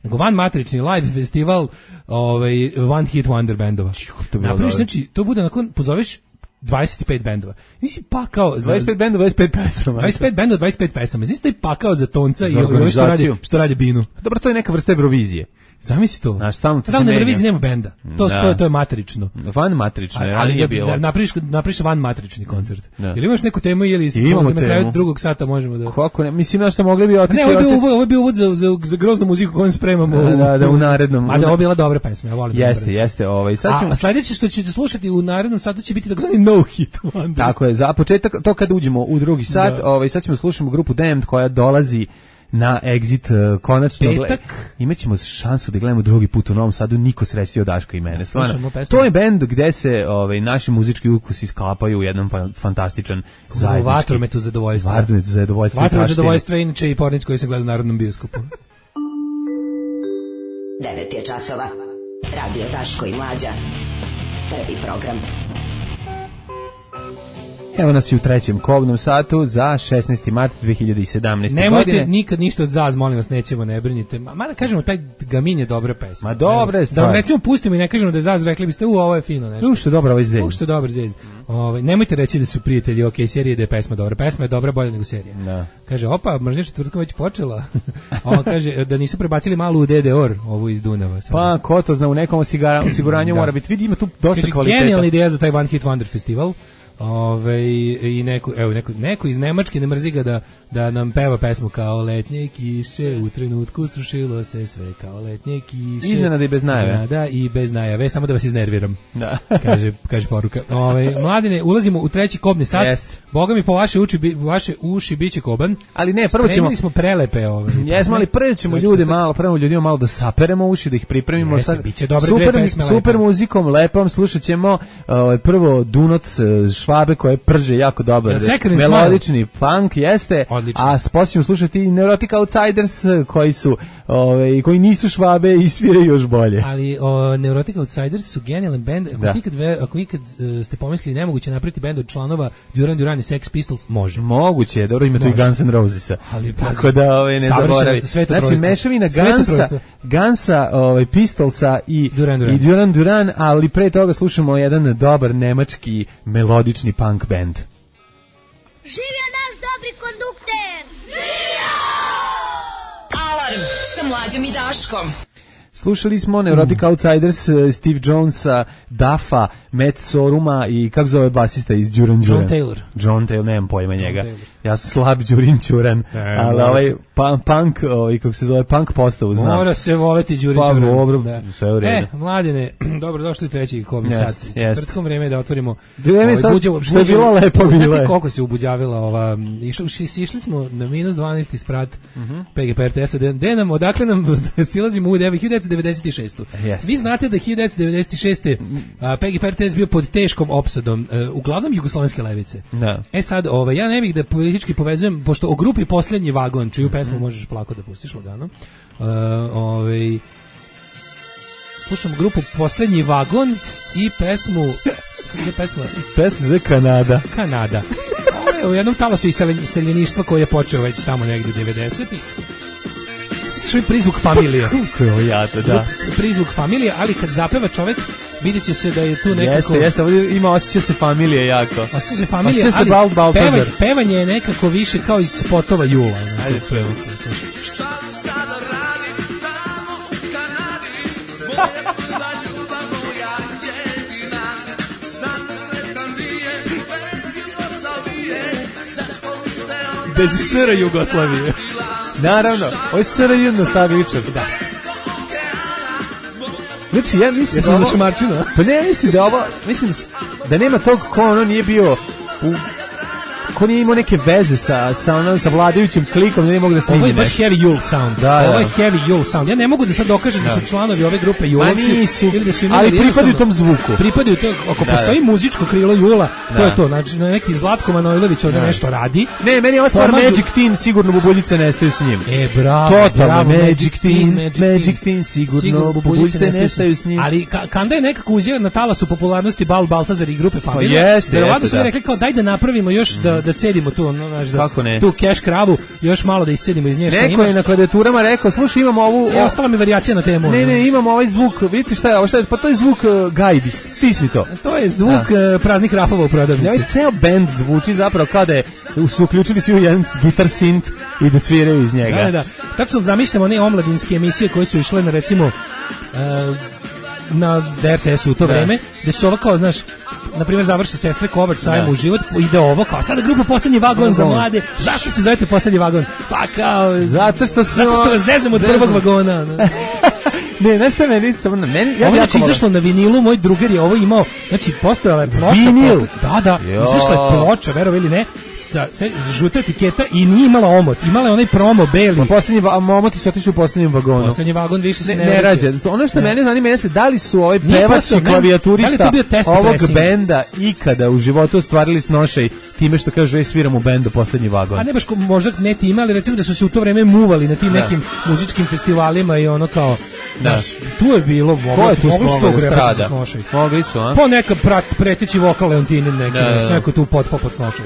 Nego van matrični live festival, ovaj, one hit wonder bendova. Napraviš, znači, to bude nakon, pozoveš dvadeset pet bendova. Nisi pakao za... dvadeset pet bendova, dvadeset pet pesama. dvadeset pet bendova, dvadeset pet pesama. Nisi taj pakao za tonca i ovo što radi, što radi Binu. Dobro, to je neka vrsta Eurovizije. Zamisli to. Znaš, stalno ti se menja. Na Euroviziji nema benda. To, da. to, to je matrično. Van matrično, ali, ali nije bilo. Napriš, napriš van matrični koncert. Da. Jel imaš neku temu ili imamo na kraju drugog sata možemo da... Kako ne? Mislim da što mogli bi otići... Ne, ovo je bio uvod, ovo je bio uvod za, za, za groznu muziku koju spremamo. Da, da, da, u narednom... A da, ovo bila dobra pesma, ja volim. Jeste, jeste. Ovaj. Sad ćemo... A sledeće što ćete slušati u narednom satu će biti takozvani no hit wonder. Tako je, za početak, to kad uđemo u drugi sat, da. Ovaj, sad ćemo slušati grupu Damned koja dolazi na Exit uh, konačno. Petak. Imaćemo šansu da gledamo drugi put u Novom Sadu, niko srećio Daška i mene. Stvarno, to je bend gde se ovaj, naši muzički ukusi sklapaju u jedan fa fantastičan zajednički. Vatrometu zadovoljstva. Vatrometu zadovoljstva. Vatrometu zadovoljstva je inače i pornic koji se gleda u Narodnom bioskopu. devet je časova. Radio Daško i Mlađa. Prvi program. Evo nas i u trećem kobnom satu za šesnaesti mart dve hiljade sedamnaeste. Nemojte godine. Nemojte nikad ništa od Zaz, molim vas, nećemo, ne brinite. Mada kažemo, taj Gamin je dobra pesma. Ma dobra je stvar. Da vam recimo pustimo i ne kažemo da je Zaz, rekli biste, u, ovo je fino nešto. U, što je dobro ovaj zez. U, što je dobar zez. Mm. Ovaj, nemojte reći da su prijatelji, ok, serije da je pesma dobra. Pesma je dobra, bolja nego serija. Da. Kaže, opa, mržnja četvrtka već počela. On kaže da nisu prebacili malu u D D O R, ovu iz Dunava. Samo. Pa, ko to zna, u nekom osiguranju mora biti. Vidi, ima tu dosta kaže, kvaliteta. Genijalna ideja za taj One Hit Wonder festival. Ove, i neko, evo, neko, neko iz Nemačke ne mrzi ga da, da nam peva pesmu kao letnje kiše, u trenutku srušilo se sve kao letnje kiše. Iznenada i bez najave. Da, i bez najave, samo da vas iznerviram. Da. kaže, kaže poruka. Ove, mladine, ulazimo u treći kobni sat. Jest. Boga mi po vaše uši, bi, vaše uši biće koban. Ali ne, prvo ćemo... Spremili smo prelepe ove. Jesmo, ali prvo ćemo ljude malo, prvo ljudima malo da saperemo uši, da ih pripremimo. Jeste, sad. Biće dobre super, dve pesme super lepe. Muzikom, lepom, slušat ćemo uh, prvo Dunoc Švabe koje prže jako dobar melodični punk jeste, odlično. A poslije ćemo slušati i Neurotic Outsiders koji su ove, koji nisu Švabe i sviraju još bolje. Ali o, Neurotic Outsiders su genijalan band. Ako, da. ikad, ako ikad uh, ste pomislili nemoguće napraviti bend od članova Duran Duran i Sex Pistols, može. Moguće, dobro, ima tu i Guns N' Rosesa. Ali, tako da ove, ne zaboravi. Znači mešavina Gansa, Gansa ove, Pistolsa i Duran Duran. i Duran Duran, ali pre toga slušamo jedan dobar nemački melodični punk band. Živio naš dobri kondukter! Živio! Alarm sa Mlađom i Daškom. Slušali smo Neurotic Outsiders, Steve Jonesa, Duffa, Matt Soruma i kako zove basista iz Duran Duran? John Taylor. John Taylor, nemam pojma njega. Ja sam slab Đurin Ćuran, ali ovaj punk, punk ovaj, kako se zove, punk postavu znam. Mora se voleti Đurin pa, Ćuran. Dobro, da. sve u redu. E, mladine, dobro došli treći kobni yes, sat. Četvrtkom vreme je da otvorimo... Vreme ovaj, sad, buđavo, što je bilo lepo bilo. Znate koliko se ubuđavila ova... Išli, išli smo na minus dvanaest isprat uh -huh. P G P R T S-a. De nam, odakle nam silazimo u hiljadu devetsto devedeset šeste. Yes. Vi znate da hiljadu devetsto devedeset šeste. P G P R T S bio pod teškom opsadom, uh, uglavnom jugoslovenske levice. Da. E sad, ovaj, ja ne bih da politički povezujem, pošto o grupi Poslednji vagon, čiju pesmu mm -hmm. možeš plako da pustiš lagano. Uh, ovaj, slušamo grupu Poslednji vagon i pesmu, kako je pesma? Pesma za Kanada. Kanada. Ovo je u jednom talasu iseljeništva koji je počeo već tamo negdje devedesetih. Što je prizvuk familije. Kako je ovo jato, da. Prizvuk familije, ali kad zapeva čovjek, vidjet će se da je tu nekako... Jeste, jeste, ovdje ima osjeća se familije jako. Osjeća se familije, osjeća ali se bal, pevanje, pevanje je nekako više kao iz spotova Jula. Ajde, prvo. Bez S R Jugoslavije. Naravno, ovo je S R J nastavičar. Da. Znači, ja mislim ja da ovo... za Šamarčinu. Pa ne, mislim da ovo... Mislim da nema tog ko ono nije bio... U, ko nije imao neke veze sa, sa, ono, sa vladajućim klikom, da nije mogu da snimi. Ovo je baš heavy Jule sound. Da, ovo da. je heavy Jule sound. Ja ne mogu da sad dokažem da, da su članovi ove grupe Julovci. Nisu, ili da su imali ali pripadaju tom zvuku. Pripadaju to, ako da, postoji da. muzičko krilo Jula, to da. je to. Znači, neki Zlatko Manojlović ovdje da. nešto radi. Ne, meni je ova stvar Pomažu... Magic Teen, sigurno bubuljice nestaju s njim. E, bravo, totalno, bravo, Magic Teen, Magic, Magic Teen, sigurno, sigurno bubuljice nestaju, nestaju s njim. Ali ka, Kanda je nekako uzeo na talasu popularnosti Bal Baltazar i grupe Familija. Pa jeste, verovatno jeste, su rekli kao daj da napravimo još mm. da, da cedimo tu, no, znaš, da, kako ne? tu keš kravu, još malo da iscedimo iz nje šta neko je na klavijaturama rekao, slušaj, imamo ovu... E, ostala mi varijacija na temu. Ne, ne, imamo ovaj zvuk, vidite šta je ovo, šta je, pa to je zvuk uh, gajbi, stisni to. To je zvuk uh, praznih rafova u prodavnici. Ovaj ceo bend zvuči zapravo kao da je, su uključili svi u jedan gitar synth i da sviraju iz njega. Da, da, tačno zamišljamo one omladinske emisije koje su išle na, recimo, uh, na R T S-u u to da. vreme, gde su ovo kao, znaš, na primjer završi Sestre Kovač sajmu u život, ide ovo kao sada grupa Poslednji vagon za mlade. Zašto se zovete Poslednji vagon? Pa kao zato što se zato što vas zezam od prvog vagona. Ne, nešto je meni samo na meni. Ja ovo je izašlo na vinilu, moj drugar je ovo imao, znači postojala je ploča. Posle, da, da, izašla je ploča, verovo ili ne, sa, sa žuta etiketa i nije imala omot, imala je onaj promo beli. Pa poslednji omoti su otišli u poslednjem vagonu. Poslednji vagon više se ne, ne, ne rađe. Ono što ne. mene zanima jeste da li su ovaj pevač i klavijaturista da ovog benda ikada u životu ostvarili snošaj time što kažu ej sviram u bendu Poslednji vagon. A ne baš možda ne time, ali recimo da su se u to vreme muvali na tim da. nekim muzičkim festivalima i ono kao da. Naš, tu je bilo, moglo, tu moglo se to grepati da snošaj. Mogli su, a? Po neka prat, preteći vokal Leontinin neki, da, da. neko tu pod popot snošaj.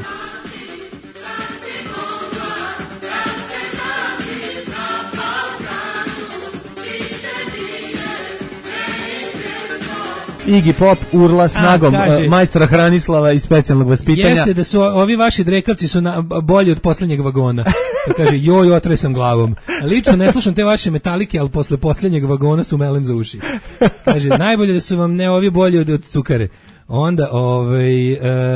Iggy Pop urla snagom A, kaže, majstora Hranislava iz Specijalnog vaspitanja. Jeste da su ovi vaši drekavci su na, bolji od poslednjeg vagona. Pa kaže, joj, otre sam glavom. Lično ne slušam te vaše metalike, ali posle posljednjeg vagona su melem za uši. Kaže, najbolje da su vam ne ovi bolji od, od cukare. Onda, ovaj,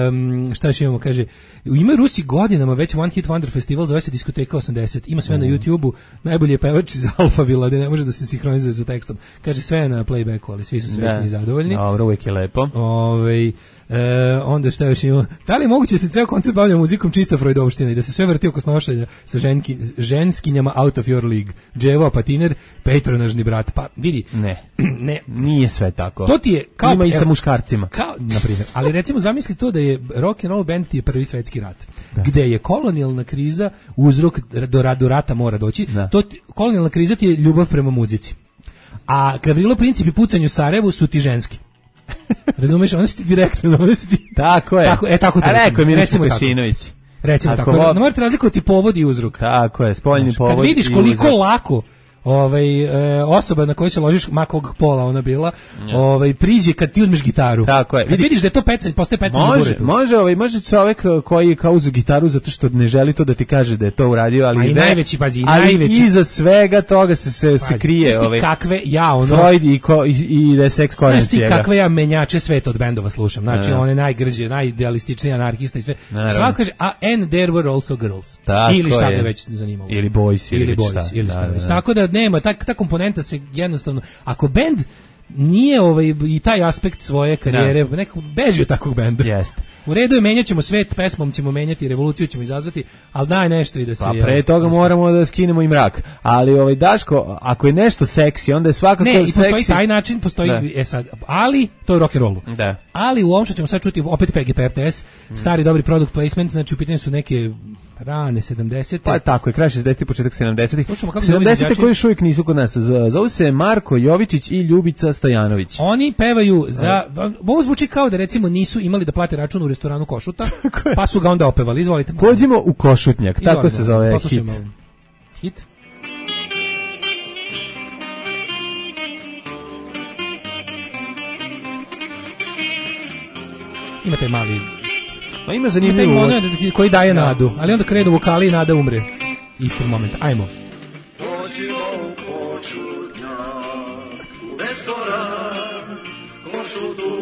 um, šta još imamo, kaže, ima Rusi godinama već One Hit Wonder Festival, zove se Diskoteka osamdeset, ima sve mm. na YouTube-u, najbolji je pevač iz Alphavilla, da ne može da se sinhronizuje sa tekstom. Kaže, sve je na playbacku, ali svi su srećni i zadovoljni. Dobro, uvijek je lepo. Ovaj, e, onda šta još imamo, da li je moguće da se ceo koncert bavlja muzikom čista Freudovština i da se sve vrti oko snošanja sa ženki, ženskinjama out of your league, Dževo, patiner, patronažni brat, pa vidi. Ne, ne, nije sve tako. To ti je, kao, ima i sa muškarcima. Kao, na primjer, ali recimo zamisli to da je rock and roll band ti je prvi svetski rat, da. gde je kolonijalna kriza uzrok do, do rata mora doći, da. to ti, kolonijalna kriza ti je ljubav prema muzici. A Gavrilo Princip i pucanju u Sarajevu su ti ženski. Razumeš, one su ti direktno, one su ti... Tako je. Tako, e, tako to A rekao je Milić Vukašinović. Recimo Ako tako, ne morate razlikovati povod i uzrok. Tako je, spoljni povod i uzrok. Kad vidiš koliko lako ovaj e, osoba na kojoj se ložiš makog pola ona bila, ja. ovaj priđe kad ti uzmeš gitaru. Tako je. Kad vidiš da je to pecanje, postaje pecanje može, na buretu. Može, ovaj može čovjek koji kao uzu gitaru zato što ne želi to da ti kaže da je to uradio, ali i ne, najveći pazi, ali najveći iza svega toga se se, pazi, se krije ovaj kakve ja ono Freud i ko, i, i da je seks korenci. Znaš ti kakve ja menjače sveta od bendova slušam. Znači ja. one najgrđe, najidealističniji anarhista i sve. Svako kaže a and there were also girls. Tako ili šta je. me već zanimalo. Ili boys ili, ili boys šta. ili šta. Da, da, da. Tako da nema tak tako komponenta se jednostavno, ako bend nije ovaj i taj aspekt svoje karijere, no. neko beži od takvog benda. Jeste. U redu je, menjat ćemo svet, pesmom ćemo menjati, revoluciju ćemo izazvati, ali daj nešto i da se... Pa pre toga moramo da skinemo i mrak. Ali ovaj Daško, ako je nešto seksi, onda je svakako ne, seksi. Ne, i postoji taj način, postoji, da. e sad, ali to je rock and rollu. Da. Ali u ovom što ćemo sad čuti, opet P G P R T S, mm. stari dobri product placement, znači u pitanju su neke Rane sedamdesete. Pa tako je, kraj šezdesetih, početak sedamdesetih. Slušamo kako sedamdesete koji još uvijek nisu kod nas. Zovu se Marko Jovičić i Ljubica Stojanović. Oni pevaju za... Ovo zvuči kao da recimo nisu imali da plate račun u restoranu Košuta, pa su ga onda opevali. Izvolite. Pođimo u Košutnjak, tako Izvolite, se zove poslušajmo. hit. Hit? Imate mali... Ma ima zanimljivo uvod. Koji daje nadu, ali onda krenu vokali i nada umre. Isti moment, ajmo. Pođimo u Košutnjak, u restoran Košutu.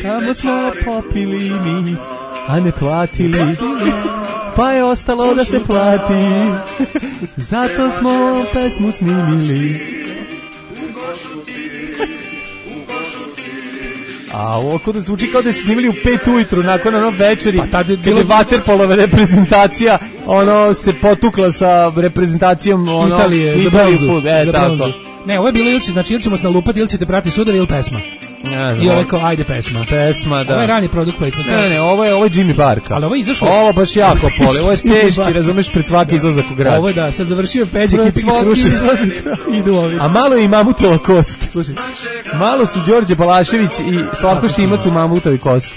Tamo smo popili mi, a ne platili, pa je ostalo da se plati. Zato smo pesmu snimili. A ovo kod da zvuči kao da su snimili u pet ujutru nakon ono večeri, pa tad je bilo vaterpolova reprezentacija, ono se potukla sa reprezentacijom ono, Italije, za bronzu. E, za tako. bronzu. Ne, ovo je bilo ili, znači, ili ćemo se nalupati, ili ćete prati sudovi, ili pesma. Ja, I ovo je kao, ajde pesma. Pesma, da. Ovo je rani produkt placement. Ne, ne, ovo je, ovo je Jimmy Barka. Ali ovo je izašlo... Ovo baš jako poli, ovo je teški, razumeš, pred svaki izlazak u grad. Ovo je da, sad završio Peđe Hipik iz Kruševca. Idu ovi. A malo je i Mamutova kost. Slušaj, malo su Đorđe Balašević i Slavko Štimac u Mamutovi kost.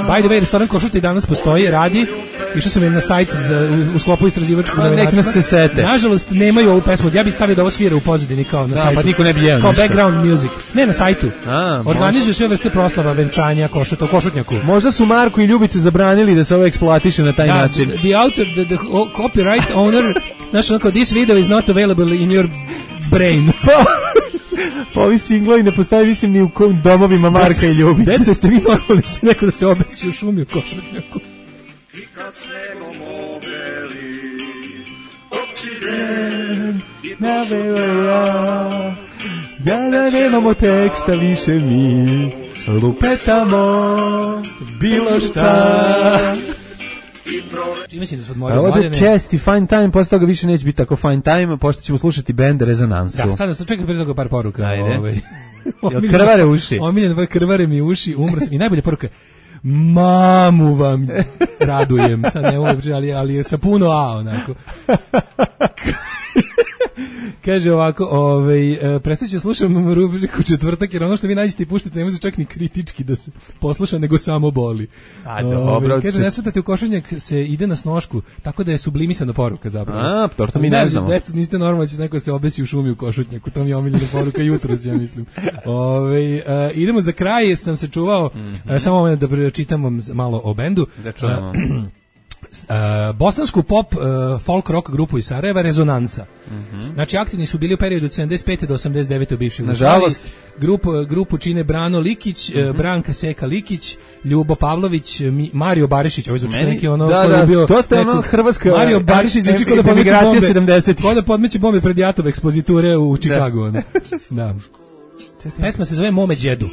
By the way, restoran Košuta i danas postoji, radi. Išao sam im na sajt za, u, u sklopu istraživačkog novinarstva. Nek nas se sete. Nažalost, nemaju ovu pesmu. Ja bih stavio da ovo svira u pozadini kao na da, sajtu. Pa niko ne bi jeo kao ništa. Background music. Ne, na sajtu. A, organizuju sve vrste proslava, venčanja, Košuta, u Košutnjaku. Možda su Marko i Ljubice zabranili da se ovo eksploatiše na taj da, način. The, the author, the, the copyright owner, znači onako, this video is not available in your brain. Pa ovi singlovi ne postoje, mislim, ni u domovima Marka i Ljubice. Deco, ste vi normalni se neko da se obesi u šumi u Košutnjaku? I kad snegom obeli, općine i Navela, da da nemamo teksta više mi, lupetamo bilo šta. Mislim da su odmorili ovo je Mladene. Cast i Fine Time, posle toga više neće biti tako Fine Time, pošto ćemo slušati band Rezonansu. Da, sada sam čekao prije toga par poruka. Ajde. Ovaj. Jel krvare uši? Omiljen, krvare mi uši, umro sam. I najbolja poruka, mamu vam radujem. Sad ne mogu, ali, ali sa puno A, onako. Kaže ovako, ovaj, prestaću slušam rubriku četvrtak, jer ono što vi nađete i puštate ne može čak ni kritički da se posluša, nego samo boli. A, dobro. Kaže, ne svatate, u Košutnjak se ide na snošku, tako da je sublimisana poruka zapravo. A, to, to mi ne, ne znamo. Deco, niste normalni, će neko se obesi u šumi u Košutnjaku, to mi je omiljena poruka jutros, ja mislim. Ove, uh, idemo za kraj, sam se čuvao, mm -hmm. uh, samo moment da pročitam vam malo o bendu. Da čujemo. Uh, Uh, bosansku pop uh, folk rock grupu iz Sarajeva Rezonansa. Mm-hmm. Znači aktivni su bili u periodu od sedamdeset pete do osamdeset devete u bivšoj Jugoslaviji. Nažalost, grupu grupu čine Brano Likić, mm-hmm. uh, Branka Seka Likić, Ljubo Pavlović, Mi, Mario Barišić, ovaj zvuči neki ono da, koji je bio to ste ono hrvatska Mario Barišić zvuči kao da podmeće bombe sedamdesetih kao da podmeće bombe pred Jatov ekspoziture u Čikagu. Da. Da. Pesma se zove Mome đedu.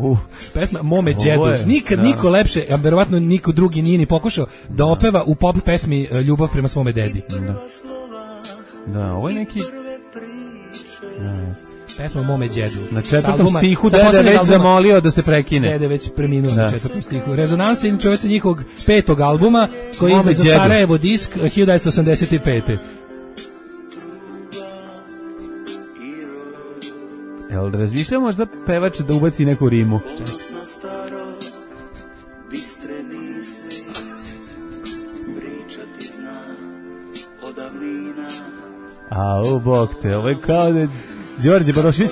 Uh. Pesma Mome đedu. Nikad da. niko lepše, a verovatno niko drugi nije ni pokušao da opeva u pop pesmi ljubav prema svome dedi. Da, da ovo je neki... Da. Pesma Mome đedu. Na četvrtom albuma, stihu dede već zamolio da se prekine. Dede već preminuo da. Na četvrtom stihu. Rezonansa je čovjek sa njihovog petog albuma koji je izdat za Sarajevo disk hiljadu devetsto osamdeset pete. Jel razmišljamo možda pevač da ubaci neku rimu? A, u bok te, ovo je kao da Đorđe Balašević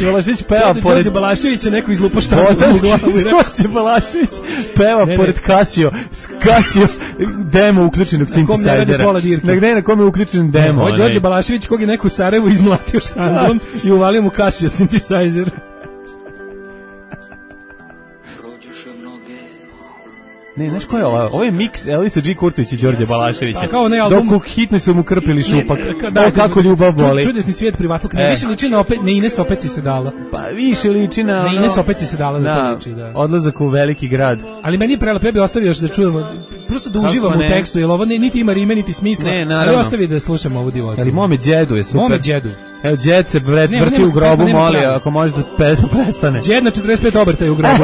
Balašević peva pored... Đorđe Balašević je neko izlupo šta u glavu. Đorđe Balašević peva ne, pored Casio, Casio demo uključenog synthesizera. Ne, ne, na kome je uključen demo. Ovo Đorđe Balašević kog je neko u Sarajevu izmlatio štandom i uvalio mu Casio synthesizer. Ne, znaš ko je ovo? Ovo je miks Elisa G. Kurtović i Đorđe Balaševića. Kao onaj album... Dok u hitno su mu krpili šupak. Ne, da, kako ljubav boli. Čudesni svijet privatluk. Ne, e. više liči na, opet, na Ines opet si se dala. Pa više liči na... Za Ines opet si se dala da, da to liči, da. Odlazak u veliki grad. Ali meni je prelepo, ja bih ostavio još da čujemo, prosto da uživamo u tekstu, jer ovo niti ima rime, niti smisla. Ne, ali ostavi da slušamo ovu divotu. Ali mome djedu je super. Mome djedu. Evo, djed se vret, nema, vrti nema, u grobu, pesma, moli, ako može da pesma prestane. Djed na četrdeset pet obrta je u grobu.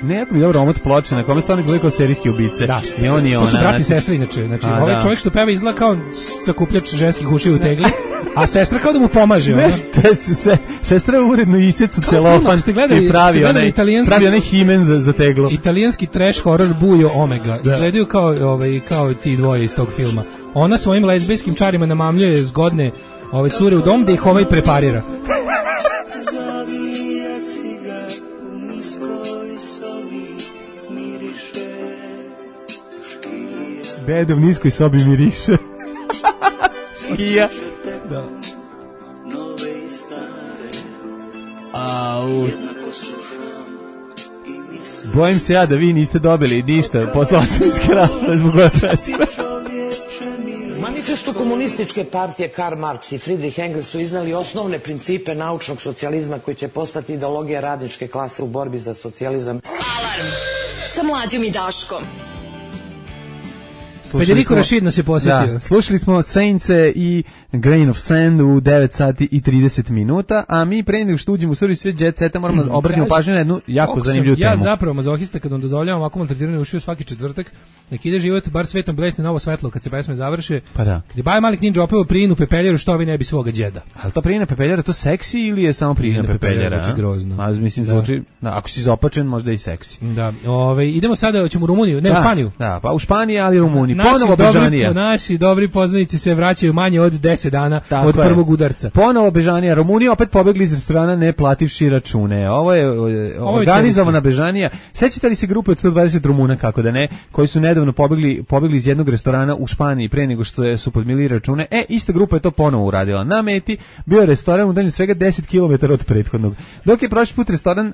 Ne, jako mi dobro omot ploče, na kome stvarno gleda kao serijski ubice. Da, i on je to su ona, brati i znači... sestre inače. Znači, a, ovaj da. čovjek što peva izgleda kao sakupljač ženskih ušiju u tegli, a sestra kao da mu pomaže. Ne, se, sestra uredno iseca celofan i pravi onaj, pravi onaj himen za, za teglo. Italijanski trash horror Bujo Omega. Da. Izgledaju kao, ovaj, kao ti dvoje iz tog filma. Ona svojim lezbijskim čarima namamljuje zgodne ove cure u dom da ih ovaj preparira. Deda u niskoj sobi miriše. Škija. Da. Au. Bojim se ja da vi niste dobili ništa posle ostavinske rasprave zbog ove pesme. Manifestu komunističke partije Karl Marx i Friedrich Engels su iznali osnovne principe naučnog socijalizma koji će postati ideologija radničke klase u borbi za socijalizam. Alarm sa Mlađom i Daškom. Federico Rashid nas je posjetio. Da, slušali smo Saintse i Grain of Sand u devet sati i trideset minuta, a mi pre nego što uđemo u Survi svijet Jet Seta moramo da obratimo pažnju na jednu jako zanimljivu temu. Ja zapravo mazohista kad vam dozvoljavam ovako maltretirane ušiju svaki četvrtak, nek ide život, bar svetom blesne novo svetlo kad se pesme završe. Pa da. Kad je Baja Malik Ninja opeo Prijinu Pepeljeru, što vi ne bi svoga džeda. Ali ta Prijina Pepeljera, to seksi ili je samo Prijina Pepeljera? Zvuči grozno. A mislim, zvuči, da, ako si izopačen, možda i seksi. Da, ove, idemo sada, ćemo u Rumuniju, ne, da, u Španiju. Da, pa u Španiji, ali Rumuniji. Naši Ponovo Bežanija. Naši dobri poznanici se vraćaju manje od deset dana tako od je. Prvog udarca. Ponovo Bežanija. Rumunija opet pobegli iz restorana ne plativši račune. Ovo je Ovo organizovana Bežanija. Sećate li se grupe od sto dvadeset Rumuna, kako da ne, koji su nedavno pobegli, pobegli iz jednog restorana u Španiji pre nego što su podmili račune? E, ista grupa je to ponovo uradila. Na meti bio je restoran udaljen svega deset kilometara od prethodnog. Dok je prošli put restoran uh,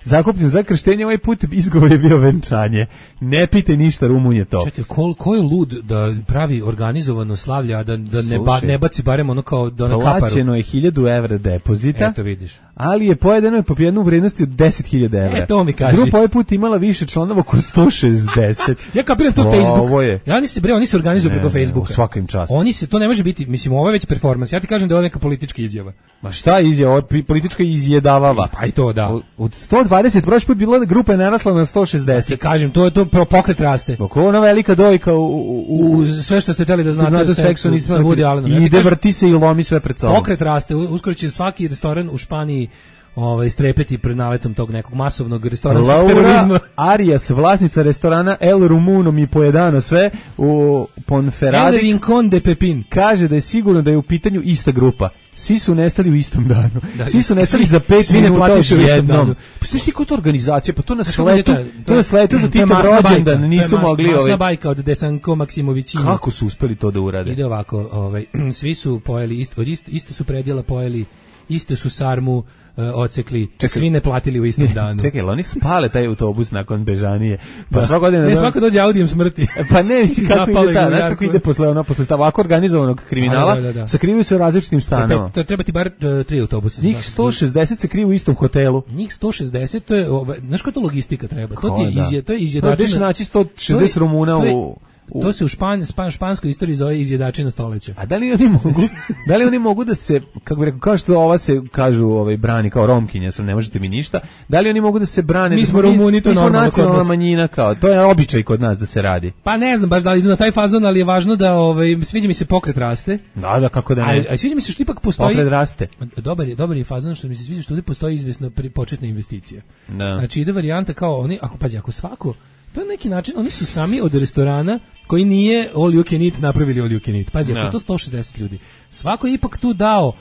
zakupljen za krštenje, ovaj put izgovor je bio venčanje. Ne pite ništa, Rumun je to. Čekaj, ko, ko je lud da pravi organizovano slavlja, a da, da ne, ba, ne baci barem ono kao da na kaparu? Plaćeno je hiljadu evra depozita. Eto vidiš. Ali je pojedeno je po jednu vrednosti od deset hiljada evra. E, to mi kaži. Grupa ovaj put imala više članova oko sto šezdeset. Ja kapiram to Facebook. Je. Ja oni se bre, oni se organizuju preko Facebooka. Svakim časom. Oni se, to ne može biti, mislim, ovo je već performans. Ja ti kažem da je ovo neka politička izjava. Ma šta je izjava? Ovo je politička izjedavava. Pa i to, da. Od sto dvadeset prošli put bila grupa je narasla na sto šezdeset. Ja ti kažem, to je to pokret raste. Oko ona velika dojka u, u, u, u sve što ste hteli da znate, znate o seksu nismo sa Woody Allenom. I ide, vrti se i lomi sve pred sobom. Pokret raste, uskoro će svaki restoran u Španiji ovaj strepeti pred naletom tog nekog masovnog restoranskog terorizma. Arias, vlasnica restorana El Rumuno mi pojedano sve u Ponferradi. El Rincon de Pepin. Kaže da je sigurno da je u pitanju ista grupa. Svi su nestali u istom danu. Da, svi su nestali svi, za pet svi minuta u istom danu. Pa što ti to organizacija? Pa to na Kako sletu, to na sletu za Titov rođendan nisu mas, mogli. Masna ovaj... bajka od Desanko Maksimovićina. Kako su uspeli to da urade? Ide ovako, ovaj, svi su pojeli, isto, isto, isto su predjela pojeli, isto su sarmu Uh, ocekli, čekaj, svi ne platili u istom danu. Čekaj, oni spale taj autobus nakon Bežanije. Pa svako godine ne, svako dođe Audijem smrti. Pa ne, misli kako ide ta, znaš kako ide posle ono, posle ovako organizovanog kriminala, da, da, da. Sakrivaju se u različitim stanovima. To treba ti bar uh, tri autobusa. Njih sto šezdeset se kriju u istom hotelu. Njih sto šezdeset, to je, znaš koja to logistika treba? Ko, to ti je, da. izje, to je izjedačina. To naći sto šezdeset Rumuna u... U... To se u špan, špan, španskoj istoriji zove izjedačina stoleća. A da li oni mogu, da li oni mogu da se, kako bih rekao, kao što ova se kažu, ovaj brani kao Romkinja, sam ne možete mi ništa. Da li oni mogu da se brane? Mi smo Rumuni, to normalno kod nas. Mi smo nacionalna manjina, kao to je običaj kod nas da se radi. Pa ne znam baš da li idu na taj fazon, ali je važno da ovaj sviđa mi se pokret raste. Da, da, kako da ne. A, a sviđa mi se što ipak postoji pokret raste. Dobar je, dobar je fazon što mi se sviđa što ovdje postoji izvesna početna investicija. Da. Znači ide varijanta kao oni, ako pađi, ako svako to je neki način, oni su sami od restorana koji nije all you can eat napravili all you can eat. Pazi, no. Ako to sto šezdeset ljudi. Svako je ipak tu dao,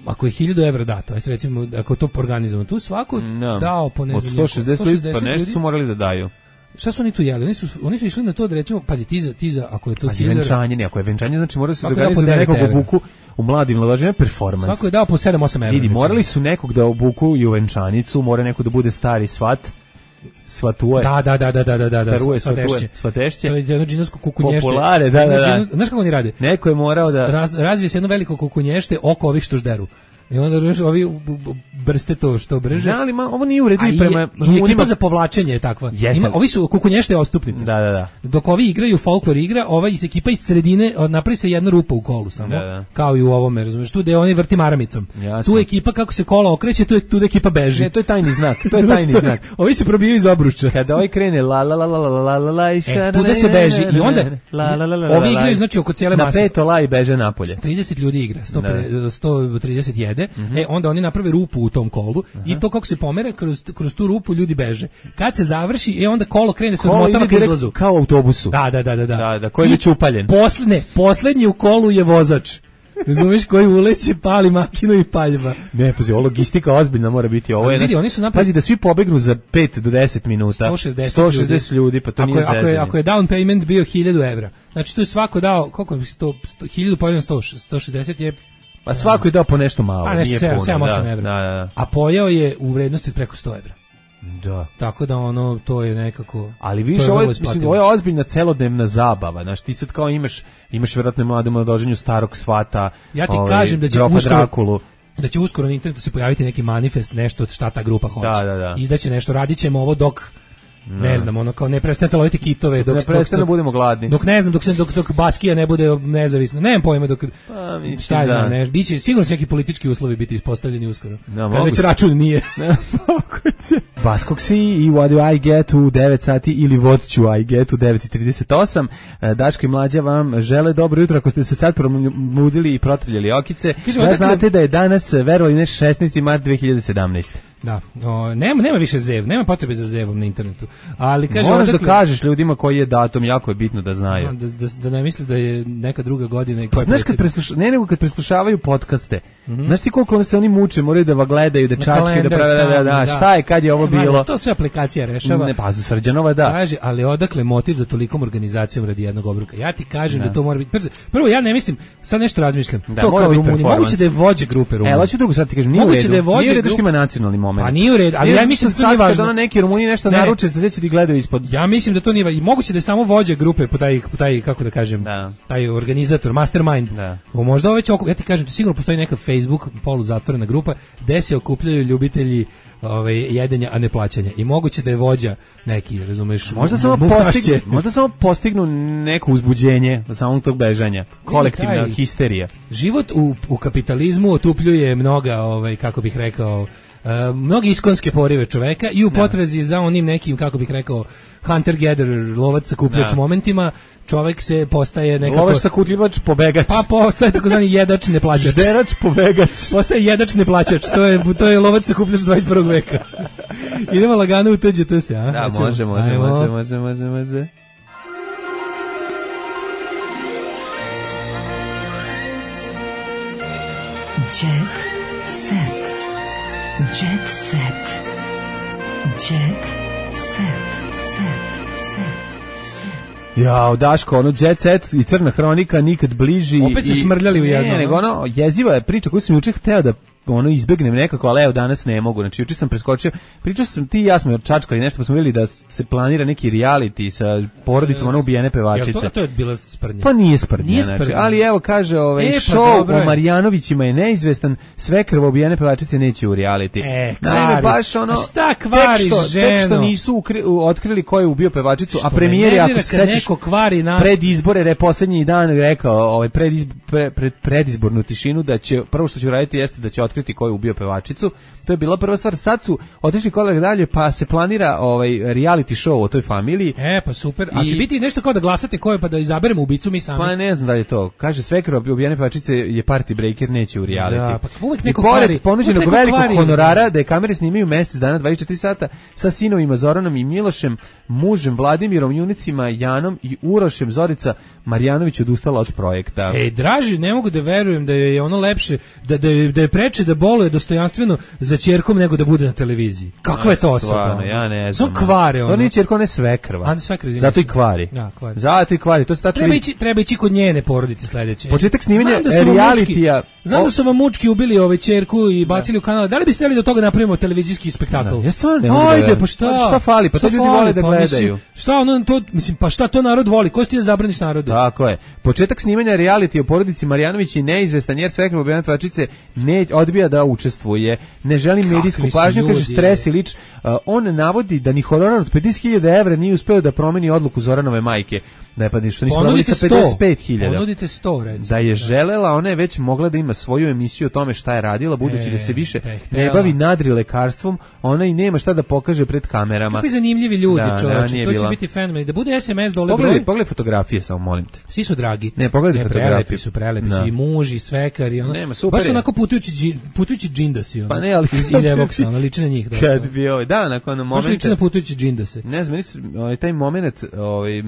ako je hiljadu evra dato, ajde recimo, ako je to organizovano, tu svako no. dao po ne znam, od sto šezdeset, sto šezdeset pa nešto ljudi, su morali da daju. Šta su oni tu jeli? Oni su, oni su išli na to da recimo, pazi, ti za, ti za ako je to pazi, venčanje, ne, ako je venčanje, znači mora se Svako organizuje dao po nekog devet obuku u mladim mlađima performans. Svako je dao po sedam osam evra. Vidi, morali su nekog da obuku i u venčanicu, mora neko da bude stari svat. Svatuje. Da, da, da, da, da, da, da, Staruje, svatešće. Svatešće. To je jedno džinovsko kukunješte. Populare, da, da, da. Znaš kako oni rade? Neko je morao da... Raz, razvije se jedno veliko kukunješte oko ovih što žderu. I onda znaš, ovi brste to što brže. Da, ali ma, ovo nije uredno i prema... I ekipa za povlačenje je takva. Ima, ovi su kukunješte ostupnice. Da, da, da. Dok ovi igraju folklor igra, ova iz ekipa iz sredine napravi se jedna rupa u kolu samo. Da, da. Kao i u ovome, razumiješ, tu gde oni vrti maramicom. Jasno. Tu ekipa kako se kola okreće, tu, je, tu ekipa beži. Ne, to je tajni znak. To je tajni znak. Ovi se probijaju iz obruča. Kada ovaj krene la la la la la la la la i e, tu da se beži. I onda ovi igraju znači oko cijele mase. Na peto la i beže napolje. trideset ljudi igra, sto trideset jede. E, onda oni naprave rupu u tom kolu. Aha. I to kako se pomere kroz, kroz tu rupu ljudi beže. Kad se završi, e onda kolo krene se odmotava ka izlazu. Kao u autobusu. Da, da, da, da. Da, da, koji je već upaljen. Poslednje, poslednji u kolu je vozač. Razumiješ, koji uleće, pali makinu i paljba. Ne, pazi, ovo logistika ozbiljna mora biti. Ovo je, vidi, oni su napravi... Pazi, da svi pobegnu za pet do deset minuta. sto šezdeset, sto šezdeset ljudi. ljudi, pa to ako nije je, ako je, ako je down payment bio hiljadu evra. Znači, tu je svako dao, koliko je, hiljadu pojeden sto šezdeset je... Pa svako je dao po nešto malo, a, nešto nije puno. sedam osam evra. Da, da, da. A pojeo je u vrednosti preko sto evra. Da. Tako da ono, to je nekako... Ali više, ovo je, mislim, ovo je ozbiljna celodnevna zabava. Znaš, ti sad kao imaš, imaš vjerojatno mladom dođenju starog svata. Ja ti ovaj, kažem da će uskoro... Drakulu. Da će uskoro na internetu se pojaviti neki manifest, nešto šta ta grupa hoće. Da, da, da. Izdaće nešto, radit ćemo ovo dok... Ne znam, ono kao ne prestanete loviti kitove dok ne prestane budemo gladni. Dok ne znam, dok se dok dok Baskija ne bude nezavisna. Nemam pojma dok pa, mislim, šta da. znam, ne, biće sigurno će neki politički uslovi biti ispostavljeni uskoro. Da, kad već račun nije. Baskog si i What do I get u devet sati ili What ću I get u devet trideset osam. Daško i Mlađa vam žele dobro jutro ako ste se sad promudili i protrljali okice. Kažemo, da znate dakle... da je danas, verovali ne, šesnaesti mart dve hiljade sedamnaeste. Da, o, nema, nema više zev, nema potrebe za zevom na internetu. Ali kaže, moraš odakle, da kažeš ljudima koji je datum, jako je bitno da znaju. Da, da, da ne misle da je neka druga godina i koja je znaš kad presluša, ne nego kad preslušavaju podcaste. Mm-hmm. Znaš ti koliko se oni muče, moraju da va gledaju, da čačke, da prave, da, da, šta je, kad je ovo ne, bilo. Mada, to sve aplikacija rešava. Ne, pa Srđanova da. Kaže, ali odakle motiv za tolikom organizacijom radi jednog obruka? Ja ti kažem da, da to mora biti. Prvo, ja ne mislim, sad nešto razmišljam. Da, to kao Rumuni. Moguće da je vođe grupe Rumuni. E, hoću drugo sad ti kažem, nije u redu. Da je vođe nije u redu što ima nacionalni moment. Pa nije u redu, ali ja mislim da to nije važno. Kada neki Rumuni nešto naruče, da će ti gledaju ispod. Ja mislim da to nije i moguće da je samo vođa grupe po taj, po taj kako da kažem, da. taj organizator, mastermind. Da. O, možda već ja ti kažem, to sigurno postoji neka Facebook polu zatvorena grupa gde se okupljaju ljubitelji ovaj jedenja, a ne plaćanja. I moguće da je vođa neki, razumeš, možda samo postignu, možda samo postignu neko uzbuđenje samog tog bežanja, kolektivna taj, histerija. Život u, u kapitalizmu otupljuje mnoga, ovaj kako bih rekao, Uh, mnogi iskonske porive čoveka i u potrazi za onim nekim, kako bih rekao, hunter-gatherer, lovac sakupljač momentima, čovek se postaje nekako... Lovac sakupljivač, pobegač. Pa postaje takozvani jedač neplaćač. Žderač, pobegač. Postaje jedač neplaćač, to je, to je lovac sakupljač dvadeset prvog veka. Idemo lagano u T Ž T se, a? Da, Hoćemo? može, može, Ajmo. može, može, može, može. Jet set. Jet set. Jet set. Set. Set. Jao, Daško, ono Jet Set i Crna hronika nikad bliži. Opet se i, smrljali u jedno. Ne, nego ono, jeziva je priča koju sam juče hteo da ono izbegnem nekako, ali evo danas ne mogu. Znači juče sam preskočio, pričao sam ti i ja smo čačkali nešto, pa smo vidjeli da se planira neki reality sa porodicom ono ubijene pevačice. Ja, to, to je bila sprdnja. Pa nije sprdnja, nije sprdnja. Znači, ali evo kaže, ovaj e, show pa o Marjanovićima je neizvestan, sve krvo ubijene pevačice neće u reality. E, naime baš ono, šta kvari tek što, ženu? Tek što nisu ukri, otkrili ko je ubio pevačicu, što a premijer je, ako se sećaš, pred izbore, re posljednji dan rekao, ovaj pred, izb, pre, pred predizbornu tišinu da će prvo što će uraditi jeste da će otkriti ko je ubio pevačicu. To je bila prva stvar. Sad su otišli korak dalje, pa se planira ovaj reality show o toj familiji. E, pa super. A I... će biti nešto kao da glasate ko je, pa da izaberemo ubicu mi sami. Pa ne znam da je to. Kaže svekro ubijene pevačice je party breaker, neće u reality. Da, pa uvek neko kvari. I pored ponuđenog velikog kvari. honorara da je kamere snimaju mjesec dana, dvadeset četiri sata, sa sinovima Zoranom i Milošem, mužem Vladimirom, junicima Janom i Urošem, Zorica Marjanović odustala od projekta. Ej, draži, ne mogu da verujem da je ono lepše, da, da, je, da je preče da boluje dostojanstveno za ćerkom nego da bude na televiziji. Kakva je to osoba? Stvarno, ja ne znam. Samo kvare ono. To nije ćerka, ona je svekrva. A svekrva. Zato i kvari. Da, kvari. Zato i kvari. To se tačno treba ići, treba ići kod njene porodice sledeće. Početak snimanja da realitija. Znam da su vam mučki ubili ove ćerku i bacili u kanal. Da li biste hteli da od toga napravimo televizijski spektakl? Ja stvarno ne mogu. Ajde, pa šta? Šta fali? Pa to ljudi vole da gledaju. Šta ono to, mislim, pa šta to narod voli? Ko si ti da zabraniš narodu? Tako je. Početak snimanja reality o porodici Marjanović je neizvestan jer svekrva Bojana Tvačice ne odbija da učestvuje. Ne želi medijsku pažnju, kaže stres i lič. Uh, on navodi da ni honorar od pedeset hiljada evra nije uspeo da promeni odluku Zoranove majke. Da je pa što nisu prodali sa pedeset pet hiljada. Ponudite sto, recimo. Da je želela, ona je već mogla da ima svoju emisiju o tome šta je radila, budući e, da se više ne bavi nadri lekarstvom, ona i nema šta da pokaže pred kamerama. Kakvi zanimljivi ljudi, da, čoveče, da, to će bila. biti fenomen. Da bude es em es dole pogledaj, broj. Pogledaj fotografije, samo molim te. Svi su dragi. Ne, pogledaj ne, fotografije. Prelepi su, prelepi su i muž i svekar i ono. Nema, super. Baš su onako putujući, putujući džindasi. Ono. Pa ne, ali iz, iz Evoksa, ono, liče na njih. Da, kad bi ovaj, da, nakon momente. Baš liče na putujući džindase. Ne znam, ovaj, taj moment ovaj,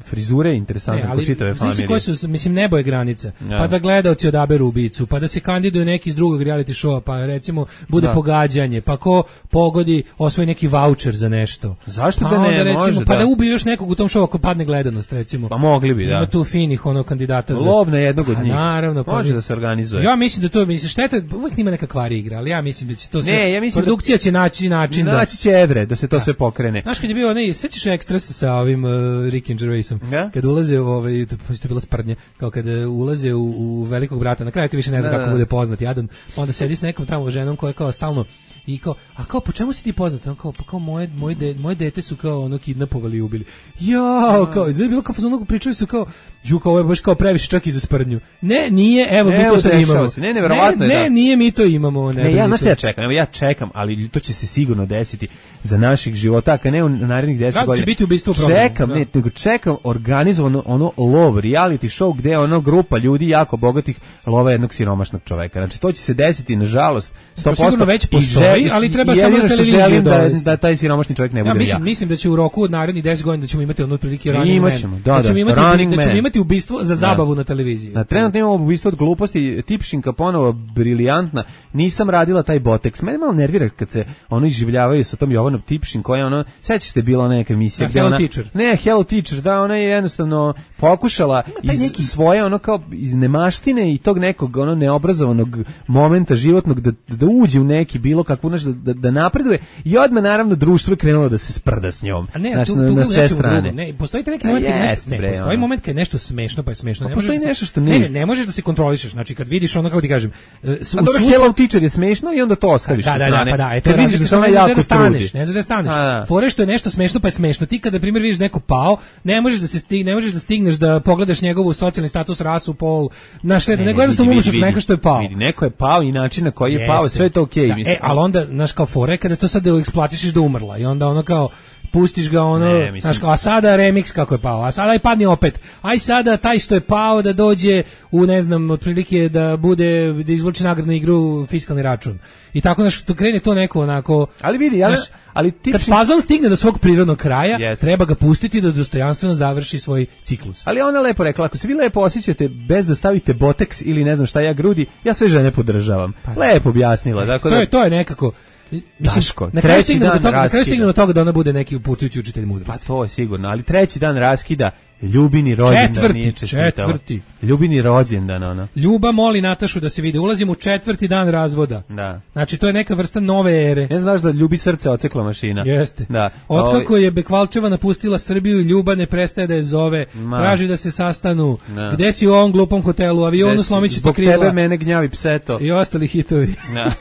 frizure interesantno po čitave familije. Koji su, mislim, nebo je granica. Ja. Pa da gledaoci odaberu ubicu, pa da se kandiduje neki iz drugog reality showa, pa recimo bude da. pogađanje, pa ko pogodi osvoji neki vaučer za nešto. Zašto pa da ne recimo, može? Pa da. da ubije još nekog u tom showu ako padne gledanost, recimo. Pa mogli bi, da. Ima tu finih ono kandidata za... Lov na jednog od njih. Naravno. Pa može pa, da se organizuje. Ja mislim da to, mislim, šteta, uvijek nima neka kvari igra, ali ja mislim da će to sve... Ne, ja mislim produkcija da, će naći način da... Naći će Edre, da se to da. sve pokrene. Znaš kad je bio onaj, sećaš Ekstrasa sa ovim uh, Rickiem Gervaisom? Ja? Kad ulaze u ovaj, to je bilo sprdnje, kao kada ulaze u, u velikog brata, na kraju kad više ne zna da, kako da. bude poznat, jadan, pa onda sedi s nekom tamo ženom koja je kao stalno i kao, a kao, po čemu si ti poznat? On kao, pa kao moje, moje, de, moje dete su kao ono kidnapovali i ubili. Ja, kao, je bilo kao fazonu, pričali su kao, ju kao, ovo je baš kao previše čak i za sprdnju. Ne, nije, evo, mi to sad imamo. Se. Ne, neverovatno ne, je da. Ne, nije, mi to imamo. Ne, ne ja, znaš ja čekam, evo ja čekam, ali to će se sigurno desiti za naših života, a ne u narednih deset godina. Će biti ubistvo čekam, da. ne, nego čekam organizovano ono lov, reality show gde je ono grupa ljudi jako bogatih lova jednog siromašnog čoveka. Znači to će se desiti nažalost sto posto. To sigurno već postoji, ali treba samo na televiziji da, da taj siromašni čovjek ne bude ja. Mislim, ja. mislim da će u roku od narednih deset godina da ćemo imati ono otprilike Running Man. Ćemo, da, da, da ćemo imati, running da ćemo man. imati ubistvo za zabavu da. na televiziji. Da, trenutno imamo ubistvo od gluposti, Tipšinka ponovo briljantna. Nisam radila taj Botex. Mene malo nervira kad se ono izživljavaju sa tom Jovanom Tipšin koja ono, sećaš se bila neka emisija da, gde Hello ona Teacher. Ne, Hello Teacher, da, ona je jednostavno pokušala iz neki... svoje ono kao iz nemaštine i tog nekog ono neobrazovanog momenta životnog da, da uđe u neki bilo kakvu naš, da, da napreduje i odmah naravno društvo je krenulo da se sprda s njom. A ne, znaš, tu, na, tu, na sve strane. Drugo. Ne, postoji neki moment kad nešto, ne, bre, postoji ono. moment kad je nešto smešno, pa je smešno. Pa ne postoji možeš nešto što ne, ne, ne, ne možeš da se kontrolišeš. Znači kad vidiš ono kako ti kažem, s, a dobro, Hello Teacher je smešno i onda to ostaviš da, sa da, strane. Da, pa da, e, kad vidiš da samo jako da staneš, trudi. ne znaš da staneš. Fore što je nešto smešno, pa je smešno. Ti kada na primjer vidiš neko pao, ne možeš da se stigne, ne možeš da stigneš da pogledaš njegovu socijalni status, rasu, pol, na sve, nego jednostavno umreš od neko što je pao. Vidi, neko je pao i način na koji je pao, sve je to okej, mislim. E, al onda znaš kao fore kada to sad eksploatišeš da umrla i onda ono kao pustiš ga ono, ne, znaš, a sada remix kako je pao, a sada i padni opet, aj sada taj što je pao da dođe u, ne znam, otprilike da bude, da izvuči nagradnu igru fiskalni račun. I tako, znaš, to krene to neko onako... Ali vidi, ali, znaš, ali tipčin... Kad fazon stigne do svog prirodnog kraja, yes. treba ga pustiti da dostojanstveno završi svoj ciklus. Ali ona lepo rekla, ako se vi lepo osjećate bez da stavite Botex ili ne znam šta ja grudi, ja sve žene podržavam. Pa, lepo objasnila. Dakle, to, je, to je nekako... Mislim, Daško, na kraju stigne do toga, na kraju stigne do toga da ona bude neki uputujući učitelj mudrosti. Pa to je sigurno, ali treći dan raskida Ljubini rođendan četvrti, nije čestitala. Četvrti. Ljubini rođendan, ona. Ljuba moli Natašu da se vide. Ulazimo u četvrti dan razvoda. Da. Znači, to je neka vrsta nove ere. Ne znaš da Ljubi srce ocekla mašina. Jeste. Da. Otkako je Bekvalčeva napustila Srbiju, Ljuba ne prestaje da je zove. Ma. Traži da se sastanu. Da. Gde si u ovom glupom hotelu? Avionu slomit ću ti krila. Zbog tebe mene gnjavi pseto. I ostali hitovi. Da.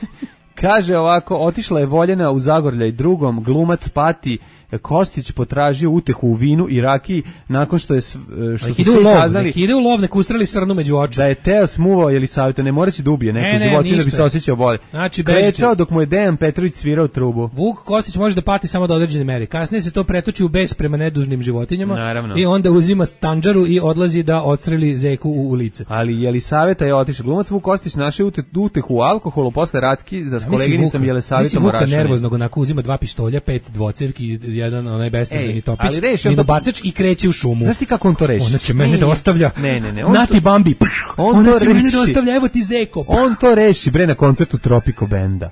Kaže ovako, otišla je Voljena u Zagorljaj drugom, glumac pati, Kostić potražio utehu u vinu i rakiji nakon što je što su svi saznali. Neki ide u lov, nek ustrali srnu među oči. Da je Teo smuvao Jelisaveta, ne moraće da ubije neku životinju da bi se osjećao bolje. Znači, krečao dok mu je Dejan Petrović svirao trubu. Vuk Kostić može da pati samo do određene mere. Kasnije se to pretoči u bes prema nedužnim životinjama. Naravno. I onda uzima tanđaru i odlazi da odstreli zeku u, u lice. Ali Jelisaveta je otišao. Glumac Vuk Kostić našao utehu u alkoholu posle ratki da s koleginicom Jelisavetom Vuka Orašanin. Nervoznog onako uzima dva pištolja, pet dvocevki, jedan onaj bestezani topić, ali reši, minobacač i kreće u šumu. Znaš ti kako on to reši? Ona će mene da ostavlja. Ne, ne, ne. On Nati to, Bambi. On Ona to će reši. mene da ostavlja, evo ti zeko. On to reši, bre, na koncertu Tropico Benda.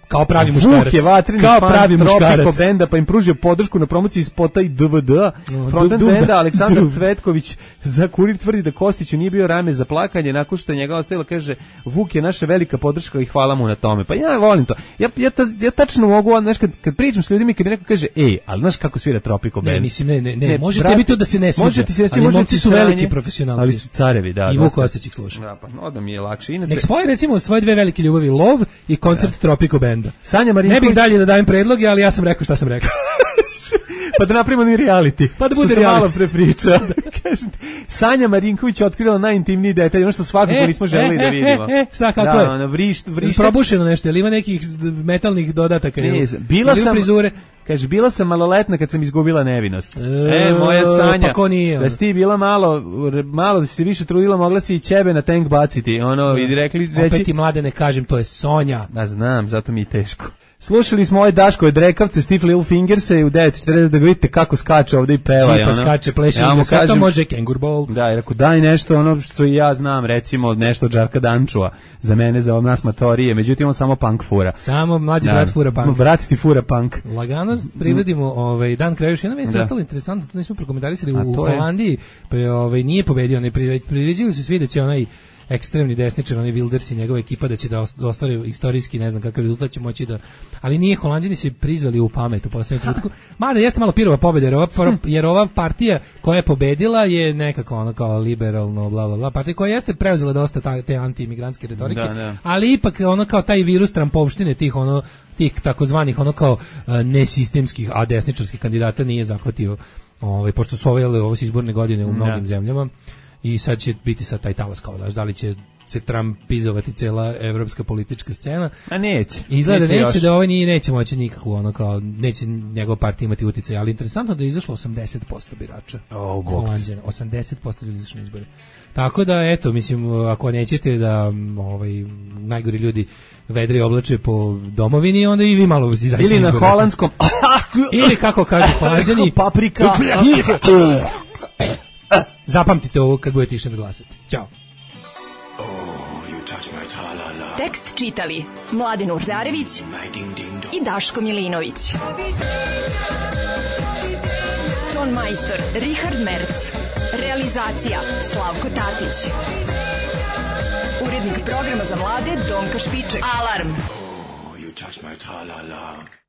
Kao pravi muškarac. Vuk je vatreni kao fan pravi muškarac. Tropico Benda, pa im pružio podršku na promociji spota i D V D. No, Frontman du, du, benda Aleksandar du. Cvetković za Kurir tvrdi da Kostiću nije bio rame za plakanje, nakon što je njega ostavila, kaže, Vuk je naša velika podrška i hvala mu na tome. Pa ja volim to. Ja, ja, ta, ja tačno mogu, znaš, kad, kad pričam s ljudima i kad mi neko kaže, ej, ali znaš kako svira Tropico Band? Ne, mislim, ne, ne, ne, ne može tebi to da se ne sviđa. Može ti se reći, ali može momci ti su sranje, veliki profesionalci. Ali su carevi, da. I Vuk Kostić ih sluša. Da, pa odmah mi je lakše. Inače, nek spoje recimo svoje dve velike ljubavi, Lov i koncert da. Tropico Benda. Sanja Marinković. Ne bih dalje da dajem predloge, ali ja sam rekao šta sam rekao. Pa da napravimo ni reality. Pa da bude što reality. Malo pre priča. Sanja Marinković je otkrila najintimniji detalj, ono što svakako e, nismo želeli e, da vidimo. E, e, šta, kako da, je? Ono, vrišt, vrišt. Probušeno nešto, ili ima nekih metalnih dodataka? Ne, bila ili sam, frizure? kaže, bila sam maloletna kad sam izgubila nevinost. E, e moja Sanja. Pa ko nije? Da si ti bila malo, malo da si se više trudila, mogla si i ćebe na tank baciti. Ono, i rekli, reći... Opet ti mlade ne kažem, to je Sonja. Da, znam, zato mi je teško. Slušali smo ove Daškove drekavce, Stiff Little Fingers i u devet četrdeset da ga vidite kako skače ovde i peva. Čipa ono. Skače, pleše, ja mu kažem, može Kengur Ball. Da, i rekao, daj nešto ono što i ja znam, recimo nešto od Žarka Dančua, za mene, za nas matorije, međutim on samo punk fura. Samo mlađi brat fura punk. Brat ti fura punk. Lagano privedimo ovaj, Dan kraja, još jedna vest je ostalo interesantno, to nismo prokomentarisali, u Holandiji pre, ovaj, nije pobedio, ne priveđili su svi da će onaj ekstremni desničar, onaj Wilders i njegova ekipa da će da ostvari istorijski, ne znam kakav rezultat će moći da... Ali nije, Holanđani se prizvali u pamet u poslednjem trenutku. Mada jeste malo pirova pobjeda, jer ova, jer ova partija koja je pobedila je nekako ono kao liberalno, bla, bla, bla, partija koja jeste preuzela dosta ta, te anti-imigrantske retorike, da, da. ali ipak ono kao taj virus trampovštine tih ono tih takozvanih ono kao uh, nesistemskih, a desničarskih kandidata nije zahvatio, ovaj, pošto su ove, ove izborne godine u mnogim da. zemljama. I sad će biti sad taj talas kao, da li će se trampizovati cela evropska politička scena. A neće. Izgleda neće, neće da ovaj nije, neće moći nikako, ono kao, neće njegova partija imati utjecaj, ali interesantno da je izašlo osamdeset posto birača. Oh, Holanđana, osamdeset posto ljudi izašlo na izbore. Tako da, eto, mislim, ako nećete da ovaj, najgori ljudi vedri oblače po domovini, onda i vi malo izađete ili na izbore. Holandskom. Ili kako kažu Holanđani, paprika. Zapamtite ovo kad budete išli da glasati. Ćao. Tekst čitali Mladen Urdarević i Daško Milinović. Ton majstor Richard Merc. Realizacija Slavko Tatić. Urednik programa za mlade Donka Špiček. Alarm. Oh, you touch my tra-la-la.